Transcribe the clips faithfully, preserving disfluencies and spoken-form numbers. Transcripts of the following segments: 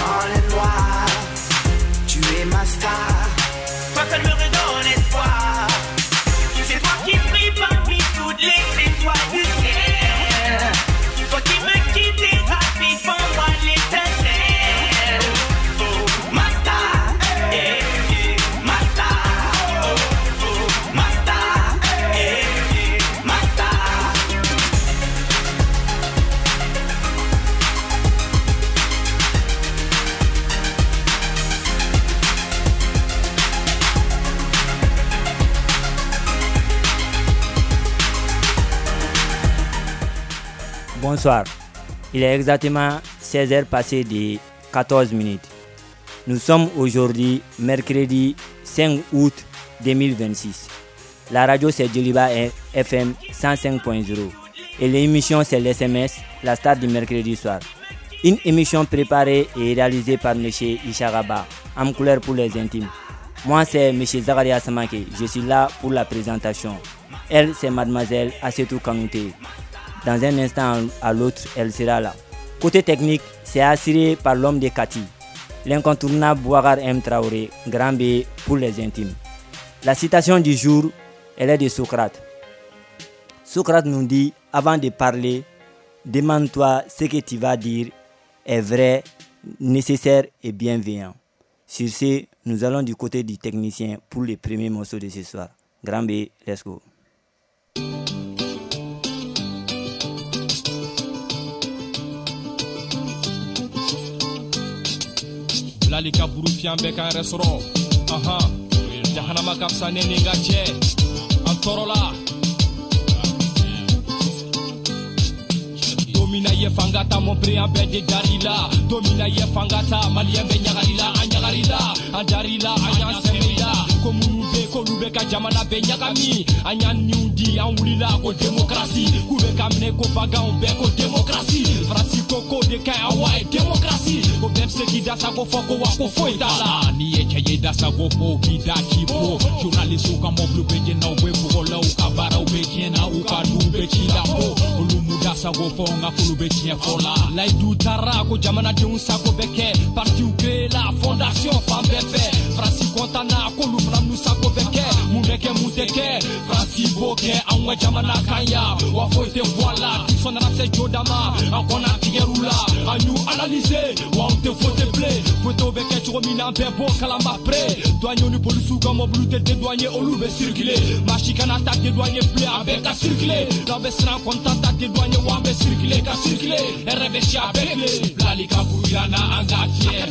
Dans le noir, tu es ma star. Toi seul me redonne espoir. C'est toi qui brille parmi toutes les étoiles du ciel. Toi qui me quittes et ravives en moi l'étincelle. Oh, ma star, eh, eh, ma star. Oh, oh, ma star, eh, eh, ma star. Bonsoir. Il est exactement seize heures passées de quatorze minutes. Nous sommes aujourd'hui mercredi cinq août deux mille vingt-six. La radio c'est Djoliba F M cent cinq point zéro et l'émission c'est l'S M S, la star du mercredi soir. Une émission préparée et réalisée par monsieur Isharaba, âme couleur pour les intimes. Moi c'est monsieur Zakaria Samake, je suis là pour la présentation. Elle c'est mademoiselle Assetou Kanouté. Dans un instant à l'autre, elle sera là. Côté technique, c'est assuré par l'homme de Kati, l'incontournable Boubacar M. Traoré, grand B pour les intimes. La citation du jour, elle est de Socrate. Socrate nous dit, avant de parler, demande-toi ce que tu vas dire est vrai, nécessaire et bienveillant. Sur ce, nous allons du côté du technicien pour le premier morceau de ce soir. Grand B, let's go. Bilali ka buru fiyan bɛɛ k'an yɛrɛ sɔrɔ. Ahan, jahanama ka fisa ne ni n ka cɛ. An tɔɔrɔla. Don min na i ye fanga ta, mon pré an bɛɛ de dar'i la. Don min na i ye fanga ta, maliyɛn bɛɛ ɲagali la. An ɲagali la, an dar'i la, an y'an sɛmɛ i la. Ko minnu bɛ yen k'olu bɛ ka jamana bɛɛ ɲagami. An y'an niw di, an wulila ko démocratie. K'u bɛ ka minɛ ko baganw bɛɛ ko démocratie. Faransi ko k'o de ka ɲi, awa ye démocratie. O bɛɛ bɛ se k'i da sago fɔ ko wa ko foyi t'a la. N'i ye cɛ ye da sago fɔ, u b'i da k'i bo. Journaliste ka mɔbiliw bɛ jɛn na, u bɛ bɔgɔ la, u ka baaraw bɛ tiɲɛ na, u ka duw bɛ ci la bo. Olu m'u da sago fɔ, nka k'olu bɛ tiɲɛ fɔ la. Layidu taara ko jamanadenw sago bɛ kɛ. Partiw créé la, fondation fan bɛɛ fɛ. Faransi content na, k'olu fana n'u sago bɛ kɛ. Mun bɛ kɛ, mun tɛ kɛ, Faransi b'o kɛ anw ka jamana kan yan. Wa foyi tɛ bɔ a la, sɔn nana se jo da ma, an kɔnna tigɛr'u la. An y'u analyser, wa anw tɛ voter bilen. Votew bɛ kɛ cogo min na, an bɛɛ b'o kalama pre. Douaniers ni polisiw ka mɔbiliw tɛ dédouaner, olu bɛ circuler. Maa si kana taa dédouaner bilen, a bɛɛ ka circuler. N'aw bɛ siran kɔni t'an ta dédouaner, wa an bɛ circuler ka circuler. Hɛrɛ bɛ si a bɛɛ tile. Bilali ka buru yira n na, an k'a fiyɛ.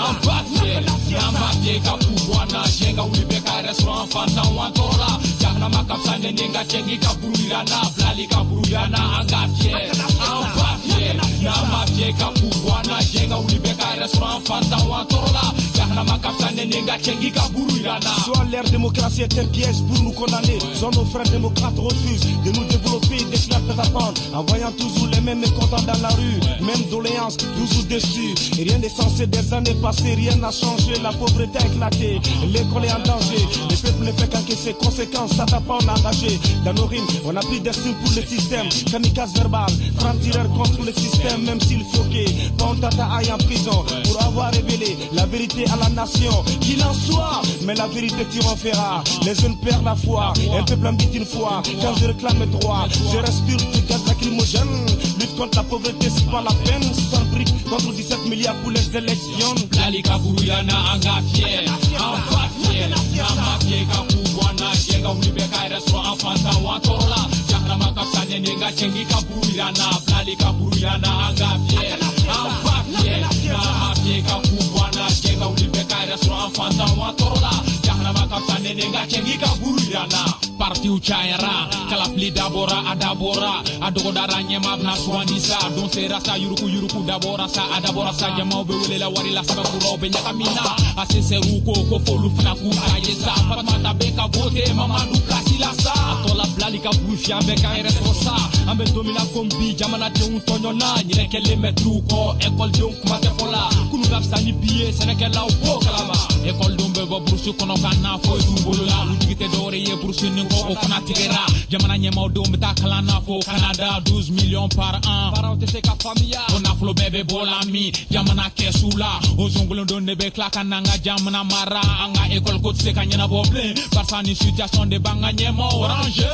An b'a fiyɛ, n'an b'a fiyɛ ka k'u bɔ an na. Diɲɛ ka wuli bɛɛ k'a yɛrɛ sɔrɔ, an fantan wa an tɔɔrɔ la. Jahanama ka fisa ne ni n ka cɛ, k'i ka buru yira n na. Bilali ka buru yira n na, an k'a fiyɛ. An b'a fiyɛ, n'an b'a fiyɛ ka k'u bɔ an na. Diɲɛ ka wuli bɛɛ k'a yɛrɛ sɔrɔ, an fantan wa an tɔɔrɔ la. Jahanama ka fisa ne ni n ka cɛ, k'i ka buru yira n na. Soit l'ère démocratie est un piège pour nous condamner. Soit nos frères démocrates refusent de nous développer, déclarent d'attendre. En voyant toujours les mêmes mécontents dans la rue, même doléances, toujours déçus. Et rien n'est censé, des années passées, rien n'a changé. La pauvreté a éclaté, l'école est en danger. Le peuple ne fait qu'encaisser, conséquences, ça t'a pas on a engagé. Dans nos rimes, on a pris des signes pour le système. Kamikaze verbal, franc-tireur contre le système, même s'il faut que Pantata aille en prison pour avoir révélé la vérité à la nation. Qu'il en soit, mais la vérité triomphera. Les jeunes perdent la foi, un peuple ambite une fois. Quand je réclame mes droits, je respire du gaz lacrymogène. Lutte contre la pauvreté, c'est pas la peine. Sans briques contre dix-sept milliards pour les élections. Bilali ka buru yira n na, an k'a fiyɛ. An b'a fiyɛ, n'an b'a fiyɛ ka k'u bɔ an na. Diɲɛ ka wuli bɛɛ k'a yɛrɛ sɔrɔ, an fantan wa an tɔɔrɔ la. Jahanama ka fisa ne ni n ka cɛ, k'i ka buru yira n na. Bilali ka buru yira n na, an k'a fiyɛ. An b'a fiyɛ, n'an b'a fiyɛ ka k'u bɔ an na. Diɲɛ ka wuli bɛɛ k'a yɛrɛ sɔrɔ, an fantan wa an tɔɔrɔ la. Jahanama ka fisa ne ni n ka cɛ, k'i ka buru yira n na. Partiw cayara, kalafili dabɔra, a dabɔra, a dɔgɔdara ɲɛmaa bɛna sugandi sa. Don sera sa, yuruku yuruku dabɔra sa, a dabɔra sa. Jamaw bɛ welela wari la, sɛbɛnkuraw bɛ ɲagami na. A C S R ko ko f'olu fana k'u ta ye sa. Fatumata bɛ ka vote, Mamadu place la sa. A tɔ la Bilali ka buru fiyɛ, an bɛɛ k'an yɛrɛ sɔrɔ sa. An bɛ don min na komi bi, jamanadenw tɔɲɔna. Ɲinɛ kɛlen mɛtiriw kɔ, ekɔlidenw kuma tɛ fɔ la. Kunun ka fisa ni bi ye, sɛnɛkɛlaw b'o kalama. École don bɛ bɔ burusi kɔnɔ ka na foyi t'u bolo la. U jigi tɛ dɔwɛrɛ ye burusi nin kɔ o fana tigɛra. Jamana ɲɛmaaw denw bɛ taa kalan na fo Canada douze millions par an. Parents tɛ se ka faamuya. O nafolo bɛɛ bɛ bɔ la min jamana kɛsu la. O zongolon don de bɛ tila ka n'an ka jamana mara. An ka école ko tɛ se ka ɲɛnabɔ bilen. Barisa ni situation de b'an ka ɲɛmaaw ranger.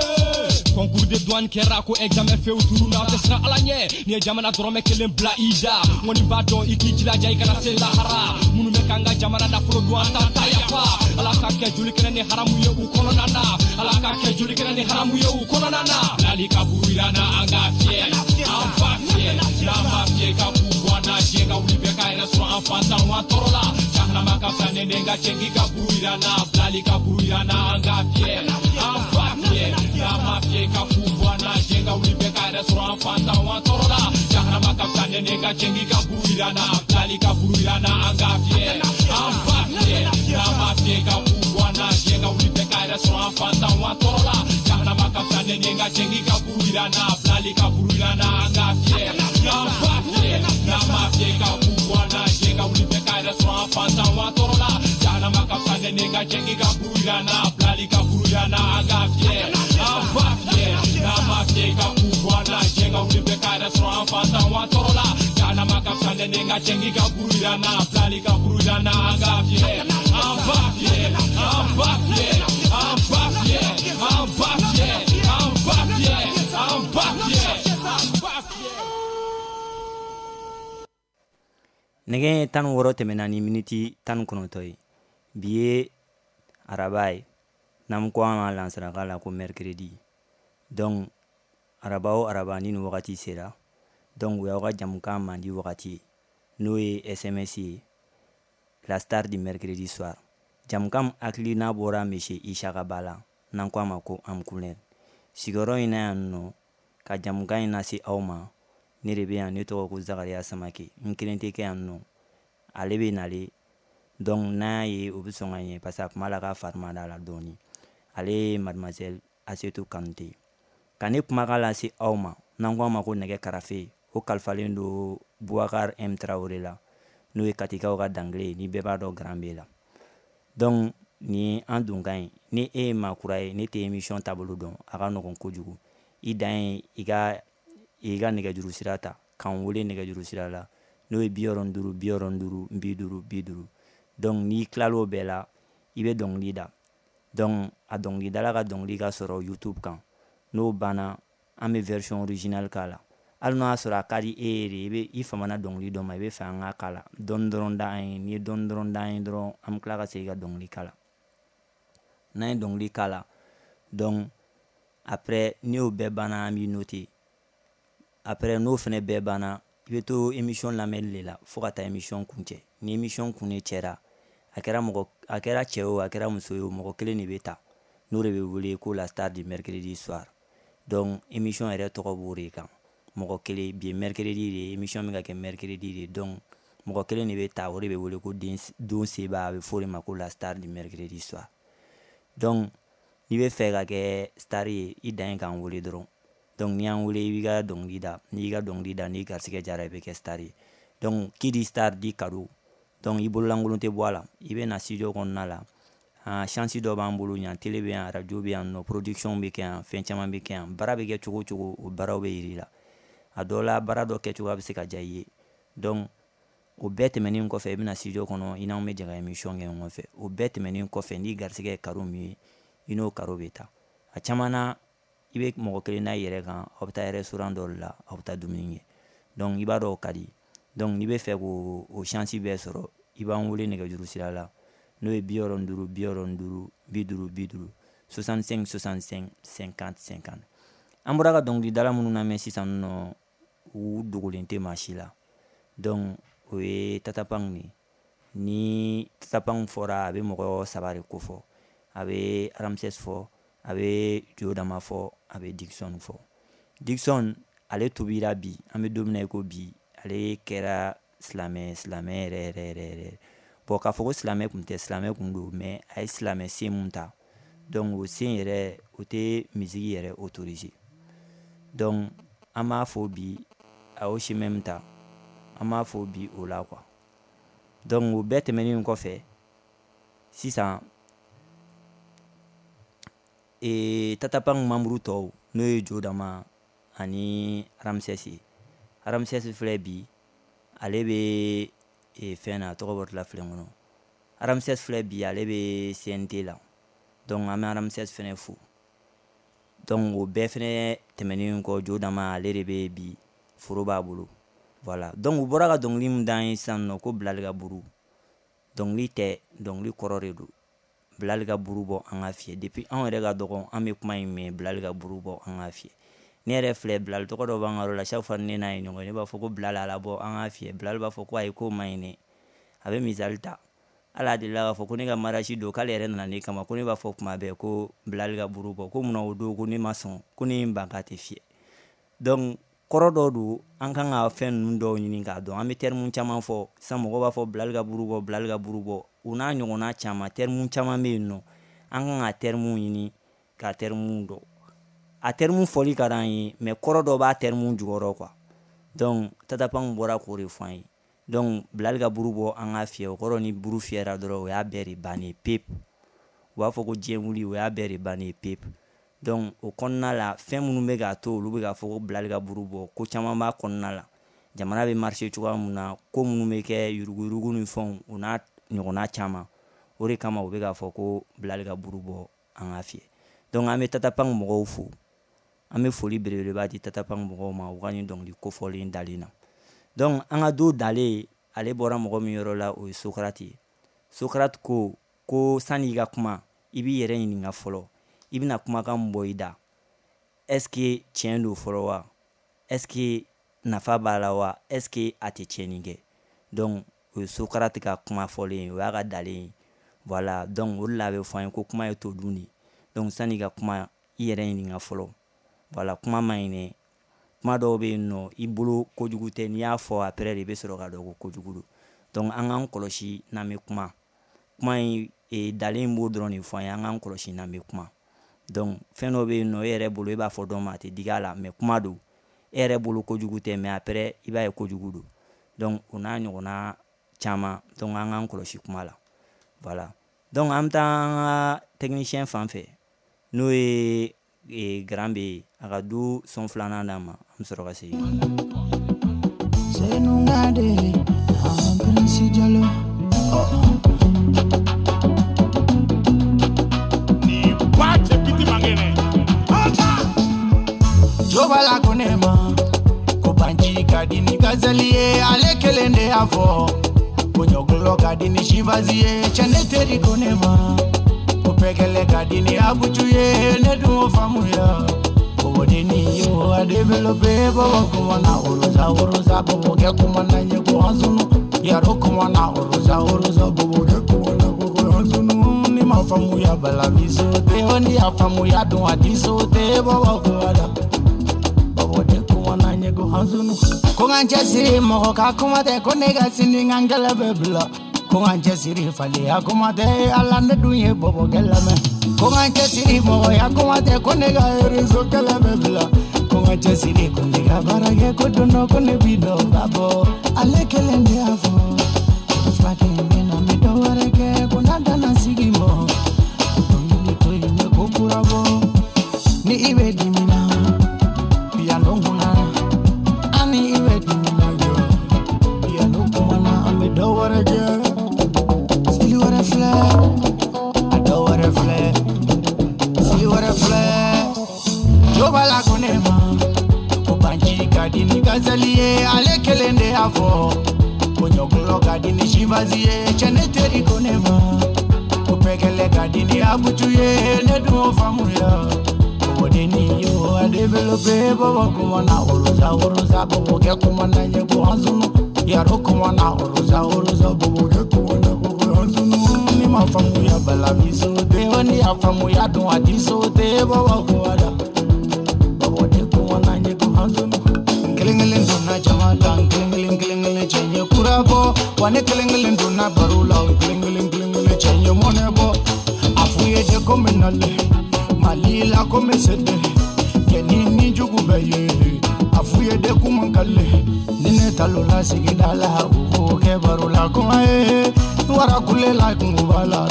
Concours de douane kɛra ko examen few tununa tɛ siran Ala ɲɛ. N'i ye jamana dɔrɔmɛ kelen bila i da. N kɔni b'a dɔn i k'i jilaja i kana se lahara. Minnu bɛ k'an ka jamana nafolo dun an t'an ta yafa. Ala ka kɛ joli kɛnɛ ni haramu ye u kɔnɔna na. Ala ka kɛ joli kɛnɛ ni haramu ye u kɔnɔna na. Bilali ka buru yira n na an k'a fiyɛ. An b'a fiyɛ. N'an m'a fiyɛ ka k'u bɔ an na. Diɲɛ ka wuli bɛɛ k'a yɛrɛ sɔrɔ an fantanw an tɔɔrɔ la. Jahanama ka fisa ne den ka cɛ k'i ka buru yira n na. Bilali ka buru yira n na an k'a fiyɛ. An b'a fiyɛ. N'an m'a fiyɛ ka k'u bɔ an na. Diɲɛ ka wuli bɛɛ k'a yɛrɛ sɔrɔ an fantanw an tɔɔrɔ la. Jahanama ka fisa ne den ka cɛ k'i ka buru yira n na. Bilali ka buru yira n na an k'a fiyɛ. An b'a fiyɛ. N'an m'a fiyɛ ka k'u bɔ an na. Diɲɛ ka wuli bɛɛ k'a yɛrɛ sɔrɔ an fantanw an tɔɔrɔ la. Jahanama ka fisa ne den ka cɛ k'i ka buru yira n na. Bilali ka buru yira n na an k'a fiyɛ. An b'a fiyɛ. N'an m'a fiyɛ ka k'u bɔ an na. Diɲɛ ka wuli bɛɛ k'a yɛrɛ sɔrɔ an fantanw an tɔɔrɔ la. Jahanama ka fisa ne den ka cɛ k'i ka buru yira n na. Bilali ka buru yira n na an k'a fiyɛ. An b'a fiyɛ. N'an m'a fiyɛ ka k'u bɔ an na. Diɲɛ ka wuli bɛɛ k'a yɛrɛ sɔrɔ an fantanw an tɔɔrɔ la. Jahanama ka fisa ne den ka cɛ k'i ka buru yira n na. Bilali ka buru yira n na an k'a fiyɛ. An b'a fiyɛ. An b'a fiyɛ. An b'a fiyɛ. An b'a fiyɛ. An b'a fiyɛ. An b'a fiyɛ. An b'a fiyɛ. Nɛgɛ tan ni wɔɔrɔ tɛmɛna ni miniti tan ni kɔnɔntɔn ye. Bi ye araba ye, n'an ko an ma lansaraka la ko mercredi. Donc araba o araba ni nin wagati sera, donc o y'aw ka jamukan mandi wagati ye, n'o ye S M S ye, la star du mercredi soir. Jamukan hakilina bɔra monsieur Isaka Ba la, n'an ko a ma ko Amkunɛl. Sigiyɔrɔ in na yan nɔ, ka jamukan in lase aw ma, ne de bɛ yan, ne tɔgɔ ko Zakariya Samake. N kelen tɛ kɛ yan nɔ, ale bɛ nale. Donc n'a y'a ye o bɛ sɔn ka ɲɛ parce que a kuma la k'a fari ma da la dɔɔni. Ale ye mademoiselle Asetu Kanute. Ka ne kumakan lase aw ma, n'an ko a ma ko nɛgɛ karafe, o kalifalen don Boubacar M Traoré la, n'o ye Katikaw ka dangile ye, ni bɛɛ b'a dɔn Grand B la. Donc nin ye an donkan ye. Ni e ye maa kura ye, ne tɛ émission taabolo dɔn, a ka nɔgɔn kojugu. I dan ye i ka i ka nɛgɛjuru sira ta k'an wele nɛgɛjuru sira la, n'o ye bi wɔɔrɔ ni duuru bi wɔɔrɔ ni duuru bi duuru bi duuru. Donc n'i tilal'o bɛɛ la, i bɛ dɔnkili da. Donc a dɔnkilidala ka dɔnkili ka sɔrɔ YouTube kan. N'o banna, an bɛ version originale k'a la. Hali n'o y'a sɔrɔ a ka di e ye de, i bɛ i famana dɔnkili dɔ ma, i bɛ fɛ an k'a k'a la. Dɔɔni dɔrɔn da an ye, n'i ye dɔɔni dɔrɔn da an ye dɔrɔn, an bɛ tila ka segin ka dɔnkili k'a la. N'an ye dɔnkili k'a la, donc après n'i y'o bɛɛ banna, an b'i noter. Après n'o fɛnɛ bɛɛ banna, i bɛ to émission lamɛnli de la fo ka taa émission kuncɛ. Ni émission kun de cɛra, a kɛra mɔgɔ, a kɛra cɛ o, a kɛra muso ye o, mɔgɔ kelen de bɛ ta, n'o de bɛ wele ko la star du mercredi soir. Donc émission yɛrɛ tɔgɔ b'o de kan, mɔgɔ kelen. Bi ye mercredi de ye, émission bɛ ka kɛ mercredi de ye. Donc mɔgɔ kelen de bɛ ta, o de bɛ wele ko den don seba, a bɛ fɔ o de ma ko la star du mercredi soir. Donc n'i bɛ fɛ ka kɛ star ye, i dan ye k'an wele dɔrɔn. Donc n'i y'an wele, i b'i ka dɔnkili da. N'i y'i ka dɔnkili da, n'i garisɛgɛ jara, i bɛ kɛ star ye. Donc qui dit star dit cadeau. Donc i bololankolon tɛ bɔ a la, i bɛ na studio kɔnɔna la. Ah, chance dɔ b'an bolo yan, télé bɛ yan, radio bɛ yan nɔ, production bɛ kɛ yan, fɛn caman bɛ kɛ yan. Baara bɛ kɛ cogo o cogo, o baaraw bɛ yir'i la. A dɔw la, baara dɔ kɛcogoya bɛ se ka diya i ye. Donc o bɛɛ tɛmɛnen kɔfɛ, i bɛna studio kɔnɔ, i n'anw bɛ jɛ ka émission kɛ ɲɔgɔn fɛ. O bɛɛ tɛmɛnen kɔfɛ, n'i garisɛgɛ ye karo min ye, i n'o karo bɛ taa. A caman na, i bɛ mɔgɔ kelen n'a yɛrɛ kan, aw bɛ taa restaurant dɔ de la, aw bɛ taa dumuni kɛ. Donc i b'a dɔn o ka di. Donc n'i bɛ fɛ k'o o chance bɛɛ sɔrɔ, i b'an wele nɛgɛjuru sira la, n'o ye bi wɔɔrɔ ni duuru bi wɔɔrɔ ni duuru bi duuru bi duuru soixante-cinq soixante-cinq cinquante cinquante. An bɔra ka dɔnkilidala minnu lamɛn sisan nɔ, u dogolen tɛ maa si la. Donc o ye Tatapang de ye. Ni Tatapang fɔra, a bɛ mɔgɔ saba de kofɔ. A bɛ Ramses fɔ, a bɛ Joe Dama fɔ, a bɛ Dixon fɔ. Dixon ale tubira bi, an bɛ don min na i ko bi, ale kɛra silamɛ silamɛ yɛrɛ yɛrɛ yɛrɛ yɛrɛ. Bon k'a fɔ ko silamɛ kun tɛ, silamɛ kun don, mais a ye silamɛ sen mun ta, donc o sen yɛrɛ o tɛ musique yɛrɛ autorisé. Donc an b'a fɔ bi a y'o chemin min ta, an b'a fɔ bi o la quoi. Donc o bɛɛ tɛmɛnen kɔfɛ, Sisan e Tatapang membre tɔw, n'o ye Jodama ani Ramsès ye. Ramsès filɛ bi, ale bɛ e, fɛn na, a tɔgɔ bɔtɔla filɛ n kɔnɔ. Ramsès filɛ bi, ale bɛ C N T la. Donc an bɛ Ramsès fɛnɛ fo. Donc o bɛɛ fɛnɛ tɛmɛnen kɔ, Jodama, ale de bɛ bi, foro b'a bolo. Voilà, donc u bɔra ka dɔnkili min d'an ye sisan nɔ, ko bilali ka buru, dɔnkili tɛ, dɔnkili kɔrɔ de don. Bilali ka buru bɔ an ka fiyɛ. Depuis anw yɛrɛ ka dɔgɔn, an bɛ kuma in mɛn, bilali ka buru bɔ an ka fiyɛ. Ne yɛrɛ filɛ, bilali tɔgɔ dɔ b'an ka yɔrɔ la. Chaque fois ne n'a ye ɲɔgɔn ye, ne b'a fɔ ko bilali ala bɔ an ka fiyɛ. Bilali b'a fɔ ko ayi, k'o man ɲi dɛ. A bɛ misali ta, hali a delila k'a fɔ ko ne ka mariage don, k'ale yɛrɛ nana ne kama, ko ne b'a fɔ kuma bɛɛ ko bilali ka buru bɔ, ko munna o don ko ne ma sɔn, ko ne ye n ban k'a tɛ fiyɛ. Donc kɔrɔ dɔ don, an kan ka fɛn ninnu dɔw ɲini k'a dɔn. An bɛ terme caman fɔ sisan, mɔgɔw b'a fɔ bilali ka buru bɔ, bilali ka buru bɔ, o n'a ɲɔgɔnna caman. Terme caman bɛ yen nɔ, an kan ka terme ɲini ka terme dɔn. A terme fɔli ka d'an ye, mais kɔrɔ dɔ b'a terme jukɔrɔ quoi. Donc Tatapang bɔra k'o de fɔ an ye. Donc bilali ka buru bɔ an ka fiyɛ, o kɔrɔ ni buru fiyɛra dɔrɔn, o y'a bɛɛ de bannen ye pewu. U b'a fɔ ko diɲɛ wuli, o y'a bɛɛ de bannen ye pewu. Donc o kɔnɔna la, fɛn minnu bɛ k'a to olu bɛ k'a fɔ ko bilali ka buru bɔ, ko caman b'a kɔnɔna la. Jamana bɛ marcher cogoya mun na, ko minnu bɛ kɛ, yuruguyurugu ni fɛnw, o n'a ɲɔgɔnna caman, o de kama u bɛ k'a fɔ ko bilali ka buru bɔ an ka fiyɛ. Donc an bɛ Tatapang mɔgɔw fo, an bɛ foli belebeleba di Tatapang mɔgɔw ma u ka nin dɔnkili kofɔlen dalen na. Donc an ka don dalen, ale bɔra mɔgɔ min yɔrɔ la, o ye Socrate ye. Socrate ko ko sanni i ka kuma, i b'i yɛrɛ ɲininka fɔlɔ, i bɛna kumakan min bɔ i da, est ce que tiɲɛ don fɔlɔ wa? Est ce que nafa b'a la wa? Est ce que a tɛ tiɲɛni kɛ? Donc o ye Socrate ka kuma fɔlen ye, o y'a ka dalen ye. Voilà, donc o de la a bɛ fɔ an ye ko kuma ye to dun de. Donc sanni i ka kuma, i yɛrɛ ɲininka fɔlɔ. Voilà, kuma man ɲi dɛ. Kuma dɔw bɛ yen nɔ, i bolo kojugu tɛ, n'i y'a fɔ, après de i bɛ sɔrɔ k'a dɔn ko kojugu don. Donc an k'an kɔlɔsi n'an bɛ kuma. Kuma in e, dalen b'o dɔrɔn de fɔ an ye, an k'an kɔlɔsi n'an bɛ kuma. Donc fɛn dɔ bɛ yen nɔ, e yɛrɛ bolo, e b'a fɔ dɔ ma, a tɛ digi a la, mais kuma don. E yɛrɛ bolo kojugu tɛ, mais après i b'a ye kojugu don. Donc o n'a ɲɔgɔnna caman. Donc an k'an kɔlɔsi kuma la. Voilà, donc an bɛ taa an ka technicien fan fɛ, n'o ye e, Grand B ye, a ka du son filanan d'an ma, an bɛ sɔrɔ ka segin. Senungade, Prince Diallo. Oh. Ni wache piti mangene. Jobala ko ne ma ko banji ka di ni gazali ye, ale kelen de y'a fɔ ko ɲɔgɔlɔ ka di ni sifazi ye. Cɛ, ne teri ko ne ma ko pɛgɛlɛ ka di ni abutu ye, ne dun o faamuya. Bobodenni yo a développé, bobo kumana orosa orosa, bobo kɛ kumana ɲɛ ko hansunu yaro kumana orosa orosa, bobo kɛ kumana ko hansunu. Ni ma faamuya bala mi sote o, ni y'a faamuya dun a di sote, bobo kumana bobo de kumana ɲɛ ko hansunu. Ko n ka cɛsiri, mɔgɔ ka kuma tɛ, ko ne ka sini n ka n kɛlɛ bɛ bila. Ko n ka cɛsiri, faleya kuma tɛ, ala ne dun ye bɔbɔkɛ lamɛn. Ko n ka cɛsiri, mɔgɔya kuma tɛ, ko ne ka réseau kɛlɛ bɛ bila. Ko n ka cɛsiri, ko ne ka baara kɛ, ko don dɔ ko ne bi dɔ ba bɔ. Ale kelen de y'a fɔ ko furakɛ in bɛ na, n bɛ dɔ wɛrɛ kɛ, ko n'a danna sigi mɔ, ko dɔnkili to yen, n bɛ ko kura bɔ. Ni i bɛ dimi na, piano kunna, ani i bɛ dimi na jɔ, piano kumana, an bɛ dɔ wɛrɛ kɛ. Style wɛrɛ filɛ, a dɔ wɛrɛ filɛ, style wɛrɛ filɛ. Jobala ko ne ma ko banji ka di ni gazali ye, ale kelen de y'a fɔ ko ɲɔgɔlɔ ka di ni sifazi ye. Cɛ, ne teri ko ne ma ko pɛgɛlɛ ka di ni abutu ye, ne dun o faamuya. Bobodenni yo a développé, bobo kumana orosa orosa, bobo kɛ kumana ɲɛ ko hansunu yaro kumana orosa orosa, bobo kɛ kumana ko hansunu. Ni ma faamuya bala mi sote o, ni y'a faamuya dun a di sote, bobo kumana bobo de kumana ɲɛ ko hansunu. Kelen kelen donna jama la, kelen kelen kelen kelen, cɛ ye kura bɔ wa. Ne kelen kelen donna baro la, kelen kelen kelen kelen, cɛ ye mɔnɛ bɔ. A f'u ye de ko n bɛ nalen Mali la, ko n bɛ se de kɛ ni ni jugu bɛɛ ye. A f'u ye de k'u man kale ni ne tal'o la sigida la, u k'o kɛ baro la kuma ye. Wara kule la, kungo b'a la.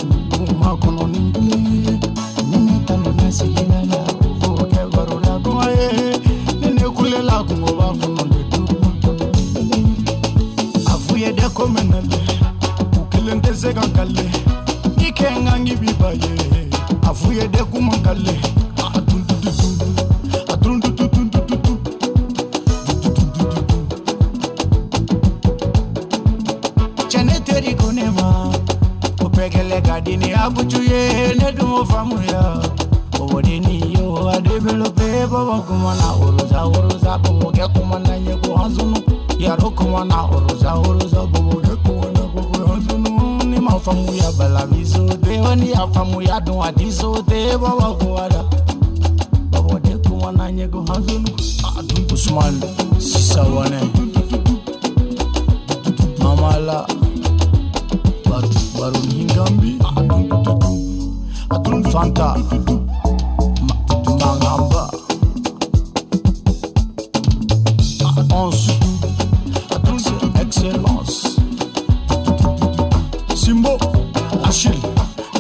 kelen tɛ se ka kale i kɛ n kan k'i bi ba ye a f'u ye de kuma kale a dun dun dun a dun dun dun dun dun dun. Cɛ ne teri ko ne ma ko pɛgɛlɛ ka di ni abucu ye ne dun m'o faamuya o ni yo a développé bɔbɔ kuma na orosa orosa bɔbɔkɛ kuma na ɲɛ ko hanzunu yaro kuma na orosa orosa bɔbɔkɛ kuma na ko hanzunu ni ma faamuya bala bi so te ni ya faamuya dun a ti so te bɔbɔ kuma na bɔbɔ de kuma na ɲɛ ko hanzunu Ousmane Sisawane Mamala Baru Baru Ngambi Fanta Mangamba onze Excellence Simbo Achille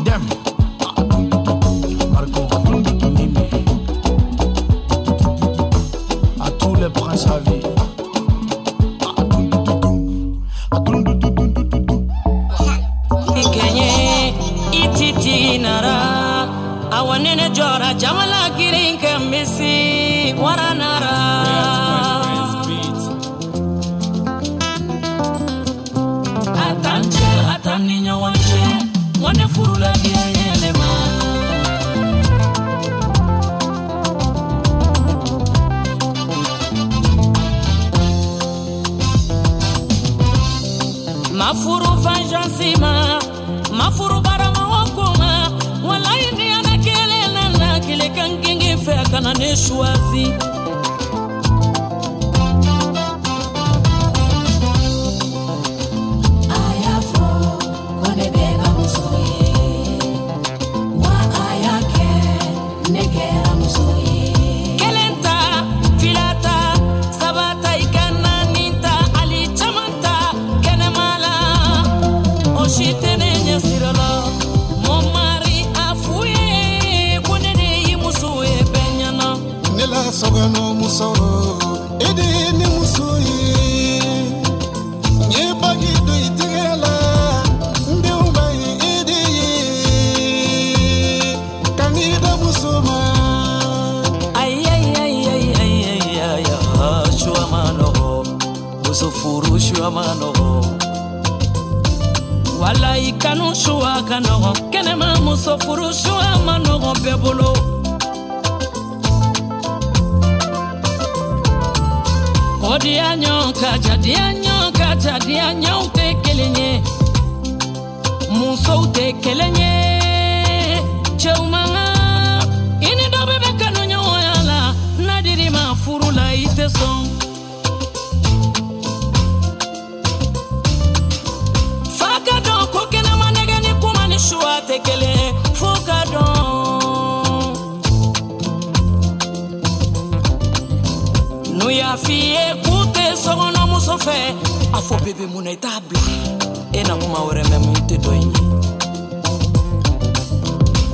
Dem Marco Mimi à tous les princes à vie. Ikenye ititi nara awanene jora jamala kirinka misi waranara atanje atani nyawanje wane furula yelema mafuru fanjansima mafuru barama wakuma wala indi ana kele na kile kankingi fe kana ne choisi ayafo kone bega musoye wa ayake nekera musoye kelenta filata sabata ikana ninta ali chamanta kenemala oshitene nyasirala mon mari afuye konene yimusoye benyana nela sogano muso ede ne musoye nye bagi do itigela nde ubaye ede ye kanida musoma ay ay ay ay ay ay ay shua mano muso furu shua mano wala ikanu shua kanogo kenema muso furu shua manogo bebolo Kodianyo kaja dianyo kaja dianyo te kelenye muso te kelenye cheumanga ini dobe bekanu nyoyala nadiri ma furu la ite son faka don ko kena manege ni kuma ni shuwa te kele foka don nu ya fiye kute sogono muso fɛ a fɔ bebe mun na i t'a bila e na kuma wɛrɛ mɛn mun tɛ dɔ in ye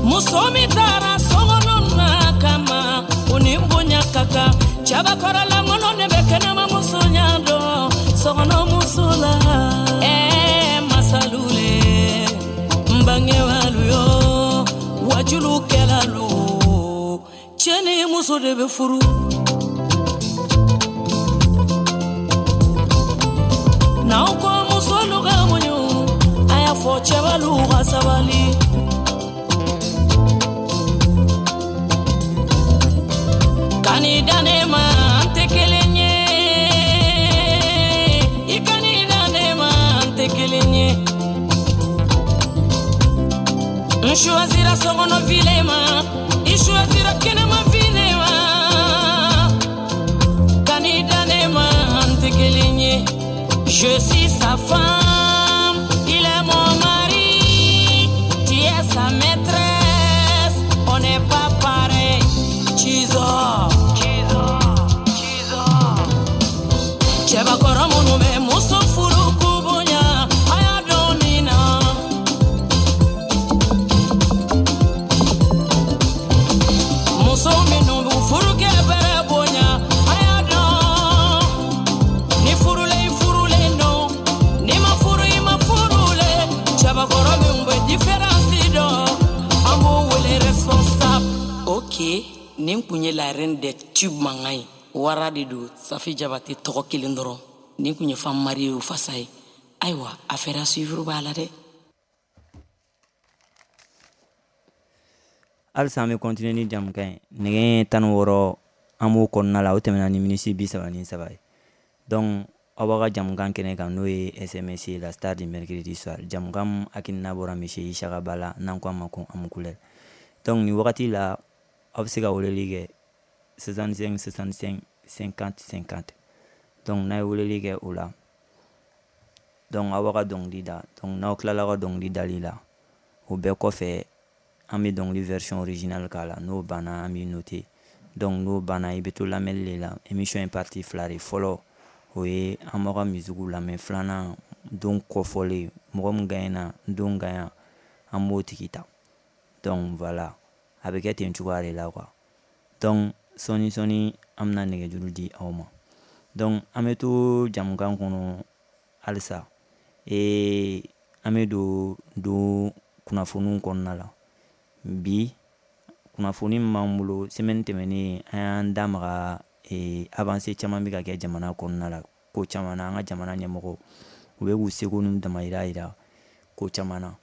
muso min taara sokɔnɔ na kama o ni bonya ka kan cɛbakɔrɔlankolon ne bɛ kɛnɛma muso ɲa dɔn sokɔnɔ muso la ɛɛ masalu le n bangebalu yo wajulu kɛlalu cɛ ni muso de bɛ furu. N'aw ko musolu ka muɲu a y'a fɔ cɛbalu ka sabali. Kani dan ne ma an tɛ kelen ye i kani dan ne ma an tɛ kelen ye n choisira sokɔnɔ file ma i choisira kɛnɛma file ma kani dan ne ma an tɛ kelen ye. Je suis sa femme, il est mon mari, tu es sa maîtresse, on n'est pas pareil. Chizo, chizo, chizo. Cɛbakɔrɔ minnu bɛ muso furu k'u bonya, a y'a dɔn nin na. Muso minnu b'u furukɛ bɛrɛ bonya, a y'a dɔn. Ni furulen furulen don, ni ma Nin kun ye la reine des tubes mankan ye. Wara de don, Safi Jabate tɔgɔ kelen dɔrɔn. Nin kun ye femme mariée o fasa ye. Ayiwa, affaire à suivre b'a la dɛ. Halisa an bɛ continuer ni jamukan ye. Nɛgɛ tan ni wɔɔrɔ an b'o kɔnɔna la, o tɛmɛna ni minisi bi saba ni saba ye. Donc aw b'a ka jamukan kɛnɛ kan, n'o ye S M S la star du mercredi soir. Jamukan min hakilina bɔra monsieur Isaka Ba la, n'an ko a ma ko Amukulɛri. Donc nin wagati la aw bɛ se ka weleli kɛ soixante-cinq soixante-cinq cinquante cinquante. Donc n'a ye weleli kɛ o la, donc aw b'a ka dɔnkili da. Donc n'aw tilala ka dɔnkili dali la, o bɛɛ kɔfɛ an bɛ dɔnkili version originale k'a la. N'o banna an b'i noter. Donc n'o banna i bɛ to lamɛnli de la. Émission ye partie fila de. Fɔlɔ o ye an b'aw ka musique lamɛn, filanan don kɔfɔlen mɔgɔ min gagnera don gagnant an b'o tigi ta. Donc voilà, a bɛ kɛ ten cogoya de la quoi. Donc sɔɔni sɔɔni an bɛna nɛgɛjuru di aw ma. Donc an bɛ to jamukan kɔnɔ halisa. Ee an bɛ don don kunnafoniw kɔnɔna la. Bi kunnafoni min b'an bolo semaine tɛmɛnen an y'an da maga ee avancée caman bɛ ka kɛ jamana kɔnɔna la, ko caman na. An ka jamana ɲɛmɔgɔw u bɛ k'u seko n'u damayira yira ko caman na.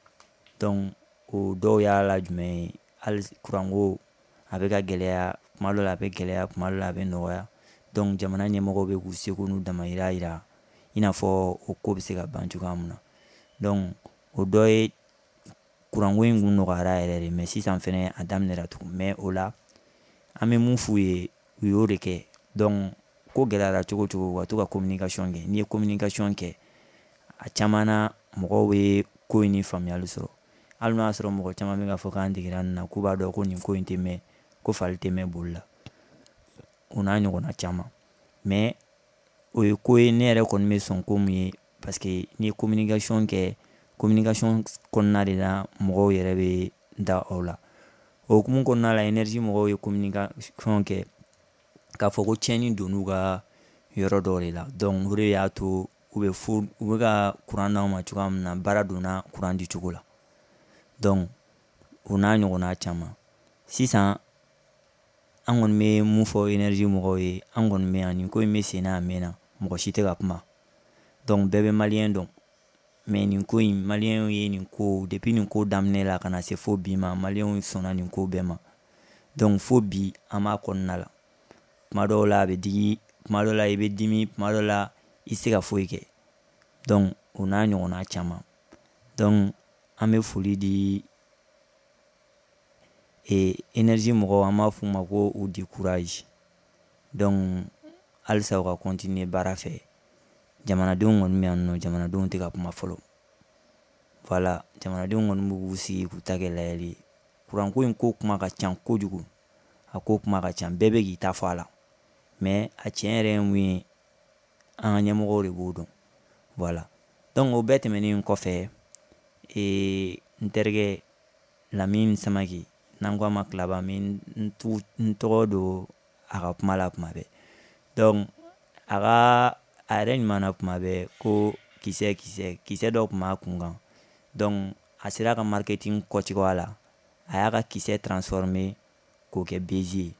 Donc o dɔw y'a la jumɛn ye, hali kuranko a bɛ ka gɛlɛya kuma dɔ la, a bɛ gɛlɛya kuma dɔ la, a bɛ nɔgɔya. Donc jamana ɲɛmɔgɔw bɛ k'u seko n'u damayira yira i n'a fɔ o ko bɛ se ka ban cogoya min na. Donc o dɔ ye kuranko in kun nɔgɔyara yɛrɛ de, mais sisan fɛnɛ a daminɛra tugun. Mais o la an bɛ mun f'u ye, u y'o de kɛ. Donc ko gɛlɛyara cogo cogo, u ka to ka communication kɛ. N'i ye communication kɛ, a caman na mɔgɔw bɛ ko in ni faamuyali sɔrɔ. Hali n'o y'a sɔrɔ mɔgɔ caman bɛ k'a fɔ k'an degera nin na, k'u b'a dɔn ko nin ko in tɛ mɛn, ko fali tɛ mɛn boli la, o n'a ɲɔgɔnna caman. Mais o ye ko ye ne yɛrɛ kɔni bɛ sɔn ko mun ye, parce que n'i ye communication kɛ, communication kɔnɔna de la mɔgɔw yɛrɛ bɛ da aw la. O hukumu kɔnɔna la, énergie mɔgɔw ye communication kɛ k'a fɔ ko tiɲɛni donn'u ka yɔrɔ dɔw de la. Donc o de y'a to u bɛ fo u bɛ ka kuran d'aw ma cogoya min na, baara donna kuran di cogo la. Donc o n'a ɲɔgɔnna caman. Sisan an kɔni bɛ mun fɔ énergie mɔgɔw ye, an kɔni bɛ yan, nin ko in bɛ sen na a mɛnna, mɔgɔ si tɛ ka kuma. Donc bɛɛ bɛ maliyɛn dɔn, mais nin ko in maliyɛnw ye nin ko depuis nin ko daminɛ la ka na se fo bi ma, maliyɛnw sɔnna nin ko bɛɛ ma. Donc fo bi an b'a kɔnɔna la. Kuma dɔw la a bɛ digi, kuma dɔw la i bɛ dimi, kuma dɔw la i tɛ se ka foyi kɛ. Donc o n'a ɲɔgɔnna caman. Donc an bɛ foli di e énergie mɔgɔw, an b'a f'u ma ko u di courage. Donc halisa u ka continuer baara fɛ. Jamanadenw kɔni bɛ yan nɔ, jamanadenw tɛ ka kuma fɔlɔ. Voilà, jamanadenw kɔni b'u sigi k'u ta kɛ layɛli ye. Kuranko in ko kuma ka ca kojugu, a ko kuma ka ca, bɛɛ bɛ k'i ta fɔ a la. Mais a tiɲɛ yɛrɛ ye mun ye, an ka ɲɛmɔgɔw de b'o dɔn. Voilà. Donc o bɛɛ tɛmɛnen kɔfɛ, ee n terikɛ Lamine Samake, n'an ko a ma Kilaba, n n tɔgɔ don a ka kuma la kuma bɛɛ. Donc a ka a yɛrɛ ɲuman na kuma bɛɛ ko kisɛ kisɛ kisɛ dɔ tun b'a kun kan. Donc a sera ka marketing kɔcogoya la, a y'a ka kisɛ transformer k'o kɛ baiser ye.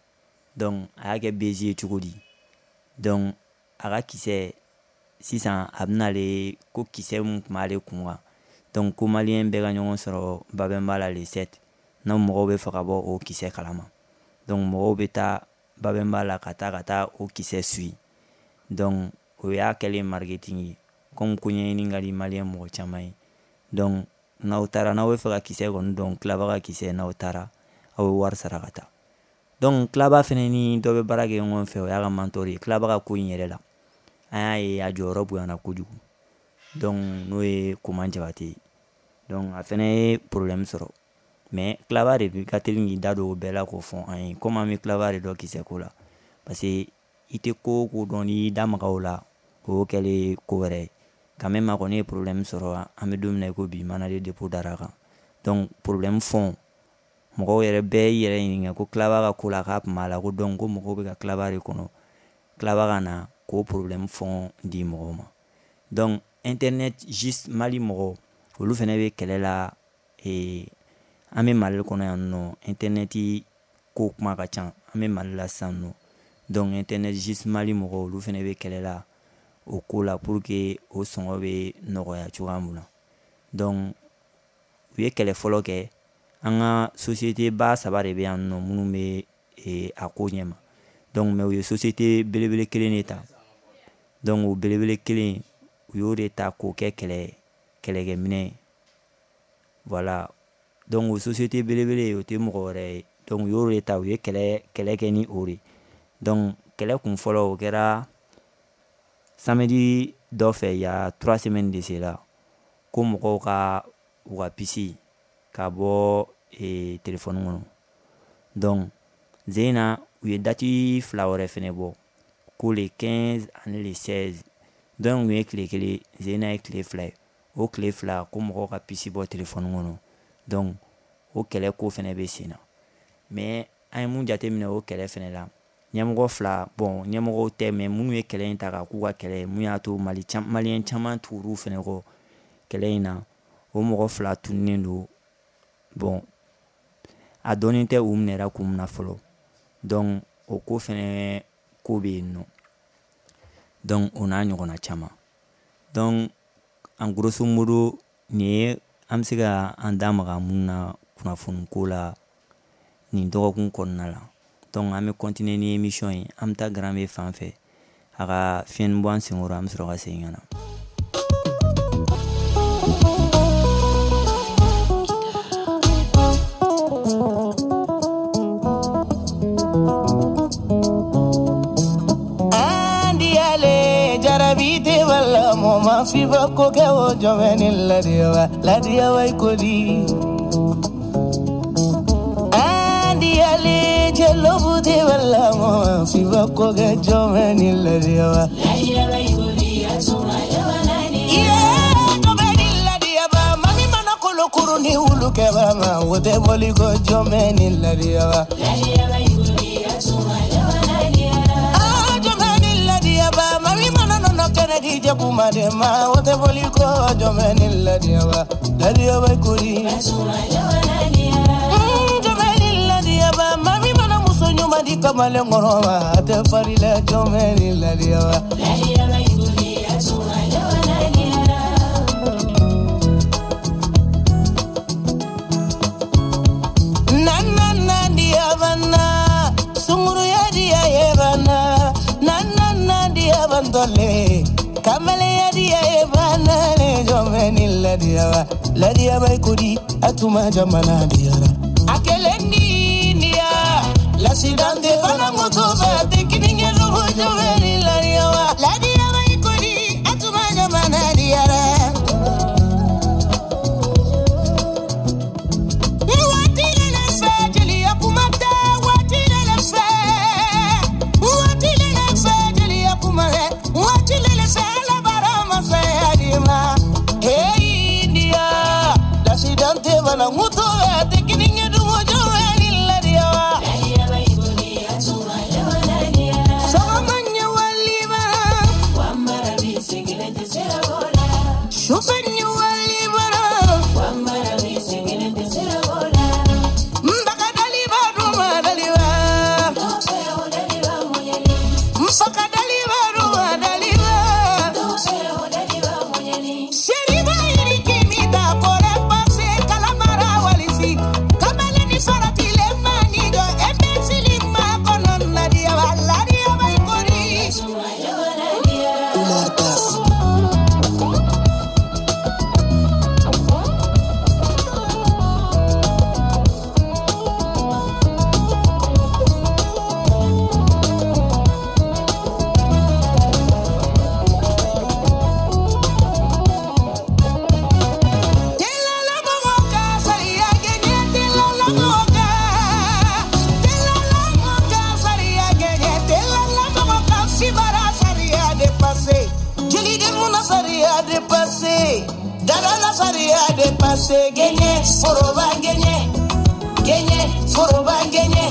Donc a y'a kɛ baiser ye cogo di? Donc a ka kisɛ sisan a bɛn'ale ko kisɛ mun tun b'ale kun kan. Donc ko maliyɛn bɛɛ ka ɲɔgɔn sɔrɔ Babɛnba la le sept, n'aw mɔgɔw bɛ fɛ ka bɔ o kisɛ kalama. Donc mɔgɔw bɛ taa Babɛnba la ka taa ka taa o kisɛ suit. Donc o y'a kɛlen marketing ye, comme ko ɲɛɲini ka di maliyɛn mɔgɔ caman ye. Donc n'aw taara, n'aw bɛ fɛ ka kisɛ kɔni dɔn, Kilaba ka kisɛ, n'aw taara aw bɛ wari sara ka taa. Donc Kilaba fɛnɛ ni dɔ bɛ baara kɛ ɲɔgɔn fɛ, o y'a ka mentor ye. Kilaba ka ko in yɛrɛ la, an y'a ye a jɔyɔrɔ bonyana kojugu. Donc n'o ye Koman Jabate ye. Donc a fɛnɛ ye problème sɔrɔ, mais Kilaba de ka teli k'i da don o bɛɛ la k'o fɔ an ye. Comme an bɛ Kilaba de dɔn kisɛ ko la, parce que i tɛ ko o ko dɔn n'i da maga o la, o y'o kɛlen ko wɛrɛ ye. Quand même a kɔni ye problème sɔrɔ, an bɛ don min na i ko bi, mandat de dépôt dara kan. Donc problème fond, mɔgɔw yɛrɛ bɛɛ y'i yɛrɛ ɲininka ko Kilaba ka ko la k'a tun b'a la, ko donc ko mɔgɔw bɛ ka Kilaba de kɔnɔ, Kilaba ka na k'o problème fond di mɔgɔw ma. Donc internet juste Mali mɔgɔw olu fɛnɛ bɛ kɛlɛ la. Ee an bɛ Mali kɔnɔ yan nɔ, internet ko kuma ka ca, an bɛ Mali la sisan nɔ. Donc internet juste Mali mɔgɔw, olu fana bɛ kɛlɛ la o ko la pour que o sɔngɔ bɛ nɔgɔya cogoya mun na. Donc u ye kɛlɛ fɔlɔ kɛ. An ka société ba saba de bɛ yan nɔ minnu bɛ eh, a ko ɲɛma. Donc mais u ye société belebele kelen de ta. Donc o belebele kelen, u y'o de ta k'o kɛ kɛlɛ kɛlɛkɛminɛ ye. Voilà. Donc o société belebele, o tɛ mɔgɔ wɛrɛ ye. Donc u y'o de ta, u ye kɛlɛ kɛlɛ kɛ ni o de. Donc kɛlɛ kun fɔlɔ, o kɛra samedi dɔ fɛ, il y a trois semaines de cela, ko mɔgɔw ka u ka puce ka bɔ eh, téléphone kɔnɔ. Donc Zena, u ye date fila wɛrɛ fɛnɛ bɔ, ko le quinze ani le seize. Donc u ye tile kelen, Zena ye tile fila ye. O tile fila, ko mɔgɔw ka puce bɔ téléphone kɔnɔ. Donc o kɛlɛ ko fɛnɛ bɛ sen na. Mais an ye mun jateminɛ o kɛlɛ fɛnɛ la, ɲɛmɔgɔ fila, bon, ɲɛmɔgɔw tɛ, mais minnu ye kɛlɛ in ta k'a k'u ka kɛlɛ ye, mun y'a to Mali maliyɛn caman tugur'u fɛnɛ kɔ kɛlɛ in na, o mɔgɔ fila tununnen don. Bon, a dɔnnen tɛ u minɛra kun min na fɔlɔ. Donc o ko fɛnɛ ko bɛ yen nɔ. Donc o n'a ɲɔgɔnna caman. Donc en grosso modo, nin ye an bɛ se ka an da maga mun na kunnafoni ko la nin dɔgɔkun kɔnɔna la. Donc an bɛ continuer ni émission ye. An bɛ taa Grand B fan fɛ, a ka fiɲɛni bɔ an senkɔrɔ, an bɛ sɔrɔ ka segin ka na. Fiba ko kɛ o jɔnmɛ ni ladiyawa ladiyawa i ko di andi ale jɛlobu tɛ wala mɔ fiba ko kɛ jɔnmɛ ni ladiyawa ladiyawa i ko di asuma jamana ni iye jɔnmɛ ni ladiyaba mami mana kolokuru ni wulu kɛba ma o tɛ bɔli ko jɔnmɛ ni ladiyawa ladiyawa i ko di asuma jamana ni ah jɔnmɛ ni ladiyaba mami mana nɔnɔ kɛnɛ di jakuma de ma o tɛ bɔli ko jɔnmɛ ni ladiyawa ladiyawa i ko di asuma jamana ni jɔnmɛ ni ladiyaba mami mana muso ɲuman di kamalen kɔrɔ ma a tɛ fari la jɔnmɛ ni ladiyawa ladiyawa i ko di asuma jamana ni nana nandiyabana sunguruya diya yebana nana nandiyabantole kamaleya diya yebana ne jɔnmɛ ni ladiyawa ladiyawa i ko di atuma jamana diyara akelendi niya lasidante fana moto fɛ tekininge lubu jɔnmɛ ni ladiyawa ladiyawa i ko di atuma jamana diyara. Waati lele fɛ jeliya kuma tɛ, waati lele fɛ, waati lele fɛ jeliya kuma tɛ, waati lele fɛ alabara masaya di ma. Hey India, lasidante fana moto fɛ tekininge lubu jɔnmɛ ni ladiyawa. Ladiyawa i ko di asuma jamana ni Sɔgɔma ɲɛ walima, wamara bi sigilen tɛ sira bɔ la sufɛ ɲɛ walima, wamara bi sigilen tɛ sira bɔ la nbaka daliba duma daliba, dɔw o daliba mɔɲɛni nfaka daliba duma daliba. Dɔw o daliba mɔɲɛni Seriba yiriki mi ta kore pase kalamara walisi kamalen ni farati le mani dɔ imbécile ma kɔnɔ ladiyawa ladiyawa i ko di. Asuma jamana ni Umar Das. Telala mɔgɔ ka sariya gɛɲɛ, telala mɔgɔ ka, telala mɔgɔ ka sariya gɛɲɛ, telala mɔgɔ ka fibara sariya dépassé. Jeliden mun sariya dépassé, dada sariya dépassé, gɛɲɛ foroba gɛɲɛ, gɛɲɛ foroba gɛɲɛ.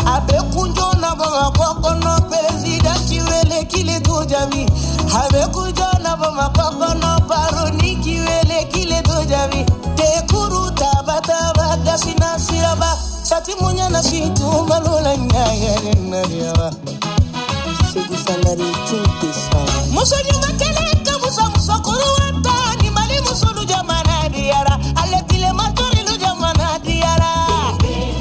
A bɛ kunjo na Bamakɔ kɔnɔ, président k'i wele k'ile t'o jaabi. A bɛ kunjo na Bamakɔ kɔnɔ, baroni k'i wele k'ile t'o jaabi. Tekuru taba taba dasina siraba. Timunya na fitu balola nyaya nariwa Segu Sangare King Pesa Muso nyuma kele ka muso muso kuruwata ni mali muso lu jamana diara ale kile matori lu jamana diara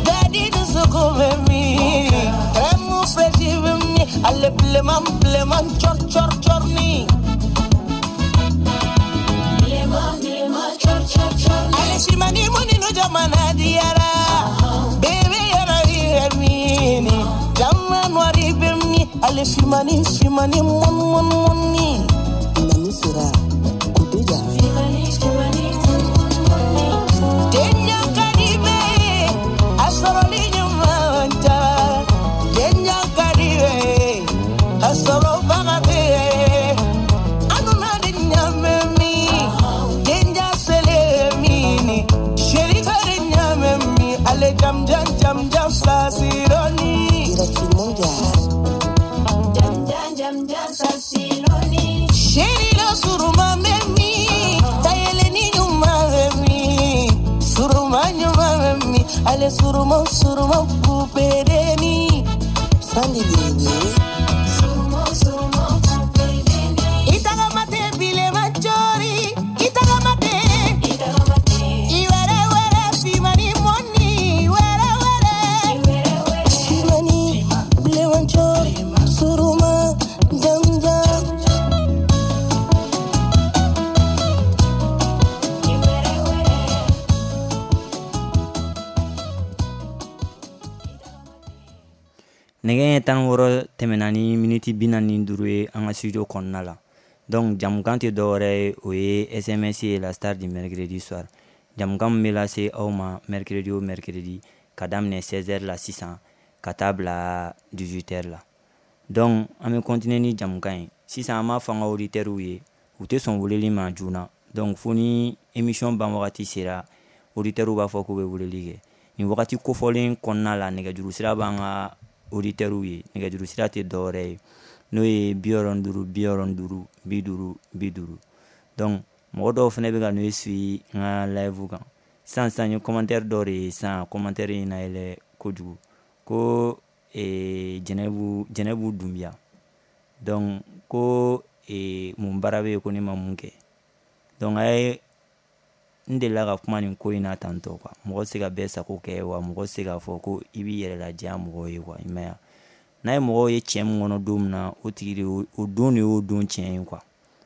Gadi dusuku bemi Remu freshi bemi ale pleman pleman chor chor chor ni Pleman pleman chor chor chor ni Ale shimani muni lu jamana diara Baby yara yemini Jamana wari bemi ale shimani shimani mon mon moni Nani sera kudeja Shimani shimani mon mon moni Denya karibe asoroli nyumanta Denya karibe asoro bagate Anuna denya memi Denya selemini Sheri karinya memi ale jam jam jam jam sasironi Irafimonga Jam jam jam jam sasiloni Sheri la suruma memi Tayele ni nyuma memi Suruma nyuma memi Ale suruma suruma kupedeni Sandi Dede Suruma suruma kupedeni Itaga mate bile machori Itaga mate Itaga mate Iwere were simani moni Were were Iwere were Simani bile machori Suruma jam jam Iwere were Nɛgɛ ɲɛ tan ni wɔɔrɔ tɛmɛna ni miniti bi naani ni duuru ye an ka studio kɔnɔna la. Donc jamukan tɛ dɔwɛrɛ ye, o ye S M S ye, la star du mercredi soir. Jamukan min bɛ lase aw ma mercredi o mercredi ka daminɛ seize heures la sisan ka taa bila dix-huit heures la. Donc an bɛ continuer ni jamukan ye. Sisan an b'a fɔ an ka auditeurs ye, u tɛ sɔn weleli ma joona. Donc fo ni émission ban wagati sera, auditeurs b'a fɔ k'u bɛ weleli kɛ. Nin wagati kofɔlen kɔnɔna la, nɛgɛjuru sira b'an ka auditeurs ye. Nɛgɛjuru sira tɛ dɔwɛrɛ ye, n'o ye bi wɔɔrɔ ni duuru bi wɔɔrɔ ni duuru bi duuru bi duuru. Donc mɔgɔ dɔw fana bɛ ka n'o suit n ka live kan. Sisan sisan n ye commentaire dɔ de ye sisan, commentaire in na yɛlɛ kojugu ko eh, Jɛnɛbu Jɛnɛbu Dunbiya. Donc ko eh, mun baara bɛ yen ko ne ma mun kɛ. Donc a ye n delila ka kuma nin ko in na tantɔ quoi. Mɔgɔ tɛ se ka bɛɛ sago kɛ, wa mɔgɔ tɛ se k'a fɔ ko i b'i yɛrɛ ladiya mɔgɔw ye quoi, i m'a ye wa. N'a ye mɔgɔw ye tiɲɛ min kɔnɔ don min na, o tigi de y'o o don de y'o don tiɲɛ ye quoi.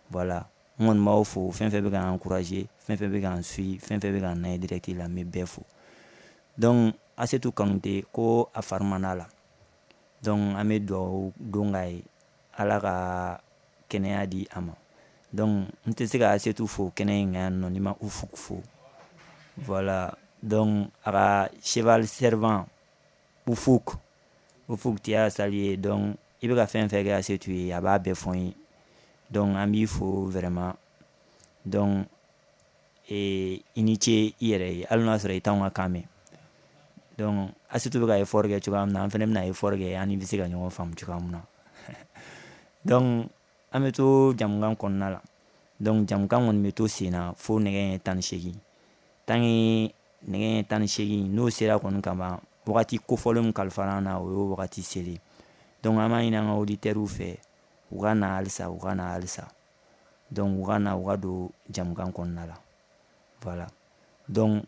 Voilà, n kɔni b'aw fo, fɛn fɛn bɛ k'an encourager, fɛn fɛn bɛ k'an suit, fɛn fɛn bɛ k'an lajɛ direct la, n bɛ bɛɛ fo. Donc Asetu Kanute ko a fari man d'a la. Donc an bɛ dugawu don k'a ye, Ala ka kɛnɛya di a ma. Donc n tɛ se ka Asetu fo kɛnɛ in kan yan nɔ ni ma Ufuk fo. Voilà, donc a ka cheval servant Ufuk, Ufuk tu as salué. Donc i bɛ ka fɛn fɛn kɛ Asetu ye, a b'a bɛɛ fɔ n ye. Donc an b'i fo vraiment. Donc eh, i ni ce i yɛrɛ ye, hali n'a sɔrɔ i t'anw ka kan mɛn. Donc Asetu bɛ ka effort kɛ cogoya min na, an fɛnɛ bɛna effort kɛ, an ni bɛ se ka ɲɔgɔn faamu cogoya min na. Donc an bɛ to jamukan kɔnɔna la. Donc jamukan kɔni bɛ to sen na fo nɛgɛ ɲɛ tan ni seegin. Tant que nɛgɛ ɲɛ tan ni seegin n'o sera kɔni ka ban, wagati kofɔlen min kalifara an na, o y'o wagati selen. Donc an b'a ɲini an ka auditeurs fɛ, u ka na halisa, u ka na halisa. Donc u ka na, u ka don jamukan kɔnɔna la. Voilà. Donc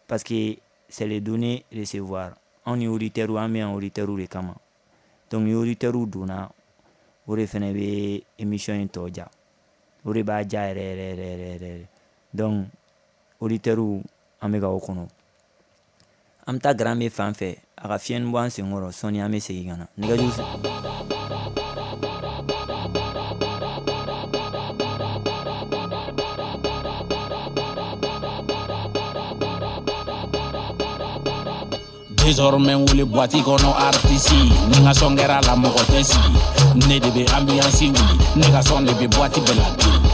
parce que c'est le donner recevoir. Anw ni auditeurs, an bɛ yan auditeurs de kama. Donc ni auditeurs donna, o de fɛnɛ bɛ émission in tɔ ja. O de b'a ja yɛrɛ yɛrɛ yɛrɛ yɛrɛ yɛrɛ. Donc auditeurs, an bɛ ka o kɔnɔ. An bɛ taa Garan fan fɛ, a ka fiɲɛni bɔ an senkɔrɔ, sɔɔni an bɛ segin ka na. Nɛgɛjuru Désormais wele boîte kɔnɔ artiste ni n ka sɔn kɛra la mɔgɔ tɛ sigi ne de bɛ ambiance wuli ne ka sɔn de bɛ boîte bɛɛ la dimi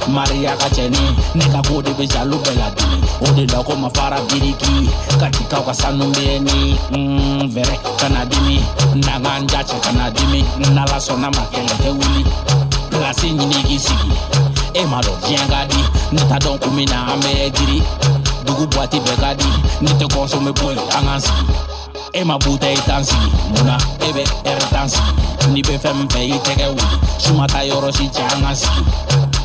Maria ka cɛni ne ka ko de bɛ jaloux bɛɛ la dimi o de la ko ma fara biriki katikaw ka sanu bɛ ni mm, vɛrɛ kana dimi n'an k'an ja cɛ kana dimi n'ala sɔnna ma kɛlɛ tɛ wuli place ɲini k'i sigi e m'a dɔn diɲɛ ka di ne t'a dɔn kun min na an bɛ giri Dugu boîte bɛɛ ka di ne tɛ consommer foyi an k'an sigi e ma bouteille tan sigi munna e bɛ ɛri tan sigi n'i bɛ fɛn min fɛ i tɛgɛ wuli su ma taa yɔrɔ si cɛ an k'an sigi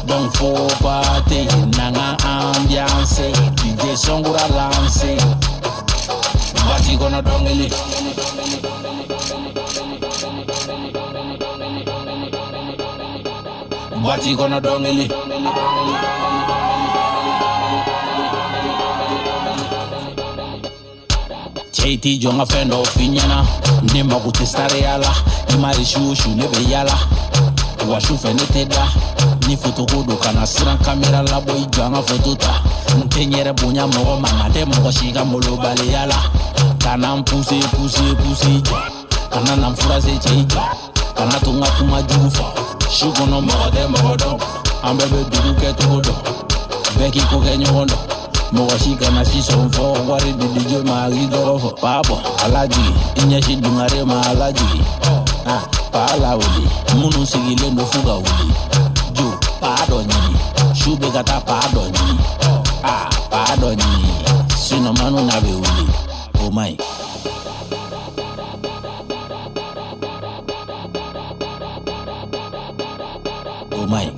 donc faut pas te n'an ka ambiance D J Sɔnkura lance boîte kɔnɔ dɔnkili boîte kɔnɔ dɔnkili cɛ i t'i jɔ n ka fɛn dɔw f'i ɲɛna ne mago tɛ sariya la i ma ye su o su ne bɛ yala wa su fɛ ne tɛ da ni foto ko don kana siran kamera labɔ i jɔ an ka foto ta n tɛ n yɛrɛ bonya mɔgɔ ma nka tɛ mɔgɔ si ka molobaliya la kana n puse puse puse i jɔ kana na n furase cɛ i jɔ kana to n ka kuma jugu fɔ su kɔnɔ mɔgɔ tɛ mɔgɔ dɔn an bɛɛ bɛ dugu kɛcogo dɔn bɛɛ k'i ko kɛ ɲɔgɔn dɔn mɔgɔ si kana si sɔn fɔ wari di D J ma k'i tɔgɔ fɔ paa bɔ a lajigi i ɲɛsin dungare ma a lajigi ah paa lawuli minnu sigilen don f'u ka wuli jo paa dɔ ɲini su bɛ ka taa paa dɔ ɲini ah paa dɔ ɲini sinon manu n'a bɛ wuli o man ɲi. O man ɲi.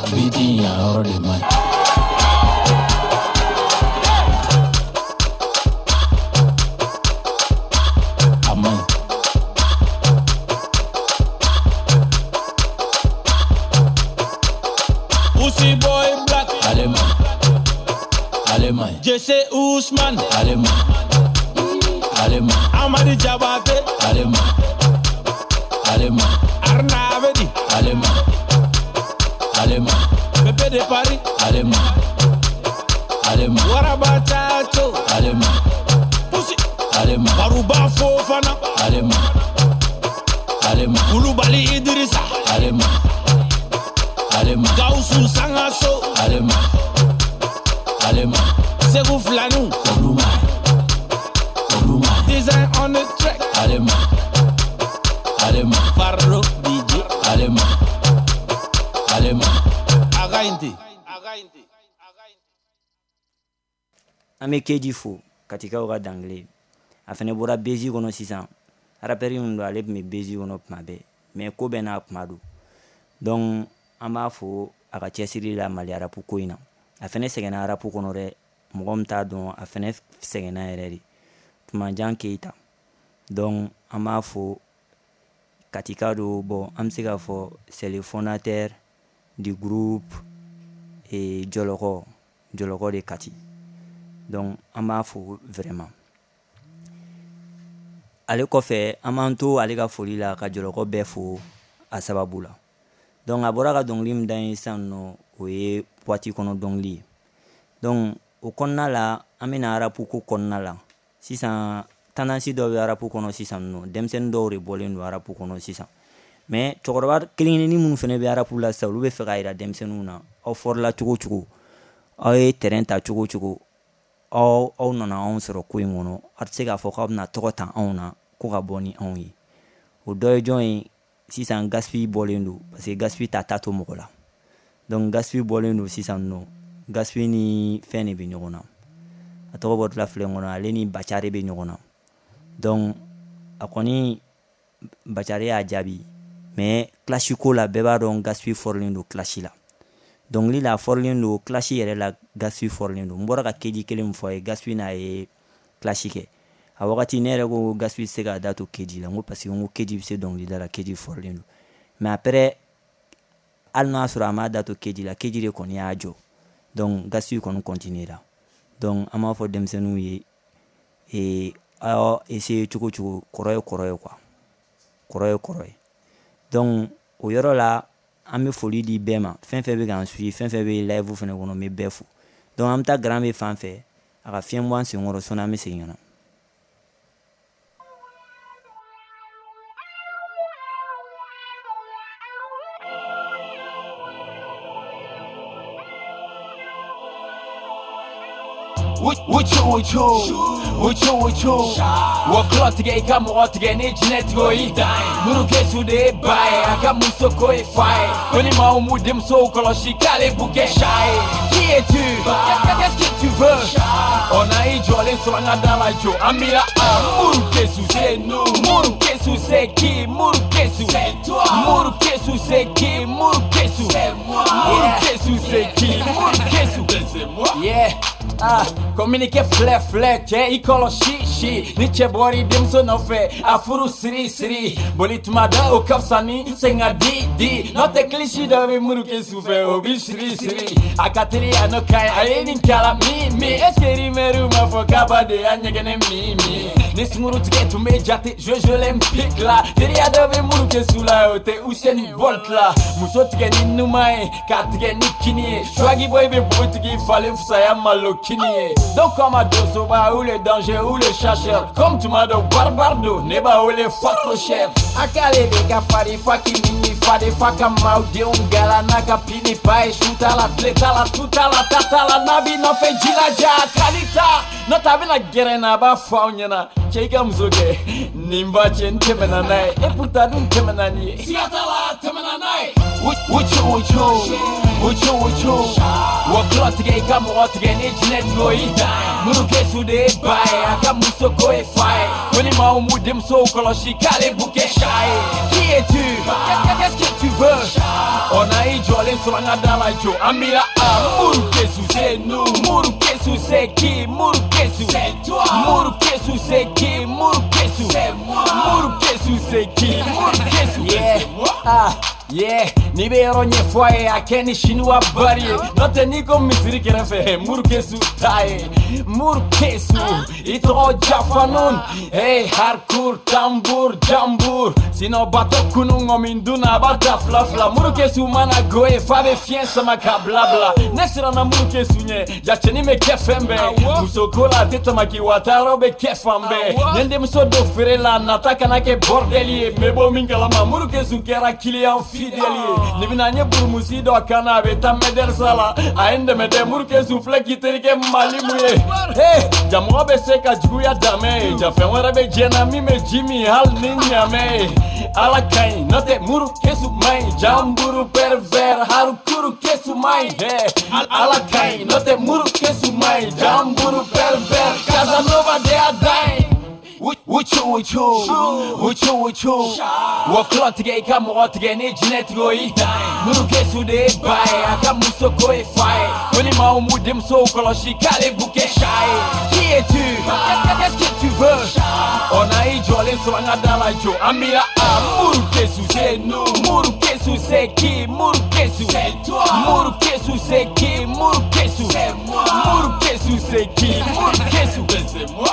Biti yan yɔrɔ de man ɲi. A man ɲi. Usi Boy Black. Ale man ɲi. Ale man ɲi. Jesse Ousmane. Ale man ɲi. Ale man ɲi. Amadi Jabate. Ale man ɲi. Ale man ɲi. Arna Abedi. Ale man ɲi. Ale man ɲi. Bébé de Paris. Ale man ɲi. Ale man ɲi. Waraba Chacho. Ale man ɲi. Pusi. Ale man ɲi. Baruba Fofana. Ale man ɲi. Ale man ɲi. Kulubali Idrissa. Ale man ɲi. Ale man ɲi. Gawusu Sangaso. Ale man ɲi. Ale man ɲi. Segu Filaniw. Olu man ɲi. Olu man ɲi. Design on the track. Ale man ɲi. Ale man ɲi. Farlo D J. Ale man ɲi. Ale man ɲi. An bɛ Keji fo Katikaw ka dangile a fɛnɛ bɔra bezi kɔnɔ sisan rappeur min don ale tun bɛ bezi kɔnɔ tuma bɛɛ mais ko bɛɛ n'a kuma don donc an b'a fo a ka cɛsiri la Mali rap ko in na a fɛnɛ sɛgɛnna rap kɔnɔ dɛ mɔgɔ min t'a dɔn a fɛnɛ sɛgɛnna yɛrɛ de Tumajan Keyita donc an b'a fo Katika don bon an bɛ se k'a fɔ c'est le fondateur du groupe et Jɔlɔkɔ Jɔlɔkɔ de Kati donc an b'a fo vraiment ale kɔfɛ an b'an to ale ka foli la ka Jɔlɔkɔ bɛɛ fo a sababu la donc a bɔra ka dɔnkili min da ye sisan nɔ o ye boîte kɔnɔ dɔnkili ye donc o kɔnɔna la an bɛna rap ko kɔnɔna la sisan tendance dɔw bɛ rap kɔnɔ sisan nɔ denmisɛnnin dɔw de bɔlen don rap kɔnɔ sisan mais cɛkɔrɔba kelen kelennin minnu fana bɛ rap la sisan olu bɛ fɛ k'a jira denmisɛnninw na aw fɔrila cogo o cogo aw ye terrain ta cogo o cogo aw aw nana anw sɔrɔ ko in kɔnɔ aw tɛ se k'a fɔ k'aw bɛna tɔgɔ ta anw na ko ka bɔ ni anw ye o dɔ ye jɔn ye sisan Gaspi bɔlen don parce que Gaspi ta ta to mɔgɔ la donc Gaspi bɔlen don sisan nɔ Gaspi ni fɛn de bɛ ɲɔgɔn na a tɔgɔ bɔtɔla filɛ n kɔnɔ ale ni Bacare bɛ ɲɔgɔn na donc a kɔni Bacare y'a jaabi mais clash ko la bɛɛ b'a dɔn Gaspi fɔrilen don clash la dɔnkili la a fɔrilen don clash yɛrɛ la Gaspi fɔrilen don n bɔra ka Keji kelen min fɔ a ye Gaspi n'a ye clash kɛ a wagati ne yɛrɛ ko Gaspi tɛ se k'a da to Keji la n ko parce que n ko Keji bɛ se dɔnkilida la Keji fɔrilen don mais après hali n'a sɔrɔ a m'a da to Keji la Keji de kɔni y'a jɔ donc Gaspi kɔni continuera donc an b'a fɔ denmisɛnninw ye ee aw essayer cogo cogo kɔrɔ ye kɔrɔ ye quoi kɔrɔ ye kɔrɔ ye donc o yɔrɔ la an bɛ foli di bɛɛ ma fɛn fɛn bɛ k'an suit fɛn fɛn bɛ live fɛnɛ kɔnɔ n bɛ bɛɛ fo donc an bɛ taa Grand B fan fɛ a ka fiɲɛ bɔ an senkɔrɔ sɔnni an bɛ segin ka na. Wucu wucu wucu wucu wɔkulɔ tigɛ i ka mɔgɔ tigɛ ni jinɛ tigɛ o y'i dan ye Murukesu de ye ba ye a ka muso ko ye fa ye ko ni maaw m'u denmusow kɔlɔsi k'ale b'u kɛ sa ye. Qui es-tu? Qu'est-ce que tu veux? On a i jɔlen sɔrɔ an ka da la jo an b'i la a Murukesu c'est nous. Murukesu c'est qui? Murukesu c'est toi. Murukesu c'est qui? Murukesu c'est moi. Murukesu c'est qui? Murukesu c'est moi. Yeah. Ah, communiqué filɛ filɛ cɛ i kɔlɔsi si ni cɛ bɔr'i denmuso nɔfɛ a furu siri siri boli tuma da o ka fisa ni sen ka di di n'o tɛ kilisi dɔ bɛ Murukesu fɛ o bi siri siri a ka teli a n'o ka ɲi a ye nin kala min min est ce que rimɛriw m'a fɔ k'aba de y'a ɲɛgɛnɛ min min ni sunguru tigɛ tun bɛ jate Jeux olympiques la teriya dɔ bɛ Murukesu la o tɛ Usain Bolt la muso tigɛ ni numan ye k'a tigɛ ni kini ye Swaggy Boy bɛ npogotigi falen fisaya malo kini ye. Donc comme a Dosoba ou le danger ou le chasseur comme tu m'as dɔn barbare do ne b'a wele fa trop cher a k'ale de ka farin fa k'i ni fa de fa ka maaw denw gala n'a ka pini pa ye su t'a la tile t'a la tu t'a la ta t'a la n'a b'i nɔfɛ jilaja a kali ta n'o tɛ a bɛna gɛrɛ n na a b'a fɔ aw ɲɛna cɛ i ka muso kɛ nin ba cɛ n tɛmɛna n'a ye et pourtant dun tɛmɛna ni ye siga t'a la tɛmɛna n'a ye. Wucu wucu wucu wucu wɔkulɔ tigɛ i ka mɔgɔ tigɛ ni jinɛ tigɛ o y'i dan ye Murukesu de ye ba ye a ka muso ko ye fa ye ko ni maaw m'u denmusow kɔlɔsi k'ale b'u kɛ sa ye. Qui es-tu? Qu'est-ce que tu veux? On a i jɔlen sɔrɔ an ka da la jo an b'i la a Murukesu c'est nous. Murukesu c'est qui? Murukesu c'est toi. Murukesu c'est qui? Murukesu c'est moi. Murukesu c'est qui? Murukesu c'est moi. Ah. Yeah, n'i bɛ yɔrɔ ɲɛfɔ a ye a kɛ ni chinois bari ye n'o tɛ n'i ko misiri kɛrɛfɛ Murukesu t'a ye Murukesu i tɔgɔ Jafanun hey harkur tambur jambur sinon bato kunu ŋɔmin dun na a b'a ta fila fila Murukesu mana go ye f'a bɛ fiɲɛ sama ka bila bila ne siranna Murukesu ɲɛ ja cɛnin bɛ kɛ fɛn bɛɛ musoko la a tɛ tamaki wa taayɔrɔ bɛ kɛ fan bɛɛ ni n denmuso don feere la nata kana kɛ bordel ye n bɛ bɔ min kalama Murukesu kɛra client fidèle ye ni bɛna n ye burumusi dɔ kan na a bɛ taa mɛdɛrisa la a ye n dɛmɛ dɛ Murukesu filɛ k'i terikɛ Malimu ye hey jamɔgɔ bɛ se ka juguya danmɛ ye ja fɛn wɛrɛ bɛ diɲɛ na min bɛ ji min hali ni ɲamɛ ye ala ka ɲi n'o tɛ Murukesu man ɲi jamburu pervers harukuru kesu man ɲi hey ala ka ɲi n'o tɛ Murukesu man ɲi jamburu pervers Casanova de y'a dan ye. Wucu wucu wucu wucu wɔkulɔ tigɛ i ka mɔgɔ tigɛ ni jinɛ tigɛ o y'i dan ye Murukesu de ye ba ye a ka muso ko ye fa ye ko ni maaw m'u denmusow kɔlɔsi k'ale b'u kɛ sa ye. Qui es-tu? Qu'est-ce que tu veux? On a i jɔlen sɔrɔ an ka da la jo an b'i la a Murukesu c'est nous. Murukesu c'est qui? Murukesu c'est toi. Murukesu c'est qui? Murukesu c'est moi. Murukesu c'est qui? Murukesu c'est moi.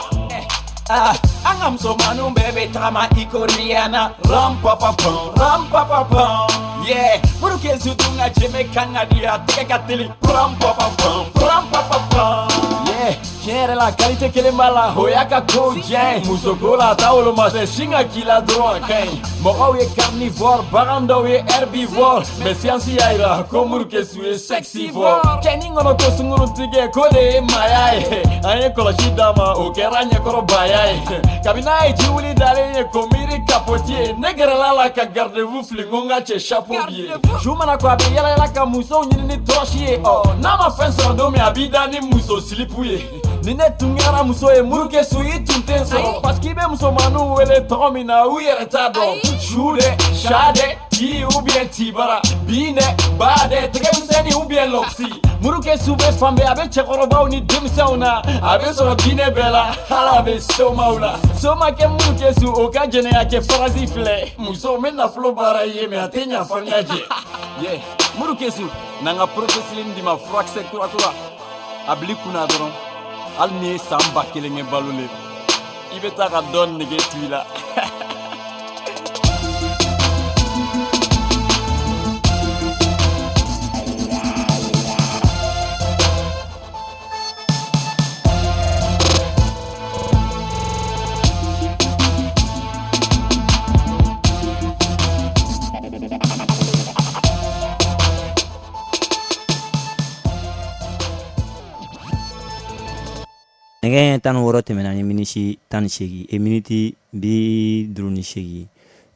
Ah, an ka musomaninw bɛɛ bɛ tagama i ko Rihanna ram pa pa pam ram pa pa pam yeah Murukesu dun ka jɛmɛ kan ka di a tɛgɛ ka teli ram pa pa pam ram pa pa pam yeah tiɲɛ yɛrɛ la qualité kelen b'a la o y'a ka kow diya ye musoko la a t'a woloma dɛ sin ka k'i la dɔrɔn a ka ɲi mɔgɔw ye carnivore bagan dɔw ye herbivore mais science y'a yira ko Murukesu ye sexivore cɛnin kɔnɔ ko sungurun tigɛ k'o de ye maaya ye an ye kɔlɔsi d'a ma o kɛra ɲɛkɔrɔbaya ye kabini n'a ye jiwuli dalen ye ko miiri kapoti ye ne gɛrɛla la ka garde-vous fili n ko n ka cɛ chapeau bi ye su mana ko a bɛ yala yala ka musow ɲini ni tɔrɔsi ye ɔ n'a ma fɛn sɔrɔ don min a b'i da ni muso silipu ye ni ne tun kɛra muso ye Murukesu i tun tɛ n sɔrɔ parce que i bɛ musomaninw wele tɔgɔ min na u yɛrɛ t'a dɔn su dɛ sa dɛ ti ou bien tibara bin dɛ ba dɛ tɛgɛmisɛnnin ou bien lɔksi Murukesu bɛ fan bɛɛ a bɛ cɛkɔrɔbaw ni denmisɛnw na a bɛ sɔrɔ diinɛ bɛɛ la hali a bɛ somaw la somakɛ Murukesu o ka jɛnɛya kɛ farasi filɛ musow bɛ nafolo baara ye mais a tɛ ɲa f'an ka jɛ yeah Murukesu n'an ka porofesiline d'i ma furakisɛ kura kura a bil'i kunna dɔrɔn hali n'i ye san ba kelen kɛ balo le i bɛ taa ka dɔ nege to i la. Nɛgɛ tan ni wɔɔrɔ tɛmɛna ni minisi tan ni seegin e miniti bi duuru ni seegin.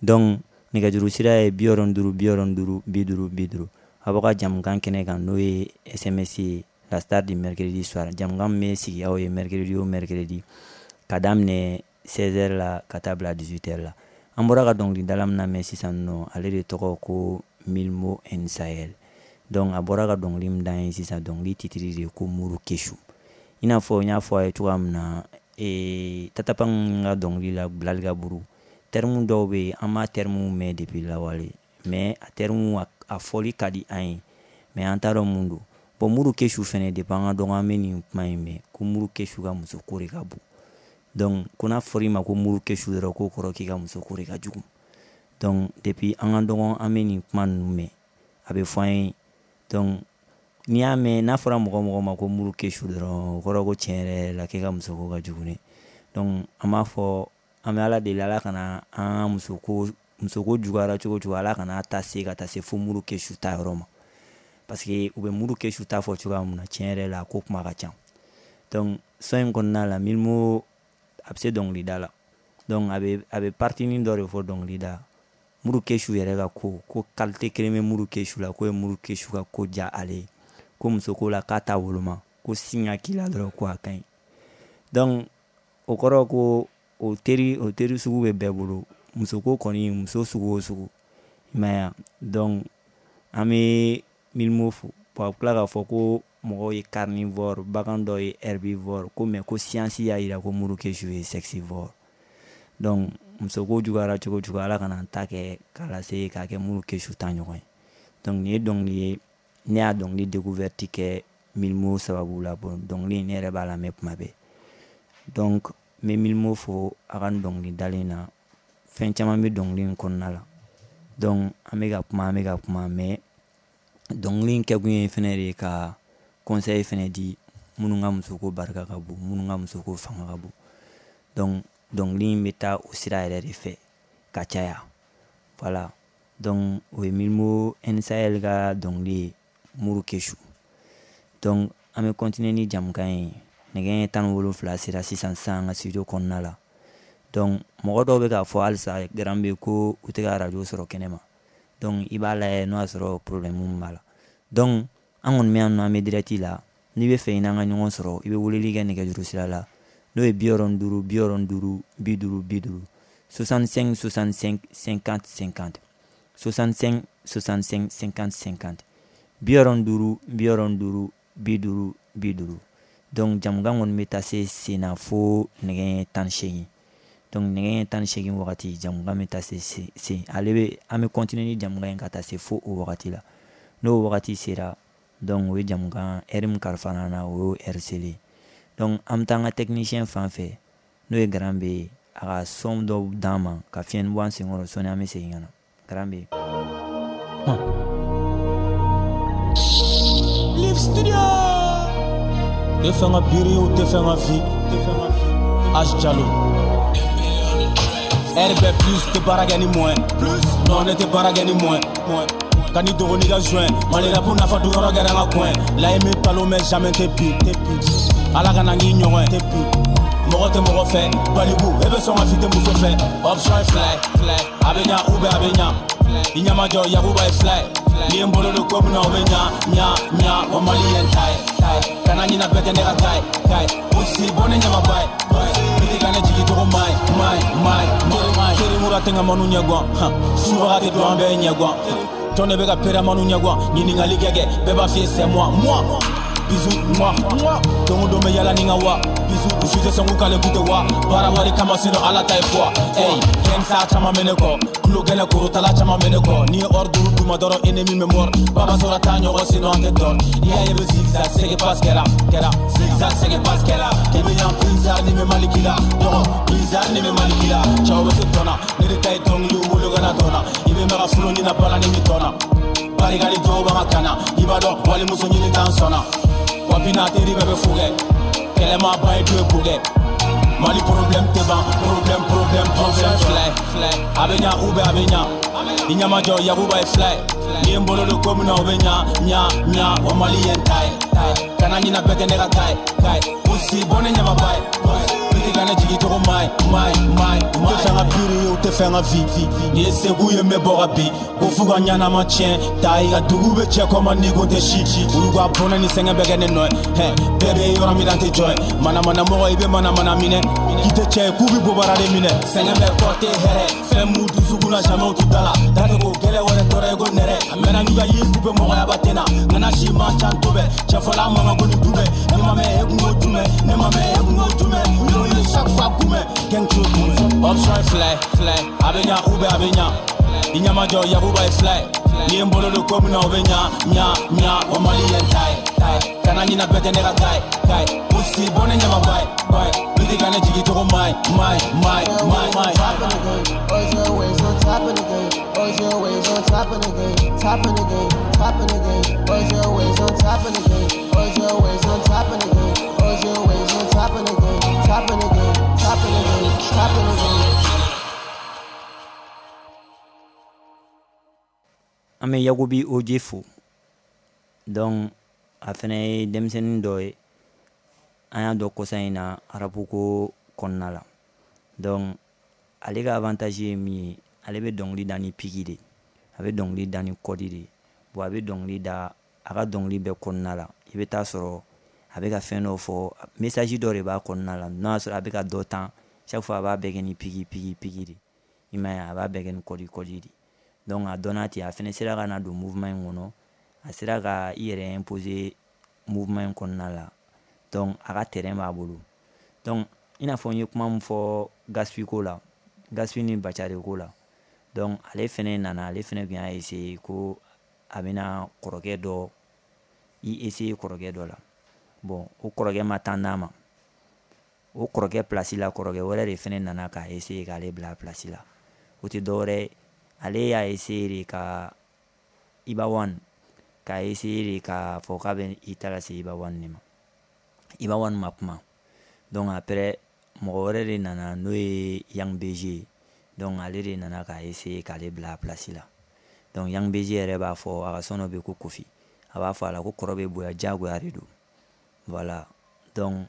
Donc nɛgɛjuru sira ye bi wɔɔrɔ ni duuru bi wɔɔrɔ ni duuru bi duuru bi duuru. A b'aw ka jamukan kɛnɛ kan n'o ye S M S ye, la star du mercredi soir. Jamukan min bɛ sigi aw ye mercredi o mercredi ka daminɛ seize heures la ka taa bila dix-huit heures la. An bɔra ka dɔnkilidala min lamɛn sisan nɔ, ale de tɔgɔ ko Mylmo N Sahel. Donc a bɔra ka dɔnkili min d'an ye sisan, dɔnkili titre de ye ko Muru Kesu. I n'a fɔ n y'a fɔ a ye cogoya min na, ee, Tatapang ka dɔnkili la Bilali ka buru, terme dɔw bɛ yen an b'a terme mɛn depuis lawale, mais a terme a fɔli ka di an ye, mais an t'a dɔn mun don. Bon, Muru Kesu fɛnɛ depuis an ka dɔgɔ an bɛ nin kuma in mɛn ko Muru Kesu ka muso ko de ka bon. Donc ko n'a fɔra i ma ko Muru Kesu dɔrɔn, k'o kɔrɔ k'i ka muso ko de ka jugu. Donc depuis an ka dɔgɔ an bɛ nin kuma ninnu mɛn, a bɛ fɔ an ye. Donc n'i y'a mɛn n'a fɔra mɔgɔ mɔgɔ ma ko Muru Kesu dɔrɔn, o kɔrɔ ko tiɲɛ yɛrɛ la k'e ka muso ko ka jugu dɛ. Donc an b'a fɔ an bɛ Ala deli, Ala kana an ka muso ko muso ko juguyara cogo cogo, Ala kana ta se ka taa se fo Muru Kesu ta yɔrɔ ma. Parce que u bɛ Muru Kesu ta fɔ cogoya min na, tiɲɛ yɛrɛ la ko kuma ka ca. Donc son in kɔnɔna la, Mylmo a bɛ se dɔnkilida la. Donc a bɛ a bɛ partinin dɔ de fɔ dɔnkilida. Muru Kesu yɛrɛ ka ko ko qualité kelen bɛ Muru Kesu la, k'o ye Muru Kesu ka ko diya ale ye. Ko muso ko la k'a t'a woloma, ko sin ka k'i la dɔrɔn ko a ka ɲi. Donc o kɔrɔ ko o teri o teri sugu bɛ bɛɛ bolo. Muso ko kɔni, muso sugu o sugu, i m'a ye wa. Donc an bɛ Mylmo fo. Bon, a bɛ tila k'a fɔ ko mɔgɔw ye carnivore, bagan dɔw ye herbivore, ko mais ko science y'a jira ko Muru Kesu ye sexivore. Donc muso ko juguyara cogo cogo, Ala kana an ta kɛ k'a lase k'a kɛ Muru Kesu ta ɲɔgɔn ye. Donc nin ye dɔnkili ye, ne y'a dɔnkili découverte kɛ Mylmo sababu la. Bon, dɔnkili in ne yɛrɛ b'a lamɛn kuma bɛɛ. Donc n bɛ Mylmo fo a ka nin dɔnkili dalen na. Fɛn caman bɛ dɔnkili in kɔnɔna la. Donc an bɛ ka kuma an bɛ ka kuma, mais dɔnkili in kɛkun ye fɛnɛ de ka conseil fɛnɛ di minnu ka musoko barika ka bon, minnu ka musoko fanga ka bon. Donc dɔnkili in bɛ taa o sira yɛrɛ de fɛ ka caya. Voilà. Donc o ye Mylmo N Sahel ka dɔnkili ye, Muru Kesu. Donc an bɛ continuer ni jamukan ye. Nɛgɛ tan ni wolonfila sera sisan sisan an ka studio kɔnɔna la. Donc mɔgɔ dɔw bɛ k'a fɔ halisa garan bɛ ko u tɛ ka radio sɔrɔ kɛnɛ ma. Donc i b'a lajɛ n'o y'a sɔrɔ problème min b'a la. Donc an kɔni bɛ yan nɔ, an bɛ direct la. N'i bɛ fɛ i n'an ka ɲɔgɔn sɔrɔ, i bɛ weleli kɛ nɛgɛjuru sira la, n'o ye bi wɔɔrɔ ni duuru bi wɔɔrɔ ni duuru bi duuru bi duuru soixante-cinq soixante-cinq cinquante cinquante soixante-cinq soixante-cinq cinquante cinquante bi wɔɔrɔ ni duuru bi wɔɔrɔ ni duuru bi duuru bi duuru. Donc jamukan kɔni bɛ taa se sen na fo nɛgɛ tan ni seegin. Donc nɛgɛ tan ni seegin wagati jamukan bɛ taa se sen, ale bɛ an bɛ continuer ni jamukan in ka taa se fo o wagati la. N'o wagati sera, donc o ye jamukan heure min kalifa an na, o y'o heure selen. Donc an bɛ taa an ka technicien fan fɛ, n'o ye Garan bɛ ye, a ka son dɔw d'an ma ka fiɲɛ bɔ an senkɔrɔ sɔnni an bɛ segin ka na. Garan bɛ yen. Live Studio. Tɛ fɛn ka biri o tɛ fɛn ka fi. H Jalo. R B plus tɛ baara kɛ ni moyen. Non ne tɛ baara kɛ ni moyen. Ka ni dogo n'i ka joint. Mali rap nafa dun yɔrɔ kɛra n ka coin. Layi mi balo mais jamais tɛ bi. Ala kana k'i ɲɔgɔn ye. Mɔgɔ tɛ mɔgɔ fɛ. Baliku e bɛ sɔn ka fi tɛ muso fɛ. Option ye fila ye. A bɛ ɲa ou bien a bɛ ɲa. I ɲɛmajɔ Yakuba ye fila ye. N'i ye n bolo don ko min na o bɛ ɲa ɲa ɲa. O Mali ye n ta ye. Kana ɲina bɛɛ tɛ ne ka ta ye. Aussi bɔ ne ɲamaba ye. I tɛ ka ne jigi cogo ma ye. Ma ye ma ye ma ye. Teri mura tɛ n ka manu ɲɛguwan. Subaga tɛ don an bɛɛ ɲɛguwan. Jɔn de bɛ ka peramanu ɲɛguwan. Ɲininkali kɛ kɛ bɛɛ b'a f'i ye c'est moi moi. Bisous moi moi. Don o don bɛ yala ni n ka wa. Bisous je tɛ sɔn k'u k'ale k'u tɛ wa. Baara wari kama sinon Ala ta ye fɔ. Hey kɛnsa caman bɛ ne kɔ. Kulo gɛlɛn korotala caman bɛ ne kɔ. N'i ye or duuru d'u ma dɔrɔn ennemi bɛ mort. Baba sɔrɔ t'a ɲɔgɔn sinon an tɛ tɔɔrɔ. N'i y'a ye bɛ zigzag c'est que passe kɛra kɛra. Zigzag c'est que passe kɛra. K'i bɛ yan bizarre ni bɛ Mali k'i la. Dɔgɔ bizarre ni bɛ Mali k'i la. Cɛw bɛ se tɔn na. Ne de ta ye dɔnkiliw wolo ka na dɔn na. I bɛ mɛn ka furu ni na bala ni mi tɔn na. Barika ni dɔw b'an ka kan na. I b'a dɔn walimuso ɲini t'an sɔnna. Wa bi n'a teri bɛɛ bɛ fo kɛ. Kɛlɛ ma ban i dun ye ko kɛ. Mali problème tɛ ban, problème problème problème filɛ ye, a bɛ ɲa ou bien a bɛ ɲa, i ɲɛmajɔ Yakuba ye filɛ ye, n'i ye n bolo don ko min na o bɛ ɲa ɲa ɲa, wa Mali ye n ta ye, kana ɲina bɛɛ tɛ ne ka ta ye, pusi bɔ ne ɲamaba ye, biti ka ne jigi cogo ma ye ma ye ma ye, u tɛ fɛ n ka biri ye, u tɛ fɛ n ka vi, n'i ye segu ye n bɛ bɔ ka bin, ko f'u ka ɲanama tiɲɛ, ta i ka dugu bɛ cɛ kɔ ma n'i ko tɛ si, olu ka bɔnɛ ni sɛgɛn bɛ kɛ ne nɔ ye, bɛɛ bɛ yɔrɔ min na n tɛ jɔ ye, manamanamɔgɔ i bɛ manamana minɛ, k'i tɛ cɛ ye k'u bɛ bobara de minɛ, sɛgɛn bɛ kɔ tɛ hɛrɛ, fɛn m'u dusukun na jamais u t'u da la, da tɛ ko gɛlɛ wɛrɛ tɔɔrɔ ye ko nɛrɛ, a mɛnna n'u ka yiri k'u bɛ mɔgɔyaba tɛ na, ŋana si man ca n to bɛ, cɛfɔla mankan ko ni du bɛ, ne ma mɛn e kun ko jumɛn, ne ma mɛn e kun ko jumɛn, u y'o ye chaque fois kunbɛn, gang t'o kunbɛn. Option ye fila ye, fila ye, a bɛ ɲa ou bien a bɛ ɲa, i ɲɛmajɔ Yakuba ye fila ye, n'i ye n bolo don ko min na o bɛ ɲa ɲa ɲa, wa Mali ye n ta ye, kana ɲina bɛɛ tɛ ne ka ta ye, pusi bɔ ne ɲamaba ye, biti ka ne jigi cogo ma ye ma ye ma ye ma ye ma ye. Always always on top of the game. Always always on top of the game. Top of the game. Top of the game. Always always on top of the game. Always always on top of the game. Always always on top of the game. Top of the game. Top of the game. Top of the game. An bɛ Yakubi Oje fo, donc a fɛnɛ ye denmisɛnnin dɔ ye, an y'a dɔn kɔsa in na arabu ko kɔnɔna la. Donc ale ka avantage ye min ye, ale bɛ dɔnkili da ni piki de, a bɛ dɔnkili da ni kɔdi de, bon a bɛ dɔnkili da a ka dɔnkili bɛɛ kɔnɔna la, i bɛ taa sɔrɔ a bɛ ka fɛn dɔ fɔ, message dɔ de b'a kɔnɔna la, n'a y'a sɔrɔ a bɛ ka dɔ tan, chaque fois a b'a bɛɛ kɛ ni piki piki piki de, i m'a ye, a b'a bɛɛ kɛ ni kɔdi kɔdi de. Donc a dɔnna ten, a fɛnɛ sera ka na don mouvement in kɔnɔ, a sera ka i yɛrɛ imposer mouvement in kɔnɔna la, donc a ka terrain b'a bolo. Donc i n'a fɔ n ye kuma min fɔ Gaspi ko la, Gaspi ni Bacari ko la, donc ale fɛnɛ nana, ale fɛnɛ tun y'a essayer ko a bɛna kɔrɔkɛ dɔ i essayer kɔrɔkɛ dɔ la. Bon o kɔrɔkɛ ma taa n'a ma, o kɔrɔkɛ place la kɔrɔkɛ wɛrɛ de fɛnɛ nana k'a essayer k'ale bila place la. O tɛ dɔwɛrɛ, ale y'a essayer de ka Iba One, k'a essayer de k'a fɔ k'a bɛ i ta lase Iba One de ma. Iba One ma kuma. Donc après mɔgɔ wɛrɛ de nana n'o ye Yang B G ye, donc ale de nana k'a essayer k'ale bila a place la. Donc Yang B G yɛrɛ b'a fɔ a ka son dɔ bɛ ko Kofi, a b'a fɔ a la ko kɔrɔ bɛ bonya diyagoya de don. Voilà, donc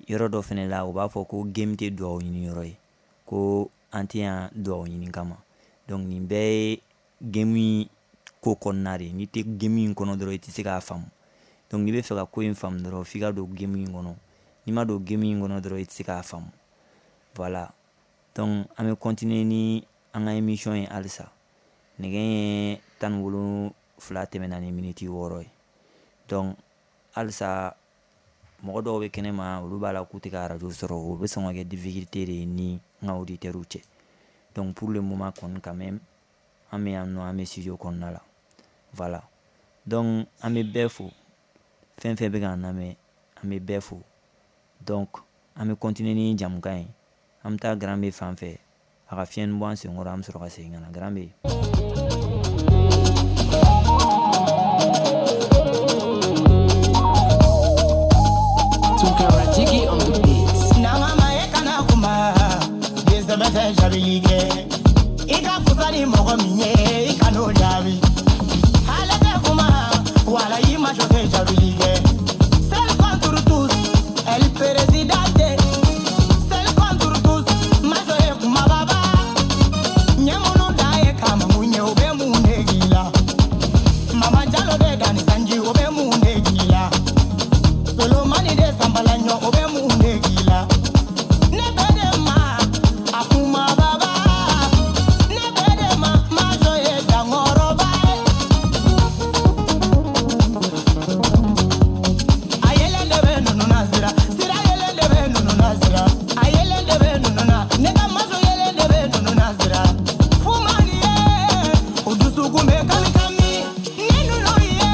yɔrɔ dɔ fɛnɛ la u b'a fɔ ko game tɛ duwawu ɲini yɔrɔ ye, ko an tɛ yan duwawu ɲini kama. Donc nin bɛɛ ye game ko kɔnɔna de ye, n'i tɛ game in kɔnɔ dɔrɔn i tɛ se k'a faamu. Donc n'i bɛ fɛ ka ko in faamu dɔrɔn f'i ka don game in kɔnɔ, n'i ma don game in kɔnɔ dɔrɔn i tɛ se k'a faamu. Voilà, donc an bɛ continuer ni an ka émission ye halisa. Nɛgɛ ye tan ni wolonfila tɛmɛna ni miniti wɔɔrɔ ye. Donc halisa mɔgɔ dɔw bɛ kɛnɛ ma, olu b'a la k'u tɛ ka radio sɔrɔ, o bɛ sɔn ka kɛ difficulté de ye ni n ka auditeurs cɛ. Donc pour le moment kɔni quand même an bɛ yan nɔ, an bɛ studio kɔnɔna la. Voilà, donc an bɛ bɛɛ fo, fɛn fɛn bɛ k'an lamɛn an bɛ bɛɛ fo. Donc an bɛ continuer ni jamukan ye, an bɛ taa Grand B fan fɛ, a ka fiɲɛni bɔ an senkɔrɔ, an bɛ sɔrɔ ka segin ka na. Grand B. Jiggy on the beats. Nanga ma e kana kuma, dese bɛ tɛ jaabi kɛ. I ka fusa ni mɔgɔ min ye, i kan'o jaabi. Ale tɛ kuma, wala i ma jɔ tɛ jaabi kɛ. Seul contre tous, el presidente. Seul contre tous, majɔ ye kuma baba. Ɲɛ minnu da ye kama mun ye, o bɛ mun de k'i la? Mama Jalo de da ni sanji, o bɛ mun de k'i la? Solomani de sanbala ɲɔ, o bɛ mun de k'i la? Ne bɛ de ma, a kuma baba. Ne bɛ de ma, majɔ ye dankɔrɔba ye. A yɛlɛn de bɛ nunu na sira, sira yɛlɛn de bɛ nunu na sira. A yɛlɛn de bɛ nunu na, ne ka majɔ yɛlɛn de bɛ nunu na sira. Fumani ye, o dusukun bɛ kami kami. Ni nunu ye,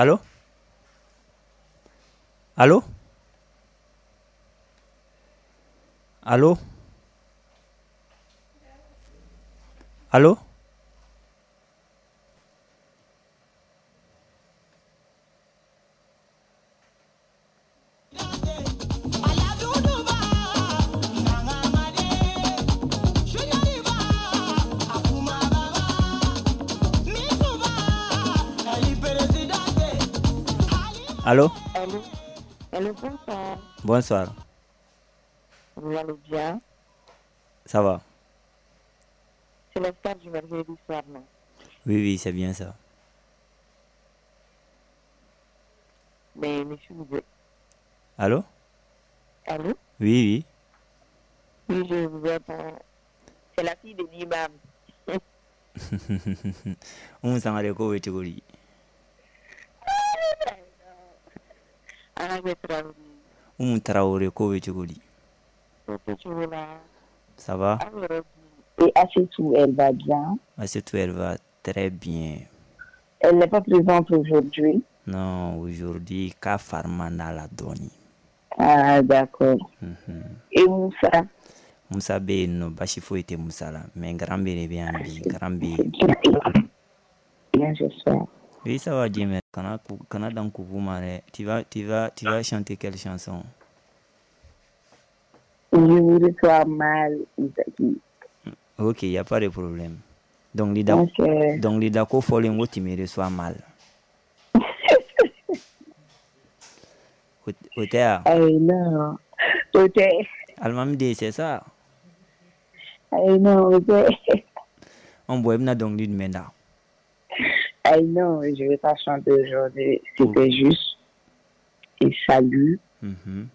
Allô? Allô? Allô? Allô? Allô? Allô? Allô, bonsoir. Bonsoir. Vous allez bien? Ça va. C'est la star du mercredi soir, non? Oui, oui, c'est bien ça. Mais monsieur, vous... Allô? Allô? Oui, oui. Oui, je vous attends. C'est la fille de l'imam. Oumou Sangaré ko bɛ cogo di? Oumou Traoré ko bɛ cogo di? Ça va? Et Assetou, elle va bien? Assetou, elle va très bien. Elle n'est pas présente aujourd'hui? Non, aujourd'hui, ka farmana la dɔɔni. Ah, d'accord. Mm-hmm. Et Moussa? Moussa bɛ yen nɔ, basi foyi tɛ Moussa la, mais grand B de bɛ yan bi, grand B. Bien, j'espère. Oui, ça va, Jimmy. Kana, kana dan kupu ma dɛ. Tu vas, tu vas, tu vas chanter quelle chanson? Je vous reçois mal, Isaki. Ok, il n'y a pas de problème. Donc, l'ida, okay. Donc, l'ida ko fɔlen ko tu me reçois mal. O tɛ wa? Ayi, non. O tɛ. Alimami den, c'est ça? Ayi, non, o tɛ. An bɔn, i bɛna dɔnkili jumɛn da? Ayi, non, je vais pas chanter aujourd'hui. C'était oh. juste et salut. Mm-hmm.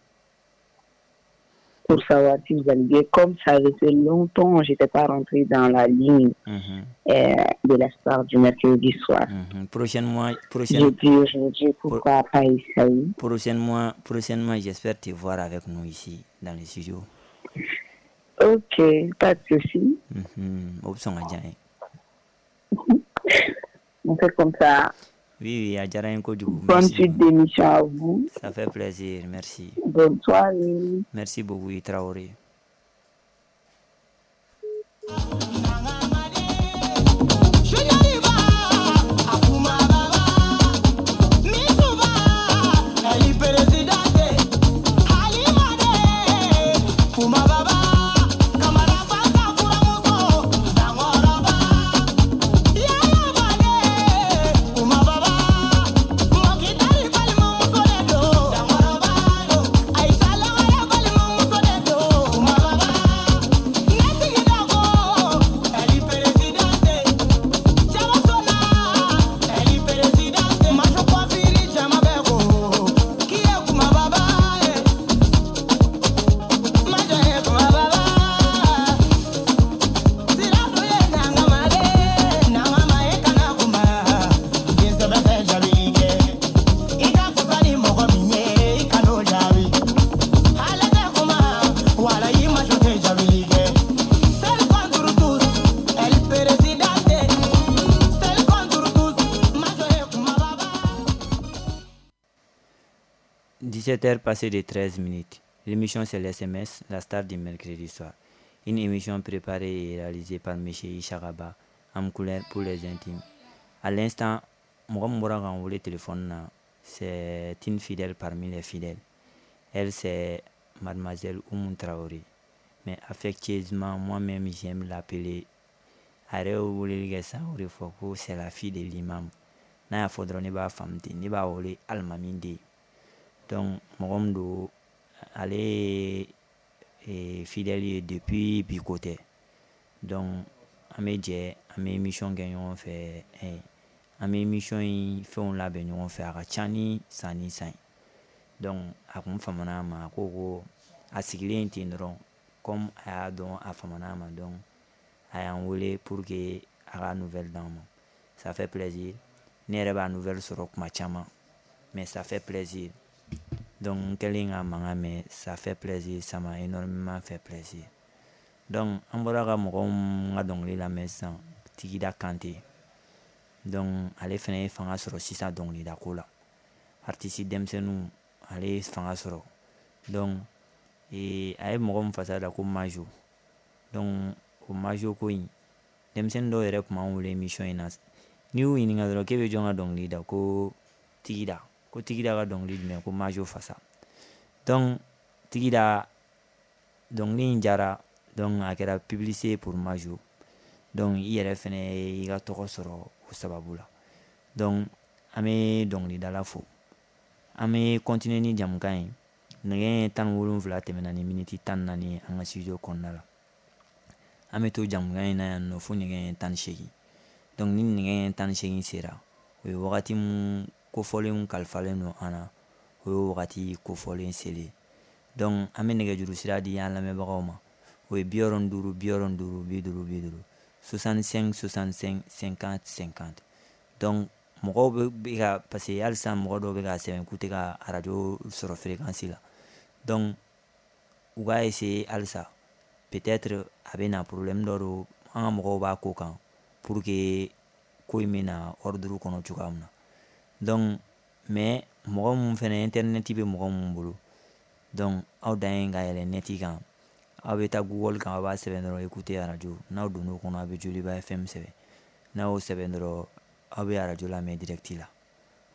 Pour savoir si vous allez bien. Comme ça fait longtemps, je n'étais pas rentrée dans la ligne mm-hmm. euh, de la star du mercredi soir. Mm-hmm. Prochainement, prochaine... Je dis aujourd'hui, pourquoi Pro... pas essayer. Prochainement, prochainement, j'espère te voir avec nous ici, dans le studio. Ok, pas de souci. Mm-hmm. On fait comme ça. Oui, oui, a diyara n ye kojugu. Bonne suite d'émission à vous. Ça fait plaisir, merci. Bonne soirée. Merci beaucoup, Traoré. dix-sept heures passées de treize minutes. L'émission c'est l'S M S, la star du mercredi soir. Une émission préparée et réalisée par monsieur. Isharaba, Amkoulin pour les intimes. À l'instant, mɔgɔ min bɔra k'an wele téléphone na, c'est une fidèle parmi les fidèles. Elle, c'est mademoiselle Oumou Traoré. Mais affectueusement, moi-même, j'aime l'appeler. A yɛrɛ ye weleli kɛ sisan, o de fɔ ko c'est la fille de l'imam. N'a y'a fɔ dɔrɔn ne b'a faamu ten, ne b'a wele alimami den. Donc mɔgɔ min don, ale ye fidèle ye depuis bi ko tɛ. Donc an bɛ jɛ, an bɛ émission kɛ ɲɔgɔn fɛ, an bɛ émission in fɛnw labɛn ɲɔgɔn fɛ, a ka ca ni san ni san ye. Donc a kun famana a ma, a ko ko a sigilen ten dɔrɔn, comme a y'a dɔn a famana a ma, donc a y'an wele pour que a ka nouvelle d'an ma. Ça fait plaisir. Ne yɛrɛ b'a nouvelle sɔrɔ kuma caman, mais ça fait plaisir. Donc n kɛlen ka mankan mɛn, ça fait plaisir, ça m'a énormément fait plaisir. Donc an bɔra ka mɔgɔw ka dɔnkili lamɛn sisan, Tigida Kante. Donc ale fana ye fanga sɔrɔ sisan dɔnkilidako la. Artiste denmisɛnninw, ale ye fanga sɔrɔ. Donc ee, a ye mɔgɔ min fasa da ko Majo. Donc o Majo ko in, denmisɛnnin dɔw yɛrɛ tun b'an wele émission in na. N'i y'u ɲininka dɔrɔn k'e bɛ jɔn ka dɔnkili da, ko Tigida, ko Tigida ka dɔnkili jumɛn, ko Majo fasa. Donc Tigida dɔnkili in jara, donc a kɛra publicité pour Majo. Donc i yɛrɛ fɛnɛ y'i ka tɔgɔ sɔrɔ o sababu la. Donc an bɛ dɔnkilidala fo. An bɛ continuer ni jamukan ye. Nɛgɛ tan ni wolonwula tɛmɛna ni miniti tan ni naani ye an ka studio kɔnɔna la. An bɛ to jamukan in na yan nɔ fo nɛgɛ tan ni seegin. Donc ni nɛgɛ tan ni seegin sera, o ye wagati mun kofɔlenw kalifalen don an na, o ye wagati kofɔlen selen. Donc an bɛ nɛgɛjuru sira di an lamɛnbagaw ma. O ye bi wɔɔrɔ ni duuru, bi wɔɔrɔ ni duuru, bi duuru, bi duuru, soixante-cinq, soixante-cinq, cinquante, cinquante. Donc mɔgɔw bɛ ka, parce que halisa mɔgɔ dɔw bɛ ka sɛbɛn k'u tɛ ka arajo sɔrɔ fréquence la. Donc u k'a essayer halisa, peut-être a bɛ na problème dɔ don, an ka mɔgɔw b'a ko kan pour que ko in bɛ na ordre kɔnɔ cogoya min na. Donc mais mɔgɔ mun fɛnɛ internet bɛ mɔgɔ mun bolo, donc aw dan ye ka yɛlɛ net kan, aw bɛ taa Google kan, aw b'a sɛbɛn dɔrɔn écouter arajo. N'aw donn'o kɔnɔ, aw bɛ Joliba F M sɛbɛn. N'a y'o sɛbɛn dɔrɔn, aw bɛ arajo lamɛn direct la.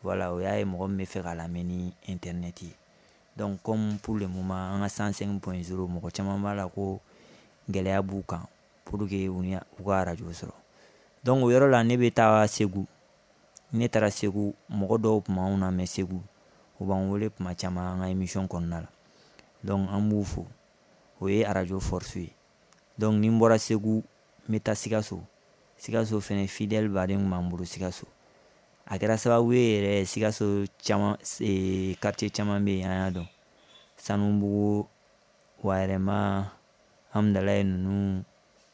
Voilà, o y'a ye mɔgɔ min bɛ fɛ k'a lamɛn ni internet ye. Donc comme pour le moment an ka cent cinq point zéro, mɔgɔ caman b'a la ko gɛlɛya b'u kan pour que u ni u ka arajo sɔrɔ. Donc o yɔrɔ la ne bɛ taa Segu. Ne taara Segu, mɔgɔ dɔw tun b'anw lamɛn Segu, u b'an wele tuma caman an ka émission kɔnɔna la. Donc an b'u fo. O ye arajo force ye. Donc ni n bɔra Segu, n bɛ taa Sikaso. Sikaso fɛnɛ fidèle baden tun b'an bolo Sikaso. A kɛra sababu ye yɛrɛ Sikaso caman, ee, quartier caman bɛ yen an y'a dɔn. Sanubugu, Wayɛrɛma, Hamdalaye ninnu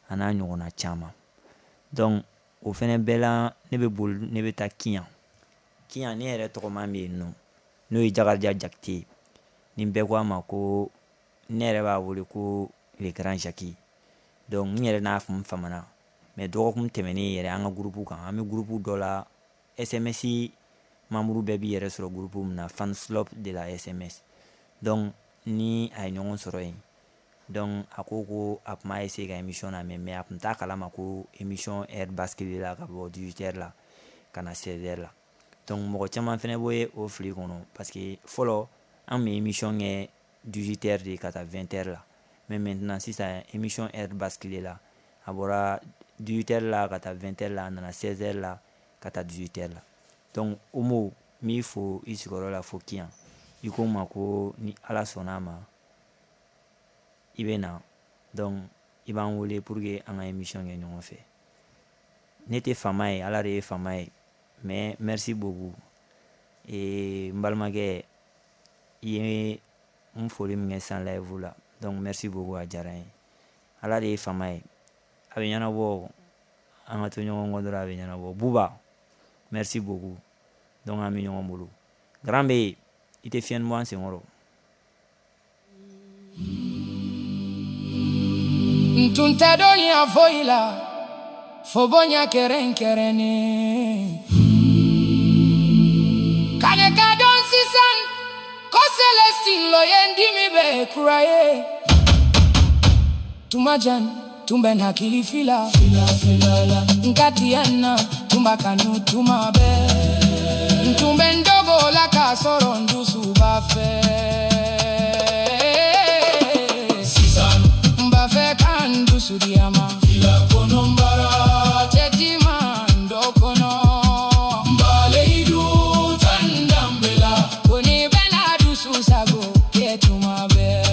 a n'a ɲɔgɔnna caman. Donc o fɛnɛ bɛɛ la ne bɛ boli, ne bɛ taa Kiyan. Kiyan ne yɛrɛ tɔgɔma bɛ yen nɔ, n'o ye Jakarija Jakite ye. Ni bɛɛ ko a ma ko ne yɛrɛ b'a wele ko le grand Jackie. Donc n yɛrɛ n'a faamu famana. Mais dɔgɔkun tɛmɛnen yɛrɛ an ka groupe kan, an bɛ groupe dɔ la, S M S membre bɛɛ b'i yɛrɛ sɔrɔ groupe min na, fan club de la S M S. Donc ni a ye ɲɔgɔn sɔrɔ yen, donc a ko ko a tun b'a essayer ka émission lamɛn, mais a tun t'a kalama ko émission heure bascule la ka bɔ dix-huit heures la ka na seize heures la. Donc mɔgɔ caman fɛnɛ bɛ o fili kɔnɔ, parce que fɔlɔ an bɛ émission kɛ dix-huit heures de ka taa vingt heures la, mais maintenant sisan émission heure bascule la, a bɔra dix-huit heures la ka taa vingt heures la, a nana seize heures la ka taa dix-huit heures la. Donc Omo, n b'i fo i sigiyɔrɔ la fo Kiyan. I ko n ma ko ni Ala sɔnna a ma i bɛ na, donc i b'an wele pour que an ka émission kɛ ɲɔgɔn fɛ. Ne tɛ faama ye, Ala de ye faama ye, mais merci beaucoup. Ee, n balimakɛ, i ye n foli min kɛ san live la, donc merci beaucoup, a diyara n ye. Ala de ye faama ye, a bɛ ɲɛnabɔ, an ka to ɲɔgɔn kɔ dɔrɔn a bɛ ɲɛnabɔ. Buba, merci beaucoup. Donc an bɛ ɲɔgɔn bolo. Grand bɛ yen, i tɛ fiɲɛni bɔ an senkɔrɔ. N tun tɛ dɔnniya foyi la fo bonya kɛrɛnkɛrɛnnen. Ka ne ka dɔn sisan ko Celestine lo ye n dimi bɛɛ kura ye. Tuma jan tun bɛ n hakili fila, n ka tiɲɛ na tun b'a kanu tuma bɛɛ. N tun bɛ n dogo la k'a sɔrɔ n dusu b'a fɛ. N b'a fɛ ka n dusu di a ma. Cɛtima n dɔ kɔnɔ. Ko ni bɛna dusu sago kɛ tuma bɛɛ.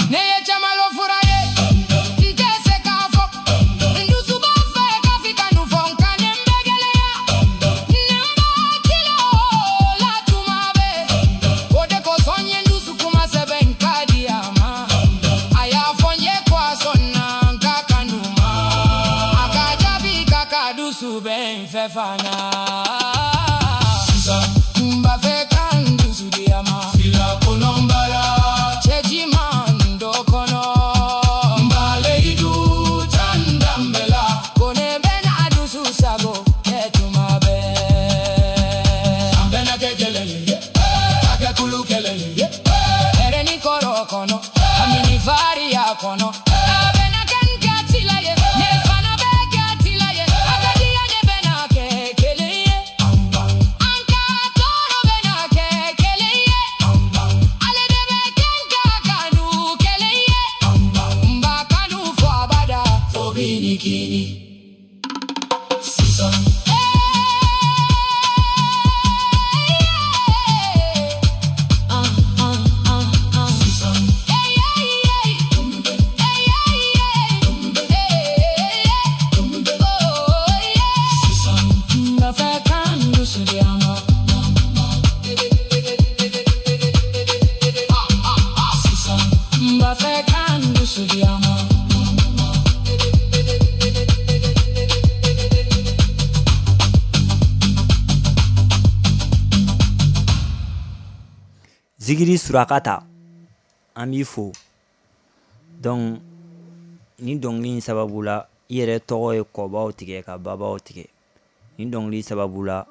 Ne ye caman lɔ fura ye, n tɛ se k'a fɔ. N dusu b'a fɛ ka f'i ka nu fɔ, nka ne bɛ gɛlɛya. Ne b'a kilo la tuma bɛɛ. O de kosɔn n ye n dusu kuma sɛbɛn n ka di a ma. A y'a fɔ n ye ko a sɔnna n ka kanu ma. A ka jaabi k'a ka dusu bɛ n fɛ fana. N b'a fɛ ka n dusu Kulu kɛlɛ ye. Hɛrɛ ni kɔrɔ kɔnɔ, hami ni fariya kɔnɔ. A bɛna kɛ n kɛ ye, ne fana bɛ kɛ tila ye. A ka diya ne bɛna kɛ kelen ye. An ka tɔɔrɔ bɛna kɛ kelen ye. Ale de bɛ kɛ n ka kanu kelen ye. N b'a kanu fo abada, fo bi ni kini. Sisan. Zigiri Surakata, an b'i fo. Donc ni dɔnkili in sababu la, i yɛrɛ tɔgɔ ye kɔbaw tigɛ ka babaw tigɛ. Ni dɔnkili sababu la,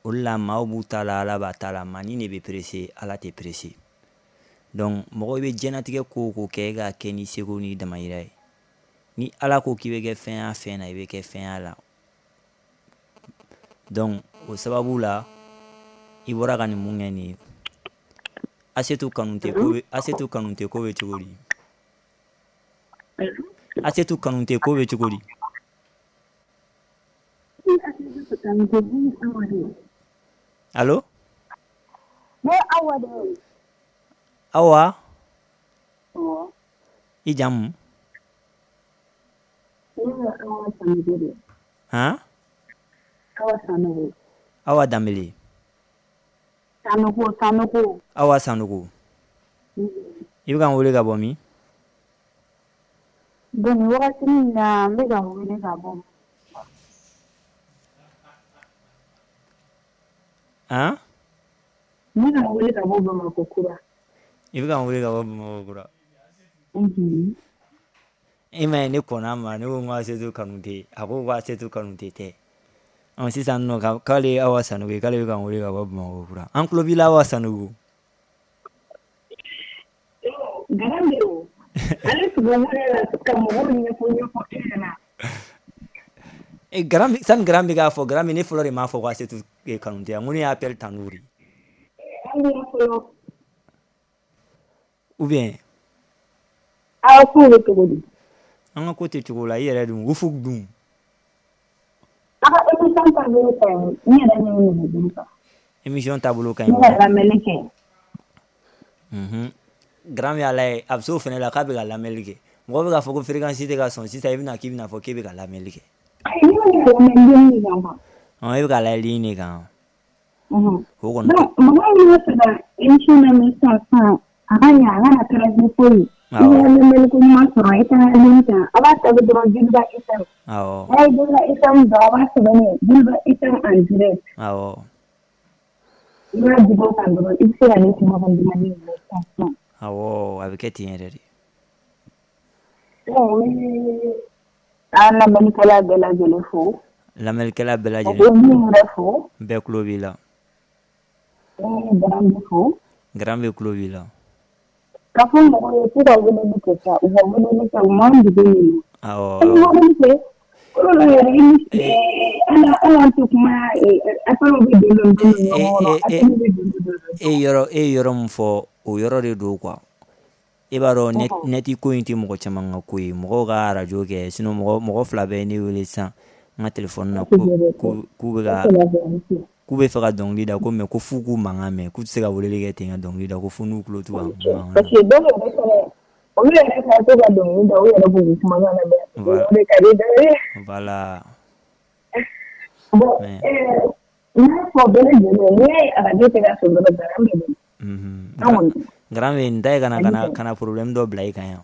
o de la maaw b'u ta la, Ala b'a ta la, maa ni de bɛ pressé, Ala tɛ pressé. Donc mɔgɔ bɛ diɲɛnatigɛ ko o ko kɛ, e k'a kɛ n'i seko n'i damayira ye. Ni Ala ko k'i bɛ kɛ fɛn ya fɛn na, i bɛ kɛ fɛn ya la. Donc o sababu la, i bɔra ka nin mun kɛ nin ye. Asetu Kanute ko bɛ Asetu Kanute ko bɛ cogo di? Asetu Kanute ko bɛ cogo di? Allo? Ne Awa de ye. Awa? Awɔ. I jamu? Ne ye Awa Sanogo de ye. Han? Awa Sanogo. Awa Danbele. Sanogo, Sanogo. Awa Sanogo. I bɛ ka n wele ka bɔ min? Bon, nin wagati in na, n bɛ ka n wele ka bɔ. Han? N bɛ ka n wele ka bɔ Bamakɔ kura. I bɛ ka n wele ka bɔ Bamakɔ kura. Unhun. E ma ye ne kɔnna ma, ne ko n ko Asetu Kanute, a ko ko Asetu Kanute tɛ. Ɔ sisan nɔ k'ale ye Awa Sanogo ye, k'ale bɛ ka n wele ka bɔ Bamakɔ kura. An tulo b'i la Awa Sanogo. Garan de o. Ale tun bɛ wele la ka mɔgɔw ɲɛfɔ ɲɛfɔ e ɲɛna. E Garan sani Garan bɛ k'a fɔ, Garan ne fɔlɔ de m'a fɔ ko Asetu Kanute, n ko ne y'a appel tanu de. An b'a fɔlɔ. Ou bien? Aw ko bɛ cogo di? An ka ko tɛ cogo la, i yɛrɛ dun, Ufuk dun. A ka émission taabolo ka ɲi, n yɛrɛ ɲɛ bɛ nɛgɛjuru kan. Émission taabolo ka ɲi. Ne ka lamɛnni kɛ. Unhun. Garan y'a lajɛ, a bɛ se o fana la k'a bɛ ka lamɛnni kɛ. Mɔgɔ bɛ k'a fɔ ko fréquence tɛ ka sɔn sisan, i bɛna k'i bɛna fɔ k'e bɛ ka lamɛnni kɛ. Ayi, ne bɛ ka lamɛn ligne de kan quoi. Ɔn, e bɛ ka layɛ ligne de kan. Unhun. O kɔni. Donc mɔgɔ min bɛ fɛ ka émission lamɛn sisan sisan, a ka ɲɛ, a kana trajet foyi. I bɛ lamɛnni ko ɲuman sɔrɔ, i taara ligne kan, a b'a sɛbɛn dɔrɔn Joliba F M. Awɔ. N'a ye Joliba F M dɔn, a b'a sɛbɛn yen Joliba F M en direct. Awɔ. I b'a digi o kan dɔrɔn, i bɛ se ka ne kumakan dumanni mɛn sisan sisan. Awɔ, a bɛ kɛ ten yɛrɛ de. Donc n bɛ an lamɛnnikɛla bɛɛ lajɛlen fo. Lamɛnnikɛla bɛɛ lajɛlen. Ka min yɛrɛ fo. Bɛɛ tulo b'i la. N bɛ Garan fo. Garan bɛ tulo b'i la. Ka fɔ mɔgɔw ye k'u ka weleli kɛ sa, u ka weleli kɛ, u m'an dege nin na. Awɔ. An bɛ weleli kɛ, kolo la yɛrɛ i ni ala ala tɛ kuma, appel bɛ don don don ɲɔgɔn kɔrɔ, appel bɛ don don don. E yɔrɔ e yɔrɔ min fɔ, o yɔrɔ de don quoi. E b'a dɔn nɛti ko in tɛ mɔgɔ caman ka ko ye, mɔgɔw ka arajo kɛ, sinon mɔgɔ mɔgɔ fila bɛ ne wele sisan n ka téléphone na ko k'u bɛ ka k'u bɛ fɛ ka dɔnkili da ko mais ko f'u k'u mankan mɛn, k'u tɛ se ka weleli kɛ ten ka dɔnkili da, ko fo n'u tulo t'u ka mankan na. Parce que dɔw yɛrɛ fɛnɛ, olu yɛrɛ ka to ka dɔnkili da, u yɛrɛ b'u kumakan lamɛn. O de ka di dɔw ye. Voilà. Bon, n y'a fɔ bɛɛ lajɛlen, n'i y'a ye arajo tɛ ka sɔn dɔrɔn, Garan bɛ don. Unhun. Garan bɛ nin da ye ka na ka na ka na problème dɔ bila i kan yan.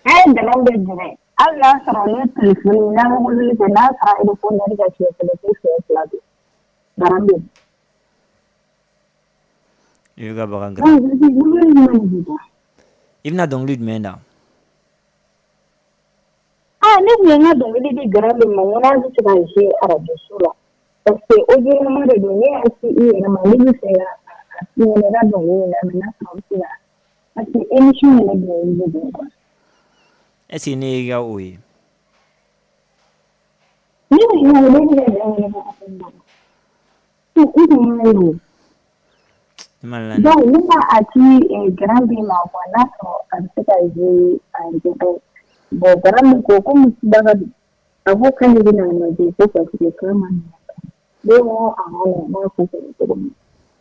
A ye Garan bɛ jɛnɛ. Hali n'a sɔrɔ ne téléphone n'a bɛ weleli kɛ, n'a sɔrɔ répondeur ka siɲɛ kelen fo siɲɛ fila don. Garan bɛ. I bɛ ka bagan garan. I bɛna dɔnkili jumɛn da? Ah, ne tun ye n ka dɔnkili di Garan de ma, n ko n'a bɛ se ka jouer arajo so la. Parce que audio de don, ne y'a ci i yɛrɛ ma, ne bɛ fɛ ka f'i ɲɛna i ka dɔnkili lamɛn n'a sɔrɔ bɛ se ka parce que émission yɛrɛ dɔnkili de don quoi. Est-ce que ne y'i ka o ye? Ne bɛ ɲinɛ ne bɛ ka dɔnkili kɛ ka fɛn dɔ. I tun m'a ye o. Donc ne b'a a ci Grand B ma quoi, n'a sɔrɔ a bɛ se ka jouer a yɛrɛ. Bon Grand B ko komi Baga don, a ko k'ale bɛna a lajɛ ko parce que k'a ma nɔgɔn. Ne ko a ma nɔgɔn, n b'a ko kɛ cogo min.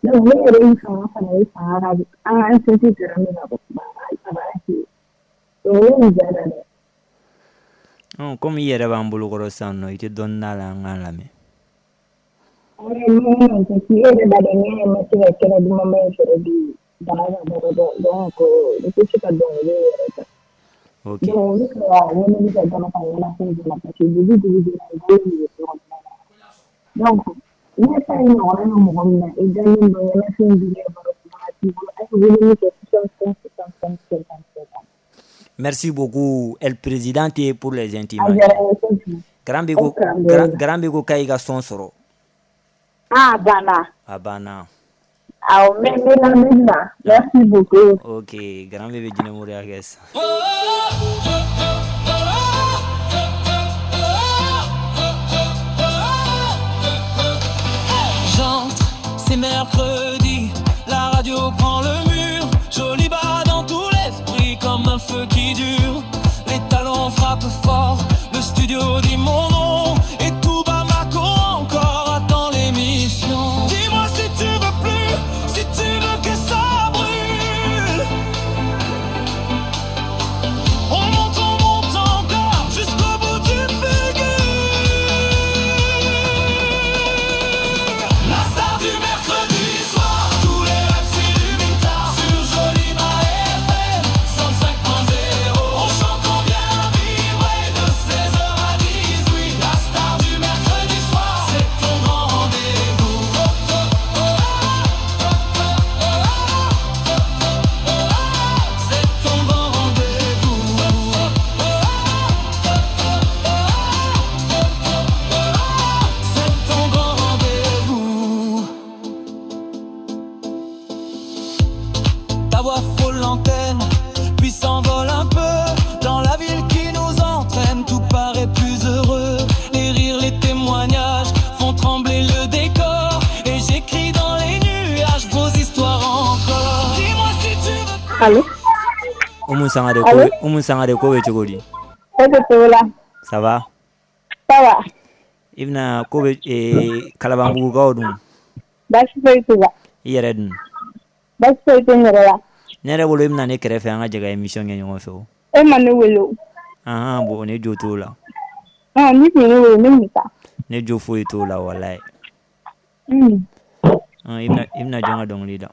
Donc ne yɛrɛ ye fanga fana ye fanga ka an ka sinsin Grand B la ko a b'a jouer. Donc ne y'u ja da dɛ. Komi i yɛrɛ b'an bolo kɔrɔ sisan nɔ, i tɛ dɔɔnin d'a la an k'a lamɛn. Non, parce que e yɛrɛ b'a dɔn ne ma se ka kɛnɛ dumanba in sɔrɔ bi bana ka baara dɔn donc n tɛ se ka dɔnkili yɛrɛ ta. Ok. Donc ne ka weleli kɛ dɔrɔn ka ɲɛnafin bɔ parce que dugu dugu jɛra n bolo de bɛ so kɔnɔna la. Donc ne ta ye ɲɔgɔnna ye mɔgɔ min na i dalen don ɲɛnafin b'i yɛrɛ bolo kuma t'i bolo a ye weleli kɛ soixante-cinq soixante-cinq cinquante-cinq. Merci beaucoup, El Presidente pour les intimes. A diyara n ye kojugu. Grand B ko Grand B ko k'a y'i ka son sɔrɔ. Ah, banna. A banna. Awɔ, n bɛ n bɛ lamɛnni na. Merci beaucoup. Ok, Grand B bɛ jinɛmoriya kɛ sisan. J'entre, c'est mercredi, la radio prend le mur, joli bas dans tout l'esprit comme un feu qui dure. Les talons frappent fort, le studio dit mon nom et tout Bamako encore attend l'émission. Dis-moi si tu veux plus, si tu veux que ça brûle. On monte, on monte encore jusqu'au bout du figure. La star du mercredi soir, tous les rêves s'illuminent tard sur Joliba F M cent cinq point zéro. On chante, on vient vibrer de seize heures à dix-huit. La star du mercredi soir, c'est ton grand rendez-vous. C'est ton grand rendez-vous. C'est ton grand rendez-vous. Ta voix frôle l'antenne, puis s'envole un peu dans la ville qui nous entraîne. Tout paraît plus heureux. Les rires, les témoignages font trembler le décor. Et j'écris dans les nuages vos histoires encore. Dis-moi si tu veux. Allô? Oumou Sangare ko Allô? Oumou Sangare ko bɛ cogo di? E bɛ cogo la? Ça va? Ça va. I bɛna ko bɛ ee Kalabanbugukaw dun? Baasi foyi t'u la. I yɛrɛ dun? Baasi foyi tɛ n yɛrɛ la. Ne yɛrɛ bolo i bɛna ne kɛrɛfɛ an ka jɛ ka émission kɛ ɲɔgɔn fɛ o. E ma ne wele o. Ahan, bon ne jo t'o la. Ɔn, n'i tun ye ne wele ne tun bɛ taa. Ne jo foyi t'o la walayi. Un. Ɔn, i bɛna i bɛna jɔn ka dɔnkili da?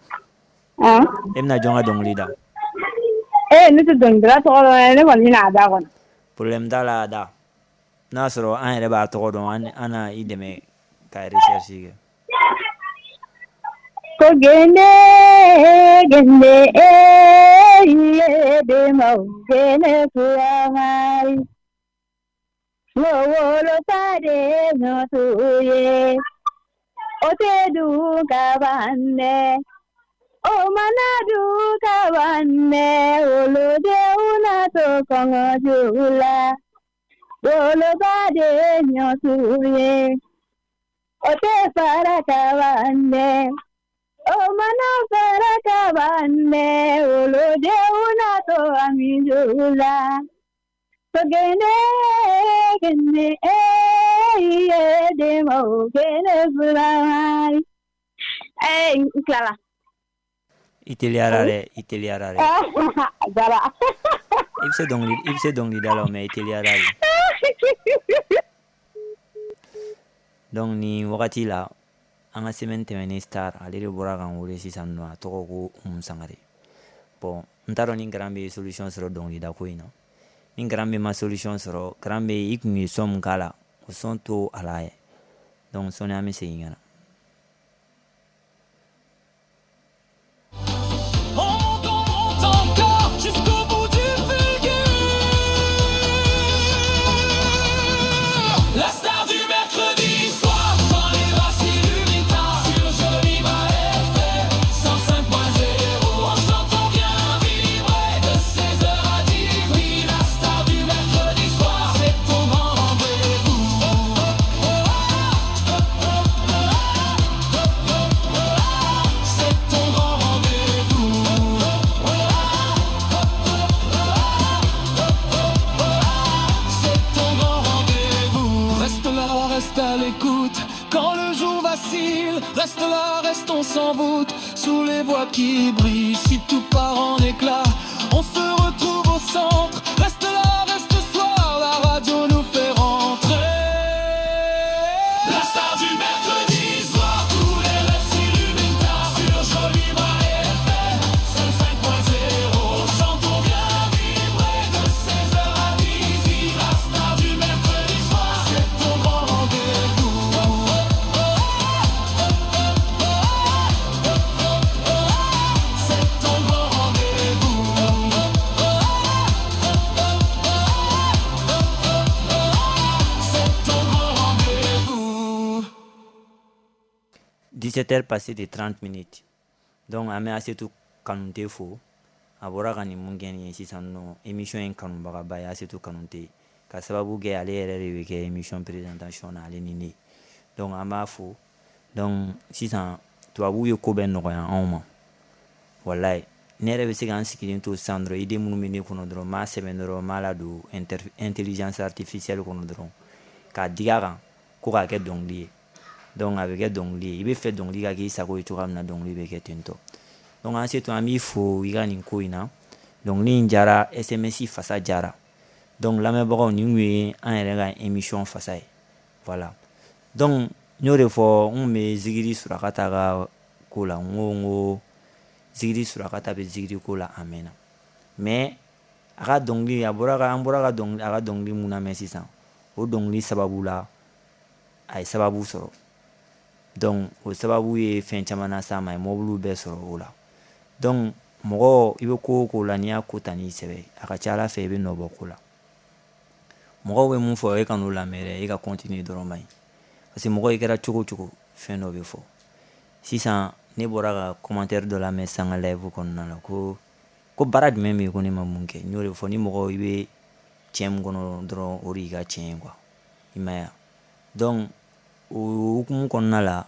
An? E bɛna jɔn ka dɔnkili da? Ee ne tɛ dɔnkilidala tɔgɔ dɔn dɛ, ne kɔni bɛna a da kɔnɔ. Problème t'a la a da. N'a sɔrɔ an yɛrɛ b'a tɔgɔ dɔn an an na i dɛmɛ ka recherche kɛ. Ko gende gende eh iye demaw gene furamai. Wo wolo pade no tuye. O te du kabande. O mana du kabande. Olo de una to kongo jula. Wolo pade no tuye. O te para kabande. O mana para kabande. Olo de una to amijula. So gene gene eh iye demo gene furamai. Eh, n tilala. I teliyara dɛ, i teliyara dɛ. A diyara. I bɛ se dɔnkili i bɛ se dɔnkilida la o mais i teliyara de. Donc nin wagati la an ka semaine tɛmɛnen star ale de bɔra k'an wele sisan nɔ, a tɔgɔ ko Oumou Sangare. Bon n t'a dɔn ni Grand B ye solution sɔrɔ dɔnkilida ko in na. Ni Grand B ma solution sɔrɔ, Grand B i kun ye son min k'a la, o son to a la yɛ. Donc sɔɔni an bɛ segin ka na. On monte, on monte encore jusqu'au bout du fulgure. La star du mercredi soir, quand les bras s'illuminent tard sur Joliba F M cent cinq. facile. Reste là, restons sans voûte, sous les voix qui brillent. Si tout part en éclat, on se retrouve au centre. Reste là, reste ce soir, la radio nous fait rentrer. La star du mercredi soir, tous les rêves s'illuminent tard sur Joliba F M cent cinq point zéro. On chante, on vient vibrer de seize heures à dix-huit. La star du mercredi soir, c'est ton grand rendez-vous. C'est ton grand rendez-vous. C'est ton grand rendez-vous. dix-sept heures passées de trente minutes. Donc an bɛ Asetu Kanute fo. A bɔra ka nin mun kɛ nin ye sisan nɔ, émission in kanubagaba ye Asetu Kanute, ka sababu kɛ ale yɛrɛ de bɛ kɛ émission présentation na, ale ni ne. Donc an b'a fo. Donc sisan tubabuw ye ko bɛɛ nɔgɔya anw ma. Walayi, ne yɛrɛ bɛ se k'an sigilen to sisan dɔrɔn, idée minnu bɛ ne kɔnɔ dɔrɔn, n b'a sɛbɛn dɔrɔn, n b'a ladon inter- intelligence artificielle kɔnɔ dɔrɔn, k'a digi a kan ko k'a kɛ dɔnkili ye. Donc a bɛ kɛ dɔnkili ye. I bɛ fɛ dɔnkili ka k'i sago ye cogoya min na, dɔnkili bɛ kɛ ten tɔ. Donc an se to an b'i fo i ka nin ko in na. Dɔnkili in jara, S M S fasa jara. Donc lamɛnbagaw, nin kun ye an yɛrɛ ka émission fasa ye. Voilà. Donc n y'o de fɔ, n kun bɛ Zigiri Surakata ka ko la. N ko n ko Zigiri Surakata bɛ zigiri ko la a mɛnna. Mais a ka dɔnkili, a bɔra ka, an bɔra ka dɔnkili, a ka dɔnkili mun lamɛn sisan, o dɔnkili sababu la a ye sababu sɔrɔ. Donc o sababu ye fɛn caman las'a ma, a ye mɔbiliw bɛɛ sɔrɔ o la. Donc mɔgɔ, i bɛ ko o ko la, n'i y'a ko ta n'i sɛbɛ, a ka ca Ala fɛ i bɛ nɔ bɔ ko la. Mɔgɔw bɛ mun fɔ, e ka n'o lamɛn dɛ, e ka continuer dɔrɔn man ɲi. Parce que mɔgɔ, i kɛra cogo o cogo, fɛn dɔ bɛ fɔ. Sisan ne bɔra ka commentaire dɔ lamɛn sisan n ka live kɔnɔna la, ko ko baara jumɛn bɛ yen ko ne ma mun kɛ. N y'o de fɔ, ni mɔgɔ i bɛ tiɲɛ min kɔnɔ dɔrɔn, o de y'i ka tiɲɛ ye quoi. I m'a ye wa? Donc o hukumu kɔnɔna la,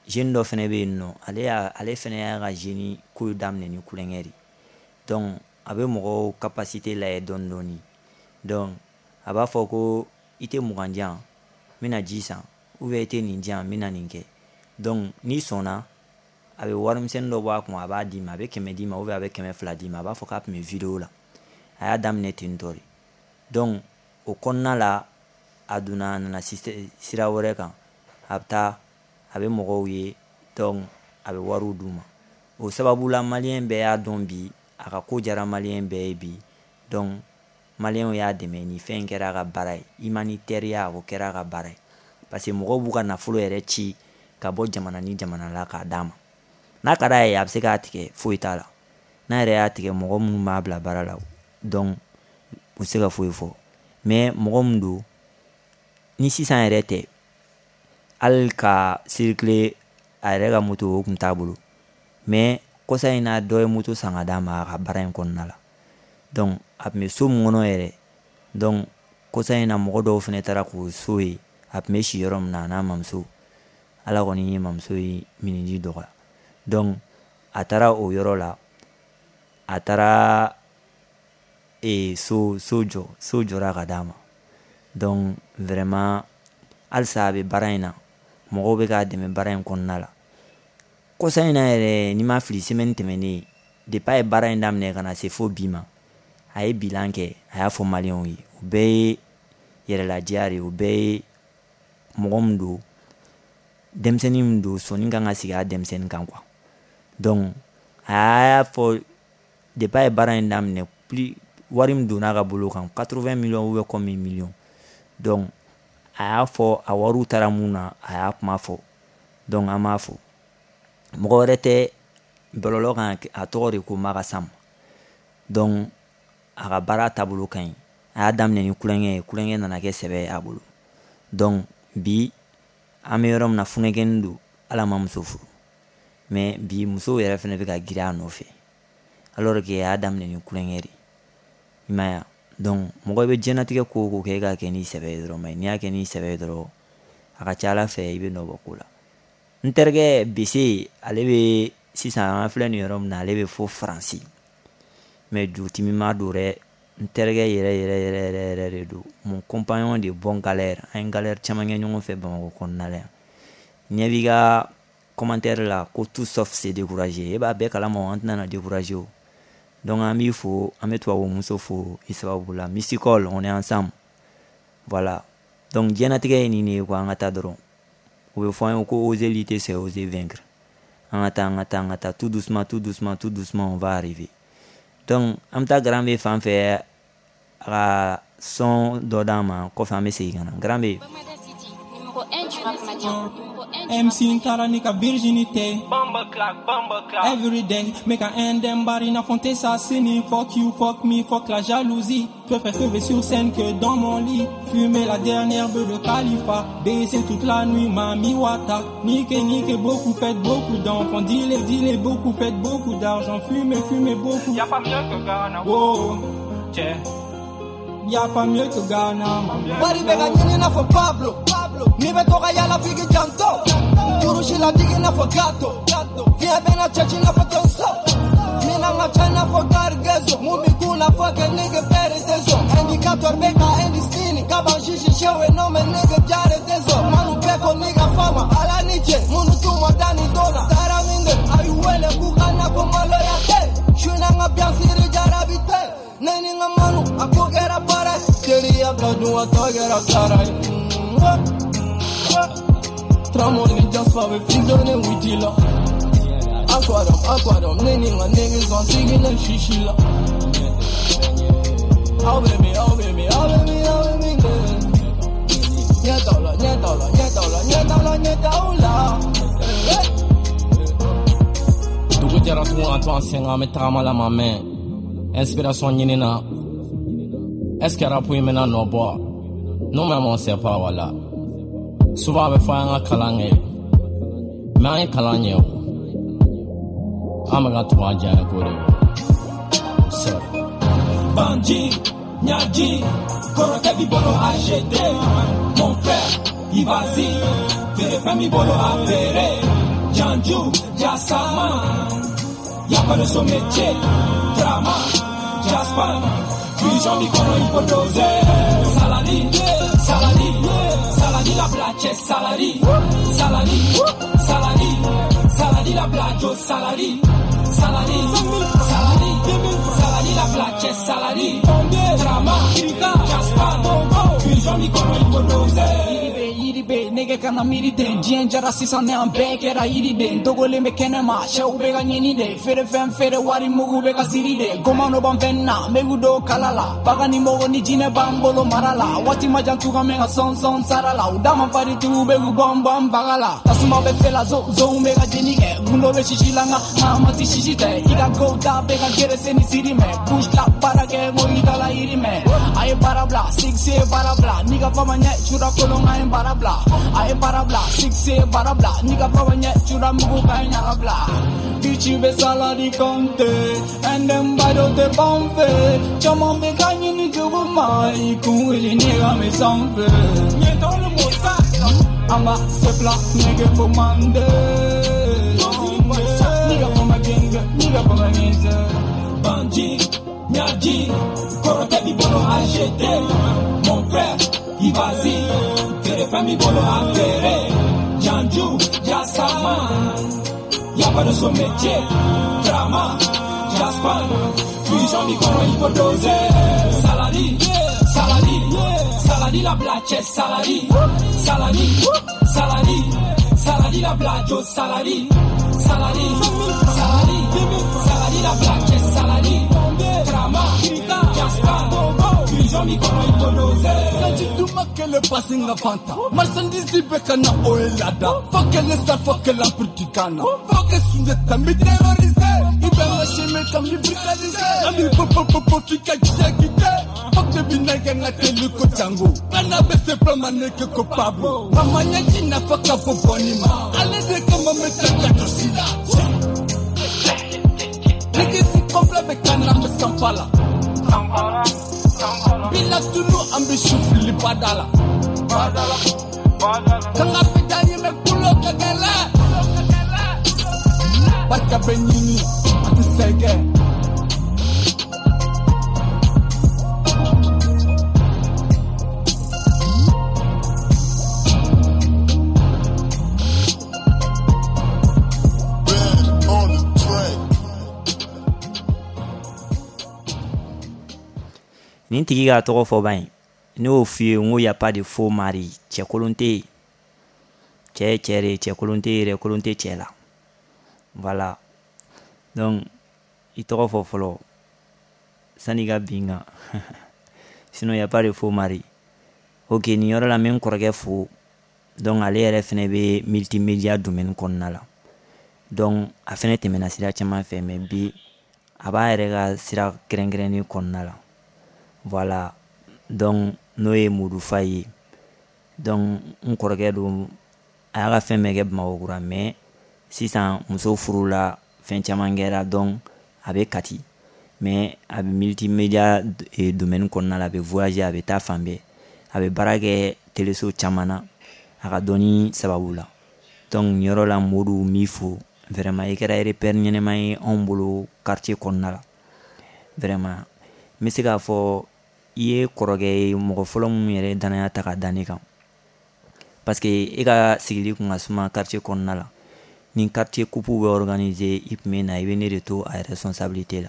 jeune dɔ fɛnɛ bɛ yen nɔ, ale y'a, ale fɛnɛ y'a ka jeune ko daminɛ ni kulonkɛ de. Donc a bɛ mɔgɔw capacité lajɛ dɔɔni dɔɔni. Donc a b'a fɔ ko i tɛ mugan di yan, n bɛna ji san, ou bien i tɛ nin di yan, n bɛna nin kɛ. Donc n'i sɔnna, a bɛ warimisɛnnin dɔ bɔ a kun, a b'a d'i ma, a bɛ kɛmɛ d'i ma, ou bien a bɛ kɛmɛ fila d'i ma, a b'a fɔ k'a tun bɛ vidéo la. A y'a daminɛ ten tɔ de. Donc o kɔnɔna la, a donna, a nana sira wɛrɛ kan, a bɛ taa, a bɛ mɔgɔw ye, donc a bɛ wariw d'u ma. O sababu la, maliyɛn bɛɛ y'a dɔn bi, a ka ko jara maliyɛn bɛɛ ye bi. Donc maliyɛnw y'a dɛmɛ, nin fɛn in kɛra a ka baara ye. Humanitaire, o kɛra a ka baara ye. Parce que mɔgɔw b'u ka nafolo yɛrɛ ci ka bɔ jamana ni jamana la k'a d'a ma. N'a ka d'a ye, a bɛ se k'a tigɛ, foyi t'a la. N'a yɛrɛ y'a tigɛ, mɔgɔ minnu b'a bila baara la, donc u tɛ se ka foyi fɔ. Mais mɔgɔ min don, ni sisan yɛrɛ tɛ, hali ka circuler a yɛrɛ ka moto, o kun t'a bolo. Mais kɔsa in na, dɔ ye moto san ka d'a ma a ka baara in kɔnɔna la. Donc a tun bɛ so min kɔnɔ yɛrɛ, donc kɔsa in na mɔgɔ dɔw fana taara k'o so ye, a tun bɛ si yɔrɔ min na, a n'a mamuso. Ala kɔni ye mamuso ye miniji dɔgɔya. Donc a taara o yɔrɔ la, a taara e so so jɔ, so jɔra ka d'a ma. Donc vraiment halisa a bɛ baara in na, mɔgɔw bɛ k'a dɛmɛ baara in kɔnɔna la. Kɔsa in na yɛrɛ, n'i ma fili, semaine tɛmɛnen, depuis a ye baara in daminɛ ka na se fo bi ma, a ye bilan kɛ, a y'a fɔ maliyɛnw ye. O bɛɛ ye yɛrɛladiya de ye, o bɛɛ ye mɔgɔ min don, denmisɛnnin min don, sɔnni kan ka sigi a denmisɛnnin kan quoi. Donc a y'a fɔ depuis a ye baara in daminɛ, plus wari min donna a ka bolo kan, quatre-vingts millions ou bien combien millions. Donc a y'a fɔ a wariw taara mun na, a y'a kuma fɔ. Donc an b'a fɔ, mɔgɔ wɛrɛ tɛ bɔlɔlɔ kan, a tɔgɔ de ko Maka Sam. Donc a ka baara taabolo ka ɲi. A y'a daminɛ ni kulonkɛ ye, kulonkɛ nana kɛ sɛbɛ ye a bolo. Donc bi an bɛ yɔrɔ min na, funɛkɛni don, Ala ma muso furu. Mais bi musow yɛrɛ fɛnɛ bɛ ka girin a nɔfɛ, alors que a y'a daminɛ ni kulonkɛ de ye. I m'a ye wa? Donc mɔgɔ bɛ diɲɛlatigɛ ko o ko kɛ, e k'a kɛ n'i sɛbɛ ye dɔrɔn. Mais n'i y'a kɛ n'i sɛbɛ ye dɔrɔn, a ka ca Ala fɛ i bɛ nɔ bɔ ko la. N terikɛ Bese, ale bɛ sisan, an filɛ nin yɔrɔ min na, ale bɛ fo Faransi. Mais jutimima don dɛ, n terikɛ yɛrɛ yɛrɛ yɛrɛ yɛrɛ yɛrɛ de don. Mon compagnon de bon galère, an ye galère caman kɛ ɲɔgɔn fɛ Bamakɔ kɔnɔna la yan. Ɲɛ b'i ka commentaire la ko tout sauf se décourager. E b'a bɛɛ kalama, an tɛna na décourager o. Donc an b'i fo, an bɛ tubabu muso fo i sababu la. Mysticol, on est ensemble. Voilà. Donc diɲɛnatigɛ ye nin de ye quoi, an ka taa dɔrɔn. U bɛ fɔ an ye ko oser lutter, c'est oser vaincre. An ka taa, an ka taa, an ka taa, tout doucement, tout doucement, tout doucement, on va arriver. Donc an bɛ taa Grand B fan fɛ, a ka son dɔ d'an ma, kɔfɛ an bɛ segin ka na. Grand B. M C n taara n'i ka virginité. Every day, make a end them bari na fonte sa sini. Fuck you, fuck me, fuck la jalousie. Je préfère crever sur scène que dans mon lit. Fumer la dernière beuh de Khalifa. Baiser toute la nuit, mami wata. Nique, nique beaucoup, faites beaucoup d'enfants. Dealez, dealez beaucoup, faites beaucoup d'argent. Fumez, fumez beaucoup. Y'a pas mieux que Ghana. Oh, yeah. Y'a pas mieux que Ghana, ma Bari bɛ ka ɲini n'a fɔ Pablo. N'i bɛ to ka yala f'i k'i janto. Kurusi la digi n'a fɔ gato. Fiɲɛ bɛ na cɛci n'a fɔ tonso. Mina n ka ca n'a fɔ garigezo. Mun b'i kun na fɔ kɛ nigga bɛrɛ tɛ sɔn. Indicateur bɛ ka indistini. Kaban sisi sewe no mɛ nigga jare tɛ sɔn. Manu bɛɛ ko nigga fama. Ala ni cɛ minnu t'u ma da ni don na. Taara min de a y'u wele k'u ka na ko maloya tɛ. Su na n ka biyansiri jarabi tɛ. Ne ni n ka manu a ko kɛra baara ye. Teriya ka dun a tɔ kɛra kara ye. Tramon ni Jasper bɛ fusionner witi la. Aquarium, aquarium, ne ni n ka niggas an sigilen sisi la. Aw bɛ min, aw bɛ min, aw bɛ min, aw bɛ min kɛ. Ɲɛ t'aw la, ɲɛ t'aw la, ɲɛ t'aw la, ɲɛ t'aw la, ɲɛ t'aw la. Dugu jɛra tugun an to an sen kan, an bɛ tagama la ma mɛn. Inspiration ɲini na. Est-ce que rap in bɛna nɔ bɔ? Nous-mêmes on sait pas, voilà. Souvent a bɛ fɔ an ka kalan kɛ. Mais an ye kalan ɲɛ o. An bɛ ka tugu an diya ko de kɔ. Sorry. Bandit, Nyadji, kɔrɔkɛ b'i bolo A G D. Mon frère, i vas-y, feere fɛn b'i bolo a feere. Janju, Jasama, y'a pas de son métier. Drama, Jasper, fusion b'i kɔnɔ il faut doser. Saladi, saladi, saladi la blache, saladi, saladi, saladi, saladi la blajo, saladi, saladi, saladi, saladi la blache, saladi, drama, Jasper, fusion b'i kɔnɔ il faut doser. Yiri nege kana miiri den diɲɛ jara sisan ne an bɛɛ kɛra yiriden dogolen bɛ kɛnɛ ma sɛw bɛ ka ɲini de feere fɛn feere wari mugu bɛ ka siri de gomano b'an fɛn na megu dɔw kala la bagan ni mɔgɔ ni jinɛ b'an bolo mara la waati ma jan tuga mɛ ka sɔn sɔn sara la u da ma faritigiw bɛ k'u bɔn bɔn baga la tasuma bɛ fɛ la zo zonw bɛ ka jeni kɛ gundo bɛ sisi la nka nka ma ti sisi tɛ i ka go da bɛ ka gerese ni siri mɛ push la baara kɛ ko i ta la yiri mɛ a ye baara bila six ye baara bila n'i ka fama ɲɛ sura kolon ka ye baara bila a ye baara bila six ye baara bila n'i ka fama ɲɛ sura mugu ka ye ɲaga bila bitch bɛ saladi kɔnte ɛndɛn ba dɔ tɛ ban fɛ caman bɛ ka ɲini cogo ma i kun wuli ne ka mɛ sanfɛ ɲɛ t'aw ni mɔ ta an b'a se fila nege fo mande n'i ka fama genge n'i ka fama genge. Bandit, Nyadji, kɔrɔkɛ b'i bolo A G D. Mon frère, i vas-y, feere fɛn b'i bolo a feere. Janju, Jasama, y'a pas de son métier. Drama, Jasper, fusion b'i kɔnɔ il faut doser. Saladi, saladi, saladi la blache, saladi, saladi, saladi, saladi la blajo, saladi, saladi, saladi, saladi la blache, saladi, drama, Jasper, fusion b'i kɔnɔ il faut doser. Sanji duma kɛlɛ pasi n ka fanta. Marchandise bɛ ka na o ye lada. Fo kɛlɛ sa fo kɛlɛ empire du Ghana. Fo kɛ Sunjata n bɛ terroriser. I bɛ n ka chemin kan n bɛ brutaliser. An bɛ pop pop pop pop f'i ka diɲɛ quitter. Fuck de bi nɛgɛ n ka teli ko Django. Kana bɛ se plan ma nege ko Pablo. Mama ɲɛji nafa ka bon bɔnni ma. Ale de kama n bɛ taa ka to si la. Nege si complet bɛ ka na n bɛ sanfa la. Bila tunu an bɛ su fili bada la. Kanga bɛ taa ɲɛmɛ kulo ka gɛlɛn. Barika bɛ ɲini a tɛ sɛgɛn. Nin tigi k'a tɔgɔ fɔ ban ye. Ne y'o f'i ye n ko y a pas de faux mari, cɛ kolon tɛ yen. Cɛ ye cɛ de ye, cɛ kolon tɛ yen dɛ, kolon tɛ cɛ la. Voilà. Donc i tɔgɔ fɔ fɔlɔ sanni i ka bin n kan. Sinon y a pas de faux mari. Ok, nin yɔrɔ la n bɛ n kɔrɔkɛ fo. Donc ale yɛrɛ fɛnɛ bɛ multimédia domaine kɔnɔna la. Donc a fɛnɛ tɛmɛna sira caman fɛ, mais bi a b'a yɛrɛ ka sira kɛrɛnkɛrɛnnen kɔnɔna la. Voilà. Donc n'o ye Modou Faye ye. Donc n kɔrɔkɛ don, a y'a ka fɛn bɛɛ kɛ Bamakɔ kura, mais sisan muso furula, fɛn caman kɛra, donc a bɛ Kati. Mais a bɛ multimédia domaine kɔnɔna la, a bɛ voyager, a bɛ taa fan bɛɛ. A bɛ baara kɛ téléso caman na a ka dɔnni sababu la. Donc nin yɔrɔ la Modou n b'i fo. Vraiment i kɛra repère ɲɛnɛma ye anw bolo quartier kɔnɔna la. Vraiment n bɛ se k'a fɔ i ye kɔrɔkɛ ye, mɔgɔ fɔlɔ minnu yɛrɛ ye danaya ta ka da ne kan. Parce que e ka sigili kun ka suma quartier kɔnɔna la. Ni quartier coupe bɛ organiser, i tun bɛ na, i bɛ ne de to a responsabilité la.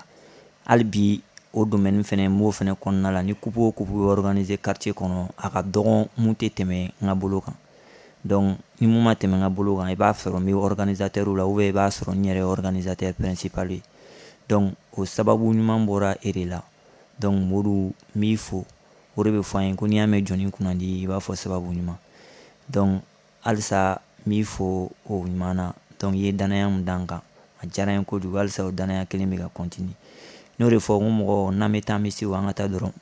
Hali bi o domaine fɛnɛ n b'o fɛnɛ kɔnɔna la. Ni coupe o coupe bɛ organiser quartier kɔnɔ, a ka dɔgɔn mun tɛ tɛmɛ n ka bolo kan. Donc ni mun ma tɛmɛ n ka bolo kan, i b'a sɔrɔ n bɛ organisateur la, ou bien i b'a sɔrɔ n yɛrɛ ye organisateur principal ye. Donc o sababu ɲuman bɔra e de la. Donc Modou n b'i fo. O de bɛ fɔ an ye ko n'i y'a mɛn jɔnni kunnandi, i b'a fɔ sababu ɲuman. Donc halisa n b'i fo o ɲuman na. Donc i ye danaya mun da n kan, a diyara n ye kojugu. Halisa o danaya kelen bɛ ka continuer. N'o de fɔ n ko mɔgɔ n'an bɛ taa an bɛ se, o an ka taa dɔrɔn.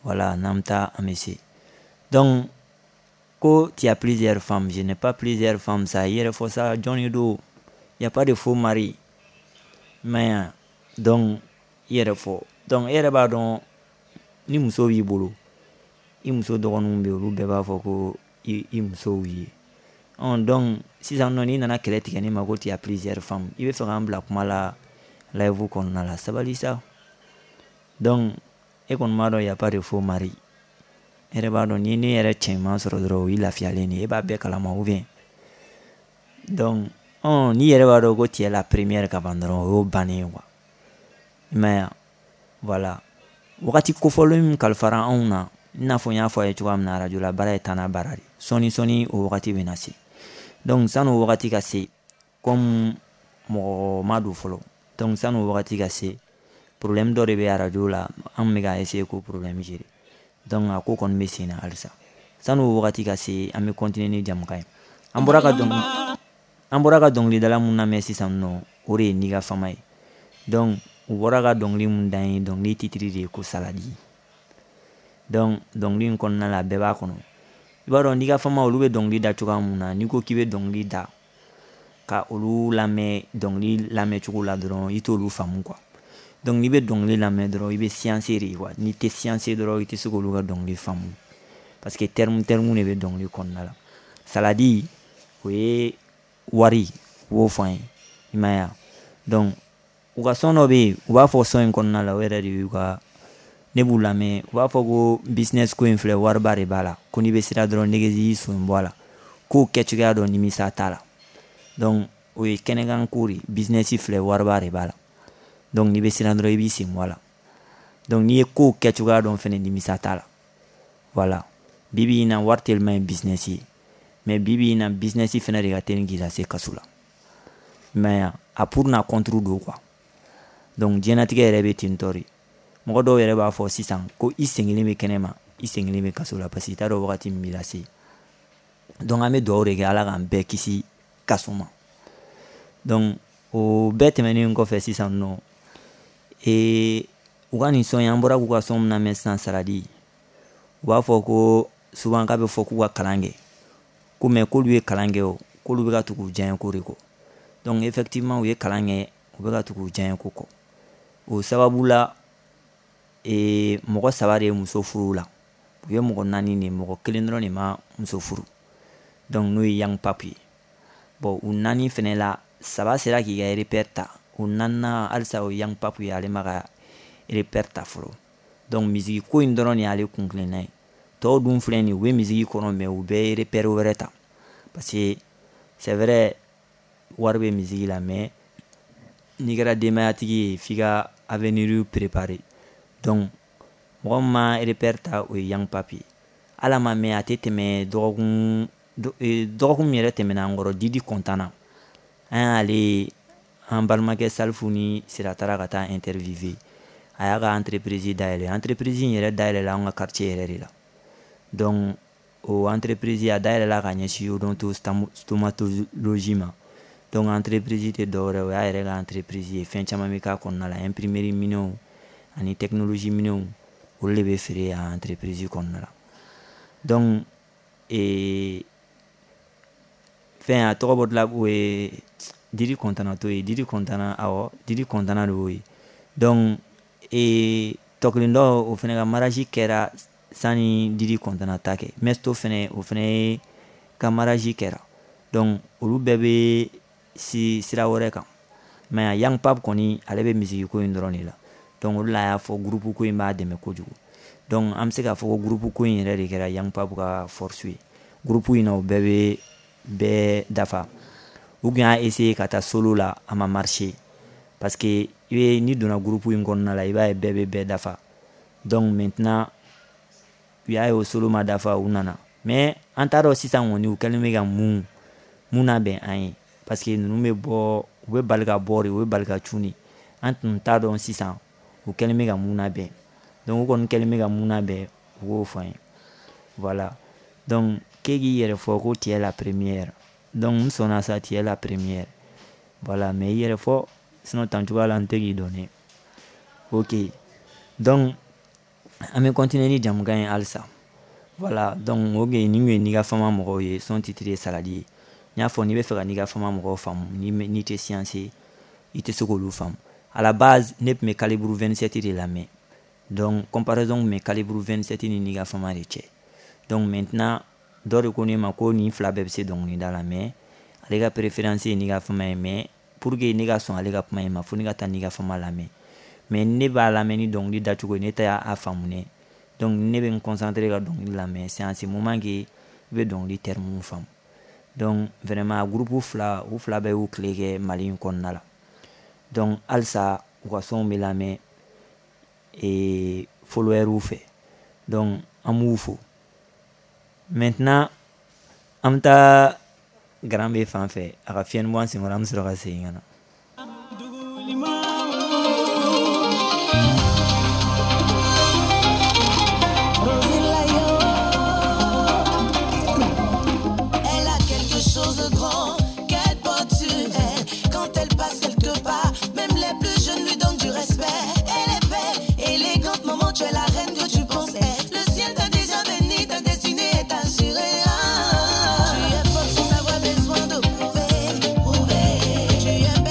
Voilà, n'an bɛ taa an bɛ se. Donc ko tu as plusieurs femmes, je n'ai pas plusieurs femmes, ça i yɛrɛ fɔ sa, jɔn de don? Y a pas de faux mari. Mais donc i yɛrɛ fɔ. Donc e yɛrɛ b'a dɔn ni muso b'i bolo, i muso dɔgɔninw bɛ yen, olu bɛɛ b'a fɔ ko i, i musow ye. Ɔn donc sisan nɔ n'i nana kɛlɛ tigɛ ne ma ko tu as plusieurs femmes, i bɛ fɛ k'an bila kuma la live kɔnɔna la, sabali sa. Donc e kɔni b'a dɔn y a pas de faux mari. E yɛrɛ b'a dɔn ni ne yɛrɛ cɛ ɲuman sɔrɔ dɔrɔn, o y'i lafiyalen de ye, e b'a bɛɛ kalama ou bien. Donc ɔn n'i yɛrɛ b'a dɔn ko tu es la première ka ban dɔrɔn, o y'o bannen ye quoi. I m'a ye wa? Voilà. Wagati kofɔlen min kalifara anw na, i n'a fɔ n y'a fɔ a ye cogoya min na, radio la baara ye taa n'a baara de. Sɔɔni sɔɔni o wagati bɛ na se. Donc san'o wagati ka se, comme mɔgɔ ma don fɔlɔ, donc san'o wagati ka se, problème dɔ de bɛ radio la, an bɛ ka essayer k'o problème gérer. Donc a ko kɔni bɛ sen na halisa. San'o wagati ka se, an bɛ continuer ni jamukan ye. An bɔra ka dɔnkili, an bɔra ka dɔnkilidala mun lamɛn sisan nɔ, o de ye Niga Fama ye. Donc u bɔra ka dɔnkili mun da n ye, dɔnkili titre de ye ko Saladi. Donc dɔnkili in kɔnɔna la, a bɛɛ b'a kɔnɔ. I b'a dɔn Niga Fama olu bɛ dɔnkili da cogoya mun na, n'i ko k'i bɛ dɔnkili da ka olu lamɛn dɔnkili lamɛncogo la dɔrɔn, i t'olu faamu quoi. Donc n'i bɛ dɔnkili lamɛn dɔrɔn, i bɛ science de quoi. N'i tɛ science dɔrɔn, i tɛ se k'olu ka dɔnkili faamu. Parce que terme terme de bɛ dɔnkili kɔnɔna la. Saladi o ye wari, u b'o fɔ an ye, i m'a ye wa? Donc u ka son dɔ bɛ yen, u b'a fɔ son in kɔnɔna la, o yɛrɛ de y'u ka, ne b'u lamɛn, u b'a fɔ ko business ko in filɛ, wariba de b'a la, ko n'i bɛ sira dɔrɔn négocier i sen bɔ a la, k'o kɛcogoya dɔn nimisa t'a la. Donc o ye kɛnɛkan ko de, business filɛ, wariba de b'a la. Donc n'i bɛ siran dɔrɔn, i b'i sen bɔ a la. Donc n'i ye kow kɛcogoya dɔn fɛnɛ, nimisa t'a la. Voilà. Bi bi in na wari teliman ye business ye. Mais bi bi in na business fɛnɛ de ka teli k'i lase kaso la. Mais a pour n'a contre don quoi. Donc diɲɛlatigɛ yɛrɛ bɛ ten tɔ de. Mɔgɔ dɔw yɛrɛ b'a fɔ sisan ko i sen kelen bɛ kɛnɛ ma, i sen kelen bɛ kaso la, parce que i t'a dɔn wagati min b'i lase. Donc an bɛ dugawu de kɛ Ala k'an bɛɛ kisi kaso ma. Donc o bɛɛ tɛmɛnen kɔfɛ sisan nɔ, ee u ka nin sɔn in, an bɔra k'u ka sɔn min lamɛn sisan Saladi, u b'a fɔ ko souvent k'a bɛ fɔ k'u ka kalan kɛ, ko mais k'olu ye kalan kɛ o, k'olu bɛ ka tugu u diyaɲɛ ko de kɔ. Donc effectivement u ye kalan kɛ, u bɛ ka tugu u diyaɲɛ ko kɔ. O sababu la, ee mɔgɔ saba de ye muso furu la, u ye mɔgɔ naani de, mɔgɔ kelen dɔrɔn de ma muso furu. Donc n'o ye Young Pape ye. Bon u naani fɛnɛ la, saba sera k'i ka repère ta, o naaninan halisa o Young Pape ye, ale ma ka repère ta fɔlɔ. Donc musique ko in dɔrɔn de y'ale kun kilenna ye. Tɔw dun filɛ nin ye, u bɛ musique kɔnɔ mais u bɛɛ ye repère wɛrɛ ta. Parce que c'est vrai wari bɛ musique la, mais n'i kɛra denbayatigi ye, f'i ka avenir préparer. Donc Mɔgɔ min ma repère ta, o ye Young Papi. Ala ma mɛn, a tɛ tɛmɛ dɔgɔkun dɔgɔkun min yɛrɛ tɛmɛna an kɔrɔ, Didi kɔntana, an y'ale an balimakɛ Salifu ni Sira taara ka taa interviewer. A y'a ka entreprise dayɛlɛ. Entreprise in yɛrɛ dayɛlɛla an ka quartier yɛrɛ de la. Donc o entreprise a dayɛlɛla ka ɲɛsin odonto stomatologie ma. Donc entreprise tɛ dɔwɛrɛ, o y'a yɛrɛ ka entreprise ye. Fɛn caman bɛ k'a kɔnɔna la, imprimerie minɛnw ani technologie minɛnw, olu de bɛ feere a entreprise kɔnɔna la. Donc ee fɛn a tɔgɔ bɔtɔla, o ye Didi kɔntana to ye. Didi kɔntana, awɔ, Didi kɔntana de y'o ye. Donc ee tɔkelen dɔ, o fɛnɛ ka mariage kɛra sani Didi kɔntana ta kɛ. Mesto fɛnɛ, o fɛnɛ ka mariage kɛra. Donc olu bɛɛ bɛ si sira wɛrɛ kan. Mais Young Pap kɔni, ale bɛ musique ko in dɔrɔn de la. Donc olu la, a y'a fɔ groupe ko in b'a dɛmɛ kojugu. Donc an bɛ se k'a fɔ ko groupe ko in yɛrɛ de kɛra Young Pap ka force ye. Groupe in na, o bɛɛ bɛ bɛɛ dafa. U tun y'a essayer ka taa solo la, a ma marcher, parce que i bɛ n'i donna groupe in kɔnɔna la, i b'a ye bɛɛ bɛ bɛɛ dafa. Donc maintenant u y'a ye o solo ma dafa, u nana. Mais an t'a dɔn sisan kɔni u kɛlen bɛ ka mun mun labɛn an ye, parce que ninnu bɛ bɔ, u bɛ bali ka bɔ de, u bɛ bali ka cun de. An tun t'a dɔn sisan u kɛlen bɛ ka mun labɛn. Donc u kɔni kɛlen bɛ ka mun labɛn, u k'o fɔ an ye. Voilà. Donc k'e k'i yɛrɛ fɔ ko tu es la première. Donc n sɔnna sa, tu es la première. Voilà, mais i yɛrɛ fɔ, sinon tan cogoya la n tɛ k'i dɔn dɛ. Ok, donc an bɛ continuer ni jamukan ye halisa. Voilà, donc o nin kun ye Niga Fama mɔgɔw ye. Son titre ye Saladi ye. N y'a fɔ, n'i bɛ fɛ ka Niga Fama mɔgɔw faamu, n'i tɛ science ye, i tɛ se k'olu faamu. À la base, ne tun bɛ Calibre vingt-sept de lamɛn. Donc comparaison tun bɛ Calibre vingt-sept ni Niga Fama de cɛ. Donc maintenant dɔ de ko ne ma ko nin fila bɛɛ bɛ se dɔnkilida la, mais ale ka préférence ye Niga Fama ye. Mais pour que ne ka sɔn ale ka kuma in ma, fo ne ka taa Niga Fama lamɛn. Mais ne b'a lamɛn ni dɔnkili dacogo ye, ne t'a a faamu dɛ. Donc ne bɛ n concentrer ka dɔnkili lamɛn, c'est en ce moment que i bɛ dɔnkili terme faamu. Donc vraiment groupe fila, u fila bɛɛ y'u tile kɛ Mali in kɔnɔna la. Donc halisa u ka sonw bɛ lamɛn ee followers fɛ. Donc an b'u fo. Maintenant an bɛ taa Grand B fan fɛ, a ka fiɲɛni bɔ an senkɔrɔ, an bɛ sɔrɔ ka segin ka na. Elle a quelque chose de grand qu'elle porte sur elle. Quand elle passe quelque part, même les plus jeunes lui donnent du respect. Elle est belle, élégante, maman, tu es la reine que tu pensais. Le ciel t'a déjà béni, ta destinée est assurée. Ah, tu es forte sans avoir besoin de prouver, prouver. Tu es belle.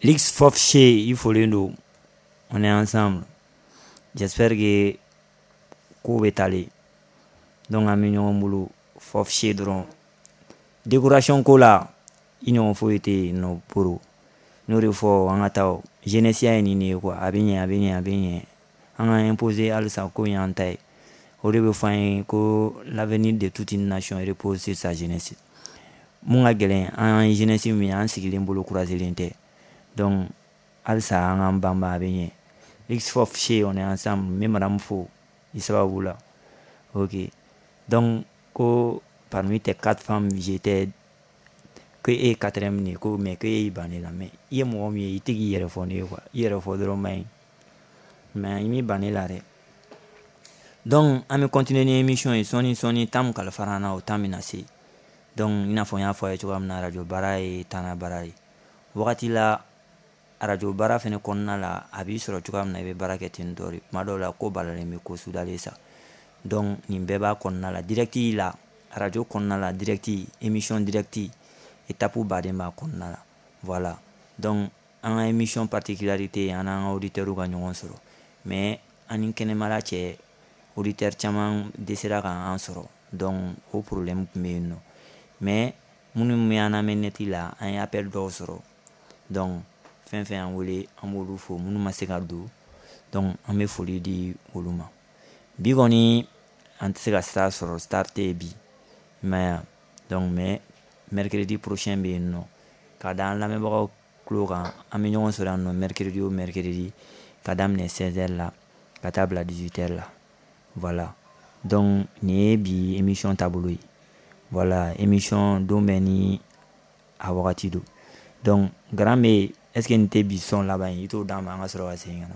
L'X Fofché, i folen don. On est ensemble. J'espère que ko bɛ talen. Donc an bɛ ɲɔgɔn bolo Fofché dɔrɔn. Décoration ko la, i ɲɔgɔn foyi tɛ yen nɔ boro. N'o de fɔ an ka taa jeunesse ye nin de ye quoi. A bɛ ɲɛ, a bɛ ɲɛ, a bɛ ɲɛ. An ka imposer halisa ko in y'an ta ye. O de bɛ fɔ an ye ko l'avenir de toute une nation repose sur sa jeunesse. Mun ka gɛlɛn an ye jeunesse min ye, an sigilen bolo croiselen tɛ. Donc halisa an k'an banba, a bɛ ɲɛ. X Fofché, on est ensemble. N bɛ madame fo i sababu la. Ok. Donc ko parmi tes quatre femmes, j'étais que e ye quatrième de ye, ko mais ko e y'i ban ne la. Mais i ye mɔgɔ min ye, i tɛ k'i yɛrɛ fɔ ne ye quoi. I yɛrɛ fɔ dɔrɔn man ɲi. Mais i m'i ban ne la dɛ. Donc an bɛ continuer ni émission ye sɔɔni sɔɔni, temps min kalifara an na, o temps bɛna se. Donc i n'a fɔ n y'a fɔ a ye cogoya min na, radio baara ye taana baara ye. Wagati la radio baara fɛnɛ kɔnɔna la, a b'i sɔrɔ cogoya min na, i bɛ baara kɛ ten tɔ de. Tuma dɔw la ko balalen bɛ ko sudalen sa. Donc nin bɛɛ b'a kɔnɔna la, direct la, radio kɔnɔna la, direct, émission direct, étape baden b'a kɔnɔna la. Voilà. Donc an ka émission particularité, an n'an ka auditeurs ka ɲɔgɔn sɔrɔ. Mais an ni kɛnɛmala cɛ, auditeur caman dɛsɛra k'an sɔrɔ. Donc o problème tun bɛ yen nɔ. Mais minnu bɛ an lamɛn net la, an ye appel dɔw sɔrɔ. Donc fɛn fɛn y'an wele, an b'olu fo. Minnu ma se ka don, donc an bɛ foli di olu ma. Bi kɔni an tɛ se ka star sɔrɔ, star tɛ yen bi, i m'a ye wa. Donc mais mercredi prochain bɛ yen nɔ, ka da an lamɛnbagaw tulo kan, an bɛ ɲɔgɔn sɔrɔ yan nɔ mercredi o mercredi, ka daminɛ seize heures la ka taa bila dix-huit heures la. Voilà. Donc nin ye bi émission taabolo ye. Voilà, émission don bɛɛ ni a wagati don. Donc grand bɛ, est ce que nin tɛ bi son laban ye? I t'o d'an ma, an ka sɔrɔ ka segin ka na.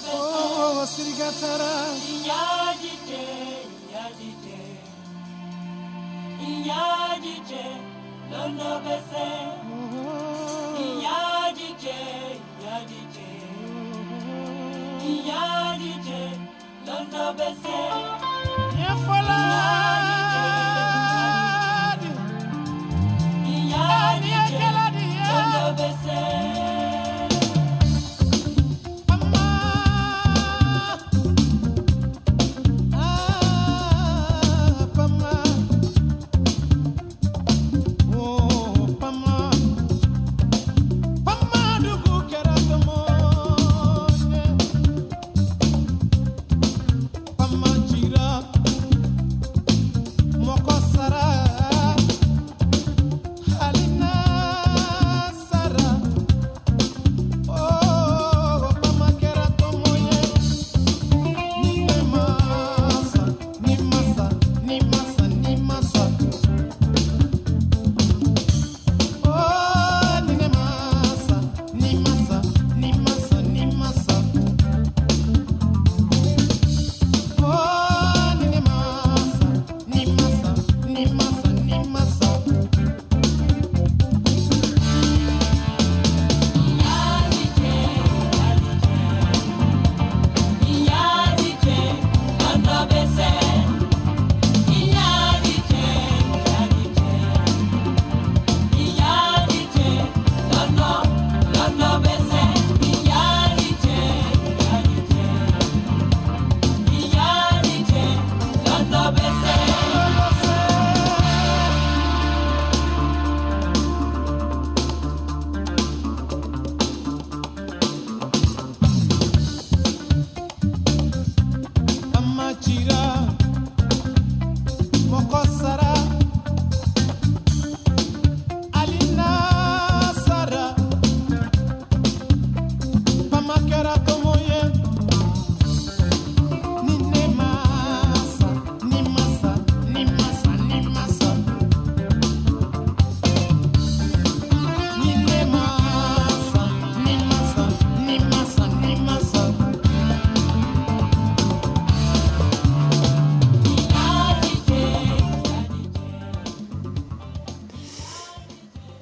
Oh, Sirigatara.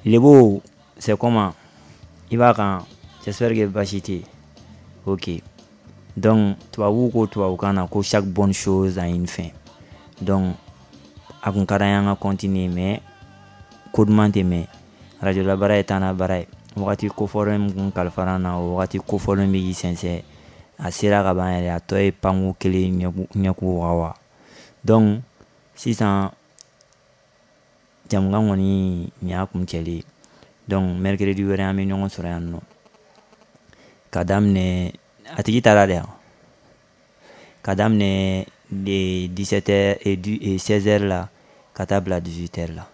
Lebo, c'est comment? I b'a kan? J'espère que baasi tɛ yen. Ok, donc tubabu ko tubabukan na ko chaque bonne chose a une fin. Donc a kun ka d'an ye an ka continuer, mais ko duman tɛ mɛn. Radio la baara ye taa n'a baara ye. Wagati kofɔlen min kun kalifara an na, o wagati kofɔlen bɛ k'i sɛnsɛn, a sera ka ban yɛrɛ, a tɔ ye panko kelen ɲɛku wawa. Donc sisan jamukan kɔni nin y'a kuncɛlen ye. Donc mercredi wɛrɛ an bɛ ɲɔgɔn sɔrɔ yan nɔ ka daminɛ, a tigi taara de yan, ka daminɛ de dix-sept heures et seize heures la ka taa bila dix-huit heures la.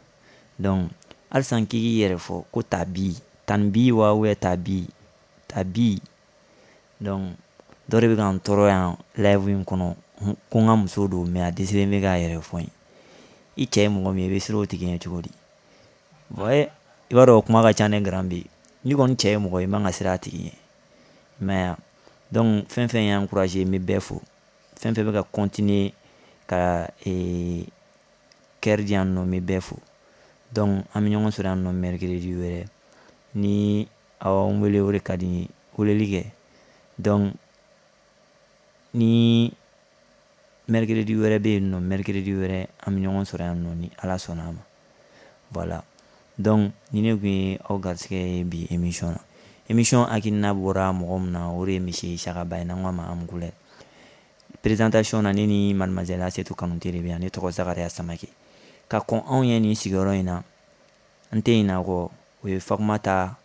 Donc halisa k'i k'i yɛrɛ fɔ ko tabi tan bi wa ou tabi tabi. Donc dɔ de bɛ ka n tɔɔrɔ yan live in kɔnɔ ko n ka muso don, mais a dɛsɛlen bɛ k'a yɛrɛ fɔ n ye. I cɛ ye mɔgɔ min ye, i bɛ siran o tigi ɲɛ cogo di? Bon, i b'a dɔn o kuma ka ca ne grand bi. N'i kɔni cɛ ye mɔgɔ ye, i man ka siran a tigi ɲɛ, i m'a ye wa? Donc fɛn fɛn y'an encouragé, n bɛ bɛɛ fo. Fɛn fɛn bɛ ka continuer ka ee cœur di yan nɔ, n bɛ bɛɛ fo. Donc an bɛ ɲɔgɔn sɔrɔ yan nɔ mercredi wɛrɛ. Ni aw n wele, o de ka di n ye, weleli kɛ. Donc ni mercredi wɛrɛ bɛ yen nɔ, mercredi wɛrɛ an bɛ ɲɔgɔn sɔrɔ yan nɔ ni Ala sɔnna a ma. Voilà, donc ni ne kun ye aw garisɛgɛ ye bi émission na. Émission hakilina bɔra mɔgɔ min na, o de ye monsieur Isaka Ba ye, n'an ko a ma Amukulɛ. Présentation na, ne ni mademoiselle Asetu Kanute de bɛ yan. Ne tɔgɔ Zakariya Samake. Ka kɔn anw ye nin sigiyɔrɔ in na, n tɛ ɲinɛ a kɔ, o ye Fatumata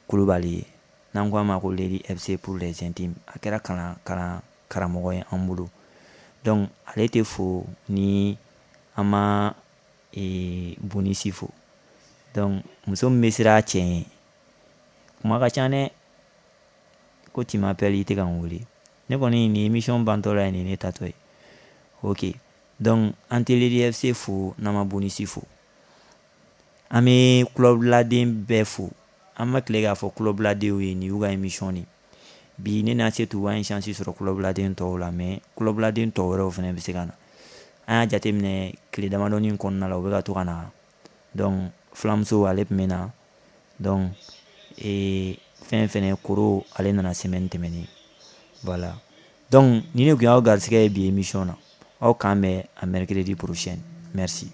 Kulubali ye, n'an ko a ma ko Lady F C pour les intimes. A kɛra kalan kalan karamɔgɔ ye an bolo. Donc ale tɛ fo ni an ma ee bonisi fo. Donc muso min bɛ siran a cɛ ɲɛ, kuma ka ca dɛ. Ko tu m'appelles, i tɛ ka n wele. Ne kɔni nin émission bantɔ la ye, nin ne tatɔ ye. Ok, donc an tɛ Lady F C fo n'an ma bonisi fo. An bɛ kulɔbiladen bɛɛ fo. An ma tile k'a fɔ kulɔbiladenw ye nin y'u ka émission de bi. Ne n'a se t'u an ye chance sɔrɔ kulɔbiladen tɔw la, mais kulɔbiladen tɔw wɛrɛw fana bɛ se ka na. An y'a jateminɛ tile damadɔni kɔnɔna la, u bɛ ka to ka na. Donc filamuso ale tun bɛ na. Donc ee fɛn fɛnɛ koro ale nana semaine tɛmɛnen. Voilà, donc ni ne tun y'aw garisɛgɛ ye bi émission na, aw k'an bɛn a mercredi prochain. Merci.